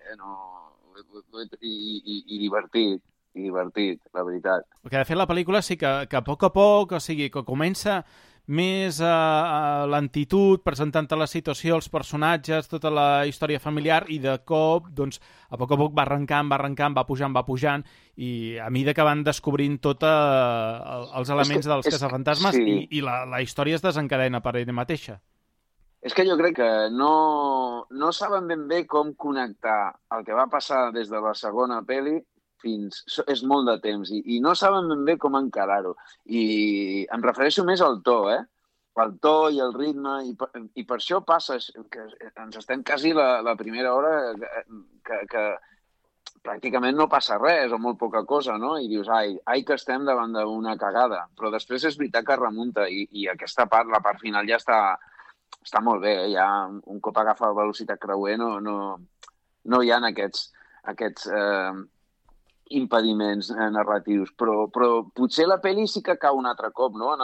I divertit, la veritat. Perquè de fet la pel·lícula sí que a poc, o sigui, que comença més a lentitud, presentant la situació, els personatges, tota la història familiar, i de cop, doncs, a poc va arrencant, va pujant, i a mesura que van descobrint tots els elements dels caçafantasmes, i la història es desencadena per ella mateixa. És que jo crec que no saben ben bé com connectar el que va passar des de la segona pel·li és molt de temps i no saben ben bé com encarar-ho. I em refereixo més al to, el to i el ritme, i per això passa que ens estem quasi la primera hora que pràcticament no passa res o molt poca cosa, no? I dius, ai que estem davant d'una cagada. Però després és veritat que remunta i aquesta part, la part final ja està molt bé, ja un cop agafa velocitat creuer no hi ha aquests impediments narratius, però potser la pel·li sí que cau un altre cop, no? En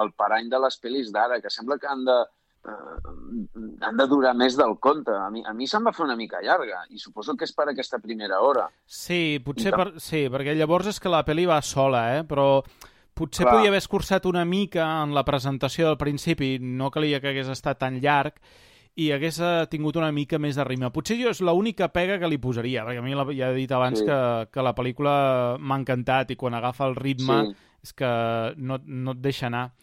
el parany de les pel·lis d'ara, que sembla que han de durar més del compte. A mi se'm va fer una mica llarga, i suposo que és per aquesta primera hora. Sí, potser perquè llavors és que la pel·li va sola, però potser podia haver escurçat una mica en la presentació del principi, no calia que hagués estat tan llarg, i hagués tingut una mica més de ritme. Potser jo és l'única pega que li posaria, perquè a mi ja he dit abans que la pel·lícula m'ha encantat i quan agafa el ritme és que no et deixa anar.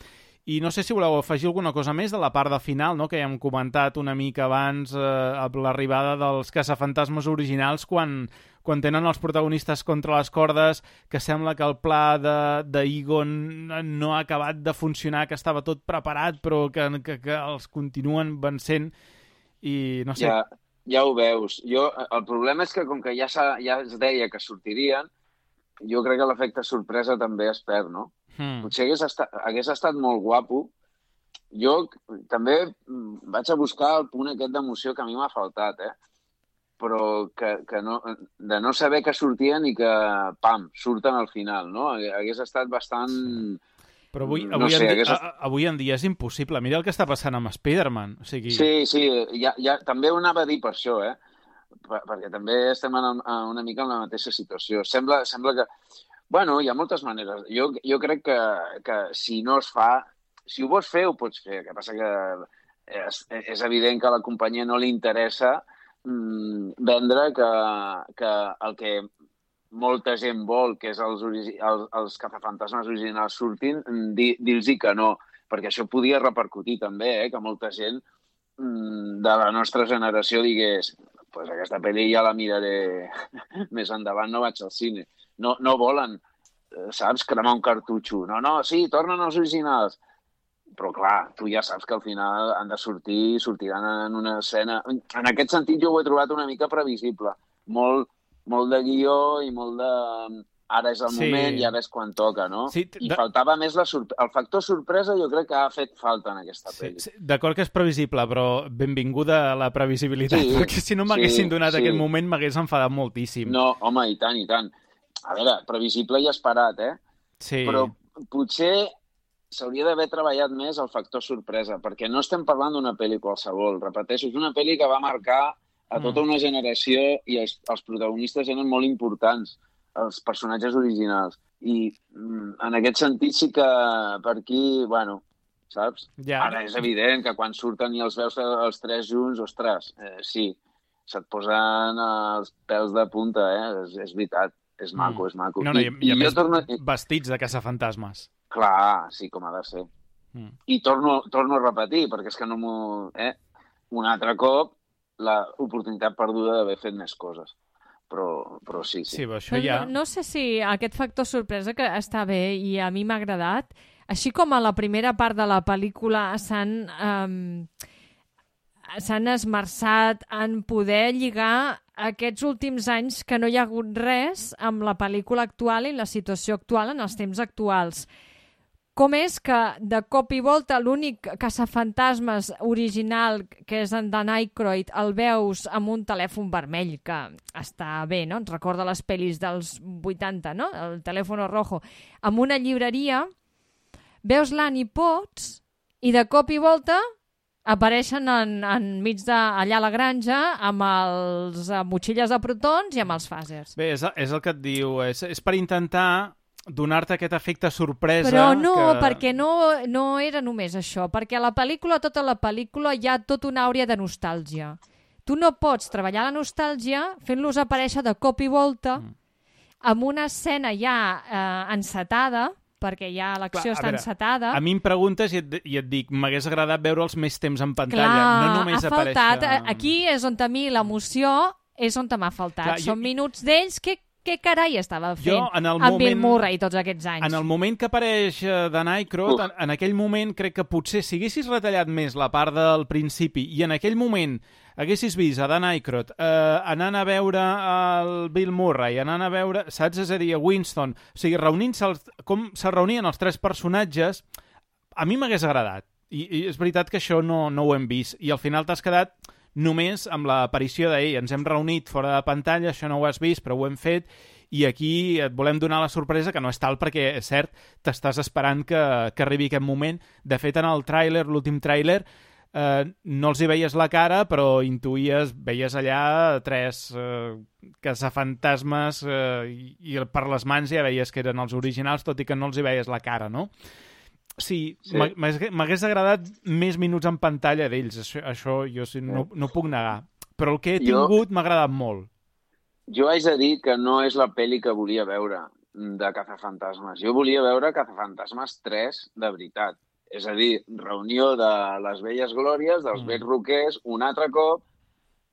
I no sé si voleu afegir alguna cosa més de la part de final, no? Que ja hem comentat una mica abans amb l'arribada dels caçafantasmes originals quan tenen els protagonistes contra les cordes, que sembla que el pla d'Egon no ha acabat de funcionar, que estava tot preparat però que els continuen vencent i no sé... Ja ho veus. El problema és que com que ja es deia que sortirien, jo crec que l'efecte sorpresa també es perd, no? Potser hagués estat molt guapo. Jo també vaig a buscar el punt aquest d'emoció que a mi m'ha faltat, però de no saber que sortien i que, pam, surten al final, no? Hagués estat bastant... Però avui en dia és impossible. Mira el que està passant amb Spider-Man. O sigui... Sí, també ho anava a dir per això, perquè també estem una mica en la mateixa situació. Sembla que... Bueno, hi ha moltes maneres. Jo crec que si no es fa... Si ho vols fer, ho pots fer. El que passa que és evident que a la companyia no li interessa vendre que el que molta gent vol, que és els caçafantasmes originals surtin, dir-los que no. Perquè això podia repercutir també, que molta gent de la nostra generació digués pues aquesta pel·li ja la miraré més endavant, no vaig al cine. No volen, saps, cremar un cartutxo. No, sí, tornen els originals. Però, clar, tu ja saps que al final han de sortiran en una escena... En aquest sentit, jo ho he trobat una mica previsible. Molt de guió i molt de... Ara és el moment i ara és quan toca, no? Sí, I faltava més el factor sorpresa, jo crec que ha fet falta en aquesta pel·li. Sí, d'acord que és previsible, però benvinguda a la previsibilitat, perquè si no m'haguessin donat aquest moment m'hagués enfadat moltíssim. No, home, i tant. A veure, previsible i esperat, Sí. Però potser s'hauria d'haver treballat més el factor sorpresa, perquè no estem parlant d'una pel·li qualsevol. Repeteixo, és una pel·li que va marcar a tota una generació i els protagonistes eren molt importants, els personatges originals. I en aquest sentit sí que per aquí, bueno, saps? Ja. Ara és evident que quan surten i els veus els tres junts, ostres, sí, se't posen els pèls de punta, és veritat. És maco, és maco. No, i a més, vestits de caçafantasmes. Clar, sí, com ha de ser. I torno a repetir, perquè és que no m'ho... Un altre cop, l'oportunitat perduda d'haver fet més coses. Però sí. Sí, però això ja... No sé si aquest factor sorpresa que està bé i a mi m'ha agradat, així com a la primera part de la pel·lícula s'han esmerçat en poder lligar aquests últims anys que no hi ha hagut res amb la pel·lícula actual i la situació actual en els temps actuals. Com és que de cop i volta l'únic caçafantasmes original, que és en Dan Aykroyd, el veus amb un telèfon vermell, que està bé, no? Ens recorda les pel·lis dels 80, no? El telèfon rojo. Amb una llibreria, veus l'Annie Potts i de cop i volta apareixen enmig allà a la granja amb els motxilles de protons i amb els fàsers. Bé, és el que et diu. És per intentar donar-te aquest efecte sorpresa. Però no, perquè no era només això. Perquè a la pel·lícula, tota la pel·lícula, hi ha tota una àurea de nostàlgia. Tu no pots treballar la nostàlgia fent-los aparèixer de cop i volta amb una escena ja encetada, perquè ja l'acció està encetada. A mi em preguntes i et dic, m'hagués agradat veure'ls més temps en pantalla. Clar, no només ha faltat. Aquí és on a mi l'emoció és on m'ha faltat. Són minuts d'ells que què carai estava fent amb Bill Murray tots aquests anys? En el moment que apareix Dan Aykroyd, en aquell moment crec que potser si haguessis retallat més la part del principi i en aquell moment haguessis vist a Dan Aykroyd anant a veure el Bill Murray, anant a veure, saps? És a dir, a Winston, o sigui, reunint-se com se reunien els tres personatges, a mi m'hagués agradat. I és veritat que això no ho hem vist. I al final t'has quedat només amb l'aparició d'ell. Ens hem reunit fora de pantalla, això no ho has vist, però ho hem fet, i aquí et volem donar la sorpresa, que no és tal perquè, és cert, t'estàs esperant que arribi aquest moment. De fet, en el tràiler, l'últim tràiler, no els hi veies la cara, però veies allà tres caçafantasmes i per les mans ja veies que eren els originals, tot i que no els hi veies la cara, no? Sí. M'hagués agradat més minuts en pantalla d'ells, això jo no puc negar. Però el que he tingut m'ha agradat molt. Jo haig de dir que no és la pel·li que volia veure de Cazafantasmes. Jo volia veure Cazafantasmes 3 de veritat. És a dir, reunió de les velles glòries, dels vells roquers, un altre cop,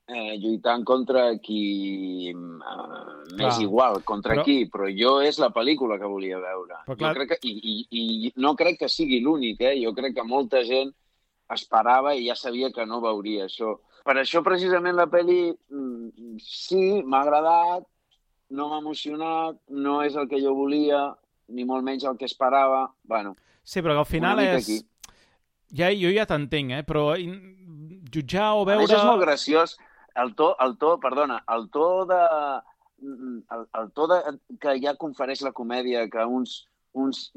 lluitant contra qui m'és igual, contra qui, però jo és la pel·lícula que volia veure. Jo crec que, i no crec que sigui l'únic, jo crec que molta gent esperava i ja sabia que no veuria això. Per això, precisament, la pel·li sí, m'ha agradat, no m'ha emocionat, no és el que jo volia, ni molt menys el que esperava. Bueno, sí, però que al final és... Jo ja t'entenc, però jutjar o veure... A més, és molt graciós. El to que ja confereix la comèdia, que uns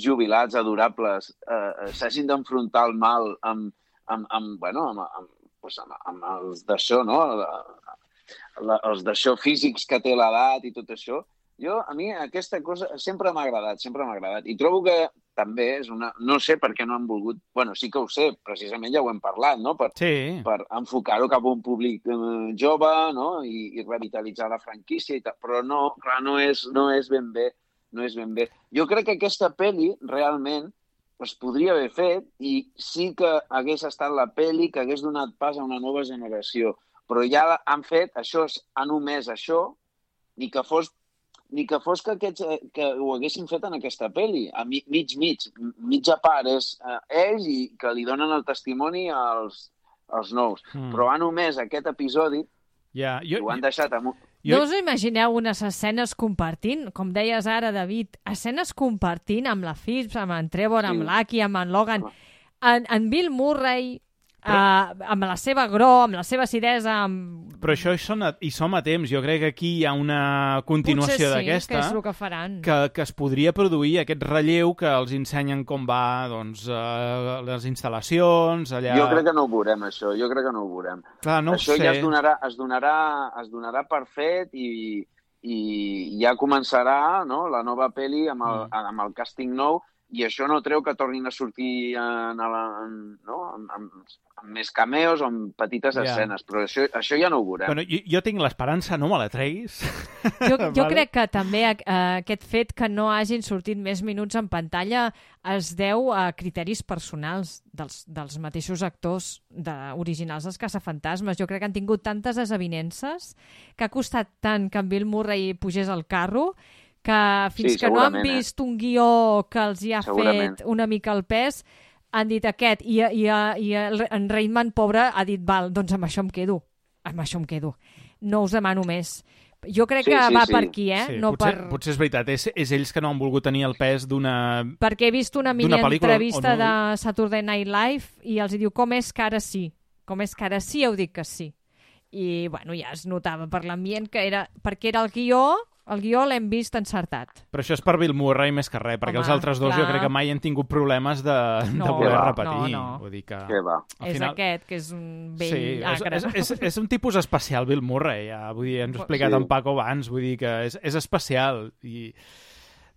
jubilats adorables s'hagin d'enfrontar el mal amb els d'això, no? Els d'això físics que té l'edat i tot això. A mi aquesta cosa sempre m'ha agradat. I trobo que també és una... No sé per què no han volgut... Bueno, sí que ho sé, precisament ja ho hem parlat, no? Per enfocar-ho cap a un públic jove, no? I revitalitzar la franquícia i tal. Però no, clar, no és ben bé. No és ben bé. Jo crec que aquesta pel·li realment es podria haver fet i sí que hagués estat la pel·li que hagués donat pas a una nova generació. Però ja han fet això, han omès això, ni que fos que ho haguessin fet en aquesta pel·li, a mitja part és ells i que li donen el testimoni als nous. Però han omès aquest episodi i ho han deixat amb... No us imagineu unes escenes compartint, com deies ara, David, escenes compartint amb la Phipps, amb en Trevor, amb l'Aki, amb en Logan, en Bill Murray... amb la seva amb la seva acidesa... Però això hi som a temps. Jo crec que aquí hi ha una continuació d'aquesta. Potser sí, que és el que faran. Que es podria produir aquest relleu que els ensenyen com va les instal·lacions, allà... Jo crec que no ho veurem, això. Clar, no això ja es donarà per fet i ja començarà, no?, la nova pel·li amb el càsting nou. I això no treu que tornin a sortir amb més cameos o amb petites escenes, però això ja no ho veurem. Bueno, jo tinc l'esperança, no me la treguis. Jo crec que també aquest fet que no hagin sortit més minuts en pantalla es deu a criteris personals dels mateixos actors originals dels Caçafantasmes. Jo crec que han tingut tantes desavinences que ha costat tant que en Bill Murray pugés al carro que fins que no han vist un guió que els hi ha fet una mica el pes, han dit aquest, i en Reitman, pobre, ha dit, val, doncs amb això em quedo. No us demano més. Jo crec que va per aquí, Sí, potser és veritat, és ells que no han volgut tenir el pes d'una pel·lícula. Perquè he vist una mini entrevista de Saturday Night Live i els diu, com és que ara sí? Com és que ara sí heu dit que sí? I, bueno, ja es notava per l'ambient que era... Perquè era el guió l'hem vist encertat. Però això és per Bill Murray més que res, perquè els altres dos jo crec que mai han tingut problemes de voler repetir. No. Vull dir que... És aquest, que és un vell agre. És un tipus especial, Bill Murray. Ja, vull dir, ens ho ha explicat en Paco abans, vull dir que és especial. I...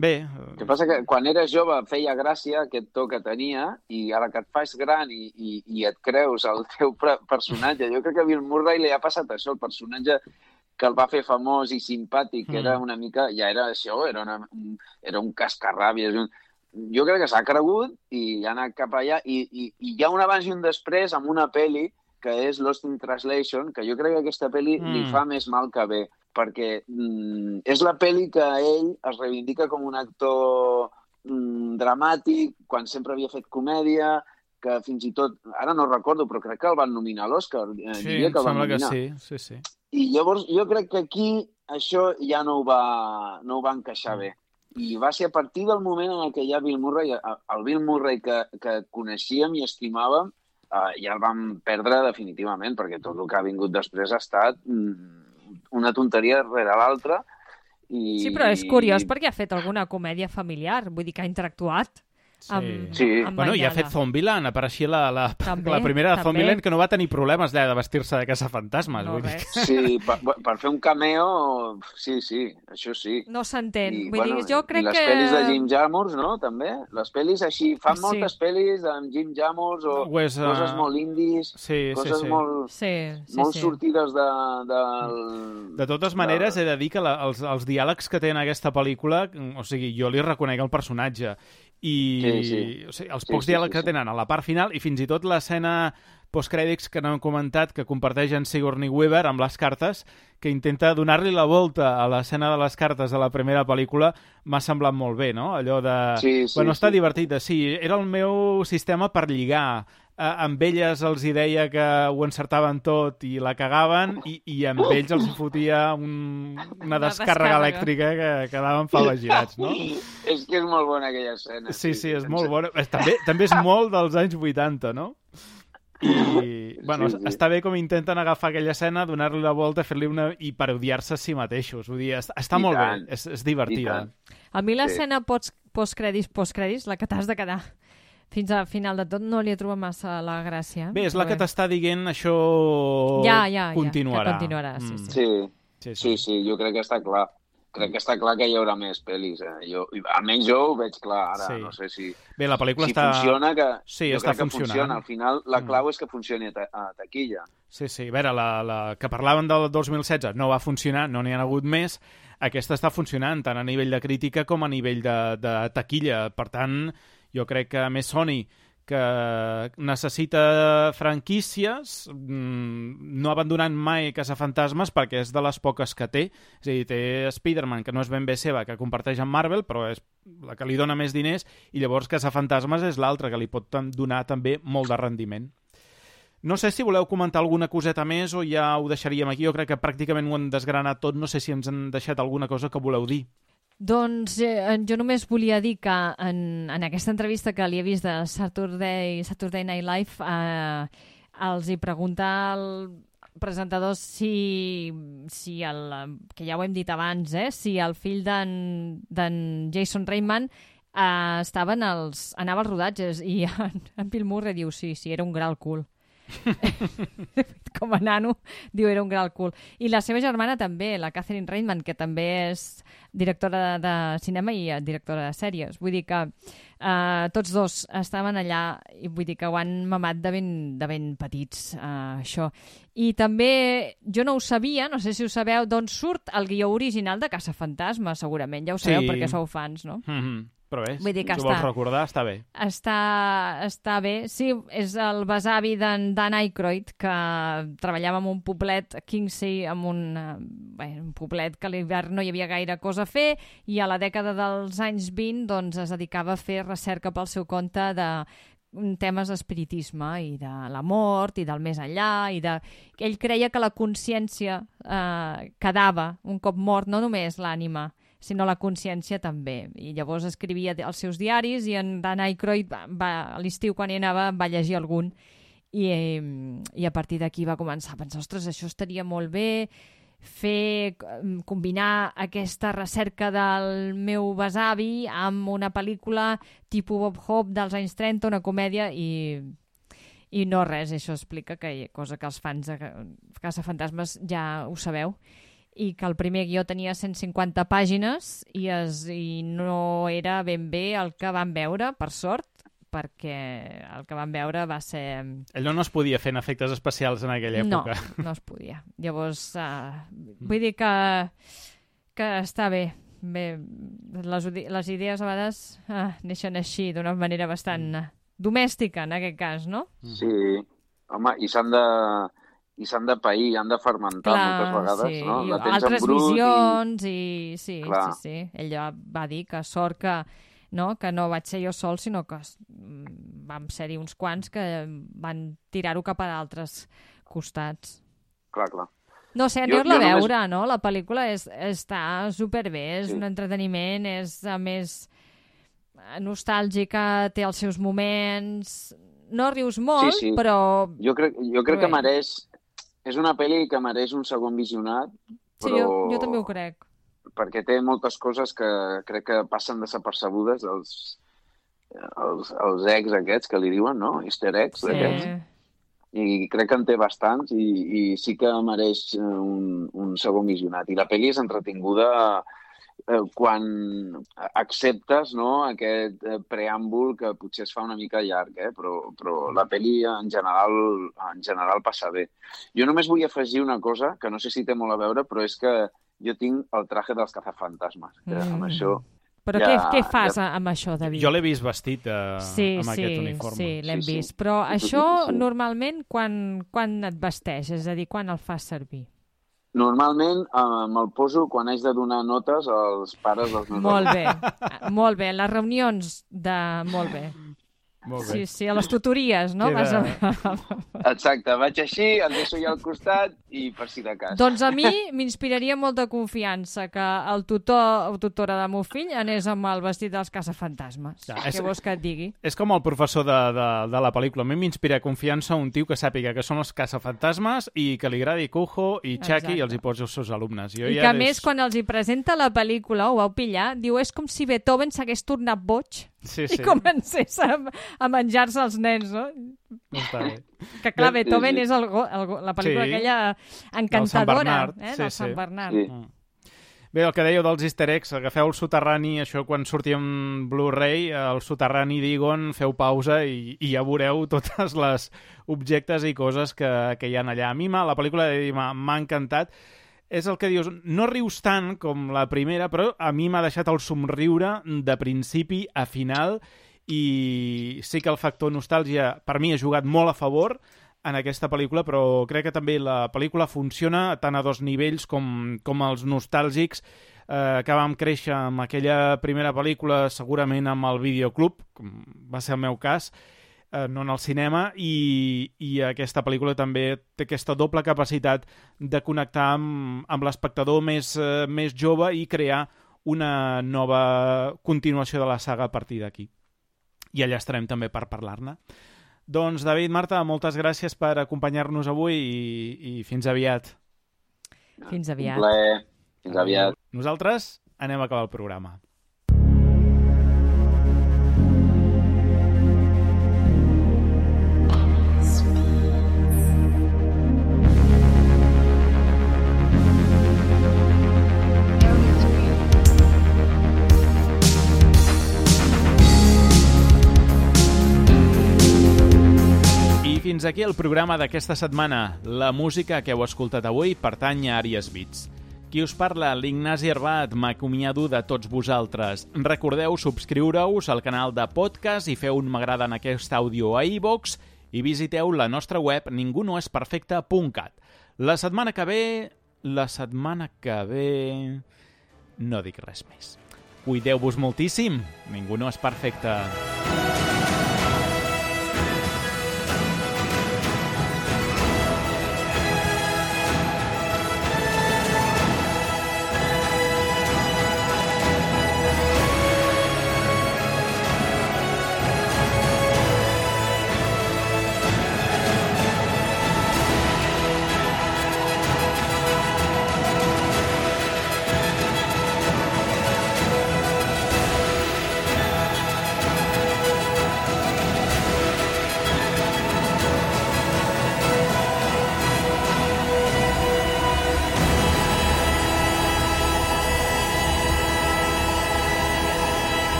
Bé... El que passa que quan eres jove feia gràcia aquest to que tenia i ara que et fas gran i et creus el teu personatge, jo crec que a Bill Murray li ha passat això, el personatge que el va fer famós i simpàtic, era una mica... Ja era això, era un cascarràbies. Jo crec que s'ha cregut i ha anat cap allà. I hi ha un abans i un després amb una pel·li que és Lost in Translation, que jo crec que aquesta pel·li li fa més mal que bé, perquè és la pel·li que ell es reivindica com un actor dramàtic, quan sempre havia fet comèdia, que fins i tot, ara no recordo, però crec que el van nominar a l'Oscar. Sí, em sembla que sí. I llavors jo crec que aquí això ja no ho va encaixar bé. I va ser a partir del moment en què ja Bill Murray, el Bill Murray que coneixíem i estimàvem, ja el vam perdre definitivament, perquè tot el que ha vingut després ha estat una tonteria rere l'altra. Sí, però és curiós perquè ha fet alguna comèdia familiar, vull dir que ha interactuat. Amb bueno, i ha fet Zombieland, apareixia la primera de Zombieland, que no va tenir problemes de vestir-se de caçafantasmes. No, sí, per fer un cameo, sí, això sí. No s'entén. Jo crec que... I les pel·lis de Jim Jarmusch, no?, també. Les pel·lis així, fan moltes pel·lis amb Jim Jarmusch o coses molt indis, coses molt sortides De totes maneres, he de dir que els diàlegs que té en aquesta pel·lícula, o sigui, jo li reconec el personatge, i o sigui, els pocs diàlegs que tenen a la part final, i fins i tot l'escena postcrèdits que no hem comentat, que comparteix en Sigourney Weaver amb les cartes, que intenta donar-li la volta a l'escena de les cartes de la primera pel·lícula, m'ha semblat molt bé, no? Allò de... està divertit. Sí, era el meu sistema per lligar. Amb elles els hi deia que ho encertaven tot i la cagaven, i amb ells els fotia una descàrrega elèctrica que quedaven palagirats, no? És que és molt bona aquella escena. Sí, és molt bona. També és molt dels anys 80, no? I, bueno, està bé com intenten agafar aquella escena, donar-li la volta, fer-li i parodiar-se a si mateixos. Vull dir, està molt bé, és divertida. A mi l'escena postcrèdits, la que t'has de quedar fins al final de tot, no li he trobat massa la gràcia. Bé, és la que t'està dient això continuarà. Que continuarà, sí, jo crec que està clar. Crec que està clar que hi haurà més pel·lis. Almenys jo ho veig clar ara. No sé si... Bé, la pel·lícula funciona, que sí, jo està crec que funciona. Al final, la clau és que funcioni a taquilla. Sí. A veure, la que parlaven del 2016 no va funcionar, no n'hi ha hagut més. Aquesta està funcionant, tant a nivell de crítica com a nivell de taquilla. Per tant, jo crec que més Sony, que necessita franquícies, no abandonant mai Caçafantasmes perquè és de les poques que té. És a dir, té Spider-Man, que no és ben bé seva, que comparteix amb Marvel, però és la que li dona més diners, i llavors Caçafantasmes és l'altra, que li pot donar també molt de rendiment. No sé si voleu comentar alguna coseta més o ja ho deixaríem aquí. Jo crec que pràcticament ho hem desgranat tot. No sé si ens han deixat alguna cosa que voleu dir. Doncs jo només volia dir que en aquesta entrevista que li he vist de Saturday Night Live els hi pregunta al presentador si que ja ho hem dit abans, si el fill d'en Jason Reitman anava als rodatges, i en Bill Murray diu sí, era un gran cul. Com a nano, diu era un gran cul. I la seva germana també, la Catherine Reitman, que també és directora de cinema i directora de sèries. Vull dir que tots dos estaven allà, i vull dir que ho han mamat de ben petits, això. I també, jo no ho sabia, no sé si ho sabeu, d'on surt el guió original de Caçafantasmes, segurament. Ja ho sabeu, perquè sou fans, no? Però bé, vull dir que si ho vols recordar, està bé. Està bé. Sí, és el besavi d'en Dan Aykroyd, que treballava en un poblet a Kingsey, en un poblet que a l'hivern no hi havia gaire cosa a fer, i a la dècada dels anys 20 doncs, es dedicava a fer recerca pel seu compte de temes d'espiritisme i de la mort i del més enllà, ell creia que la consciència quedava un cop mort, no només l'ànima, sinó la consciència també. I llavors escrivia els seus diaris, i en Dan Aykroyd a l'estiu, quan hi anava, va llegir algun, i a partir d'aquí va començar a pensar, ostres, això estaria molt bé, combinar aquesta recerca del meu besavi amb una pel·lícula tipus Bob Hope dels anys 30, una comèdia, i no res. Això explica cosa que els fans de Caçafantasmes ja ho sabeu, i que el primer guió tenia 150 pàgines i no era ben bé el que vam veure, per sort, perquè el que vam veure va ser... Allò no es podia fer en efectes especials en aquella època. No es podia. Llavors, vull dir que està bé. Les idees a vegades neixen així, d'una manera bastant domèstica, en aquest cas, no? Sí, home, i s'han de pair, han de fermentar moltes vegades, no? I altres visions, sí. Ell va dir que sort que no vaig ser jo sol, sinó que vam ser-hi uns quants que van tirar-ho cap a d'altres costats. Clar. No sé, aneu-la a veure, no? La pel·lícula està superbé, és un entreteniment, és a més nostàlgica, té els seus moments... No rius molt, però... Jo crec que mereix... És una pel·li que mereix un segon visionat, però... Sí, jo també ho crec. Perquè té moltes coses que crec que passen desapercebudes, els eggs aquests que li diuen, no? Easter eggs aquests. I crec que en té bastants i sí que mereix un segon visionat. I la pel·li és entretinguda quan acceptes, no, aquest preàmbul que potser es fa una mica llarg, però la pel·li en general passa bé. Jo només vull afegir una cosa, que no sé si té molt a veure, però és que jo tinc el traje dels Caçafantasmes, que amb això... Però què fas amb això, David? Jo l'he vist vestit amb aquest uniforme. Sí, l'hem vist. Però això normalment quan et vesteix? És a dir, quan el fas servir? Normalment me'l poso quan haig de donar notes als pares dels meus Molt bé, molt bé. Les reunions de... Molt bé. Molt bé. Sí, a les tutories, no? Exacte, vaig així, el deixo allà al costat i per si de cas. Doncs a mi m'inspiraria molta confiança que el tutor o tutora del meu fill anés amb el vestit dels caçafantasmes. Què vols que et digui? És com el professor de la pel·lícula. A mi m'inspira confiança un tio que sàpiga que són els caçafantasmes i que li agradi Cujo i Chucky i els hi posi els seus alumnes. I que a més, quan els hi presenta la pel·lícula, ho vau pillar, diu, és com si Beethoven s'hagués tornat boig i comencés a menjar-se els nens, no? Està bé. Que clar, Beethoven és la pel·lícula aquella encantadora del Sant Bernard. Bé, el que dèieu dels easter eggs, agafeu el soterrani, això quan surti en Blu-ray, el soterrani d'Egon, feu pausa i ja veureu totes les objectes i coses que hi ha allà. A mi la pel·lícula m'ha encantat. És el que dius, no rius tant com la primera, però a mi m'ha deixat el somriure de principi a final i sí que el factor nostàlgia per mi ha jugat molt a favor en aquesta pel·lícula, però crec que també la pel·lícula funciona tant a dos nivells com els nostàlgics que vam créixer amb aquella primera pel·lícula, segurament amb el videoclub, com va ser el meu cas, no en el cinema, i aquesta pel·lícula també té aquesta doble capacitat de connectar amb l'espectador més jove i crear una nova continuació de la saga a partir d'aquí. I allà estarem també per parlar-ne. Doncs, David, Marta, moltes gràcies per acompanyar-nos avui i fins aviat. Fins aviat. Un plaer. Fins aviat. Nosaltres anem a acabar el programa. Fins aquí el programa d'aquesta setmana. La música que heu escoltat avui pertany a Àries Beats. Qui us parla, l'Ignasi Herbat, m'acomiado de tots vosaltres. Recordeu subscriure-us al canal de podcast i feu un m'agrada en aquest àudio a iVoox i visiteu la nostra web ningunoesperfecte.cat. La setmana que ve... no dic res més. Cuideu-vos moltíssim. Ningú no és perfecte.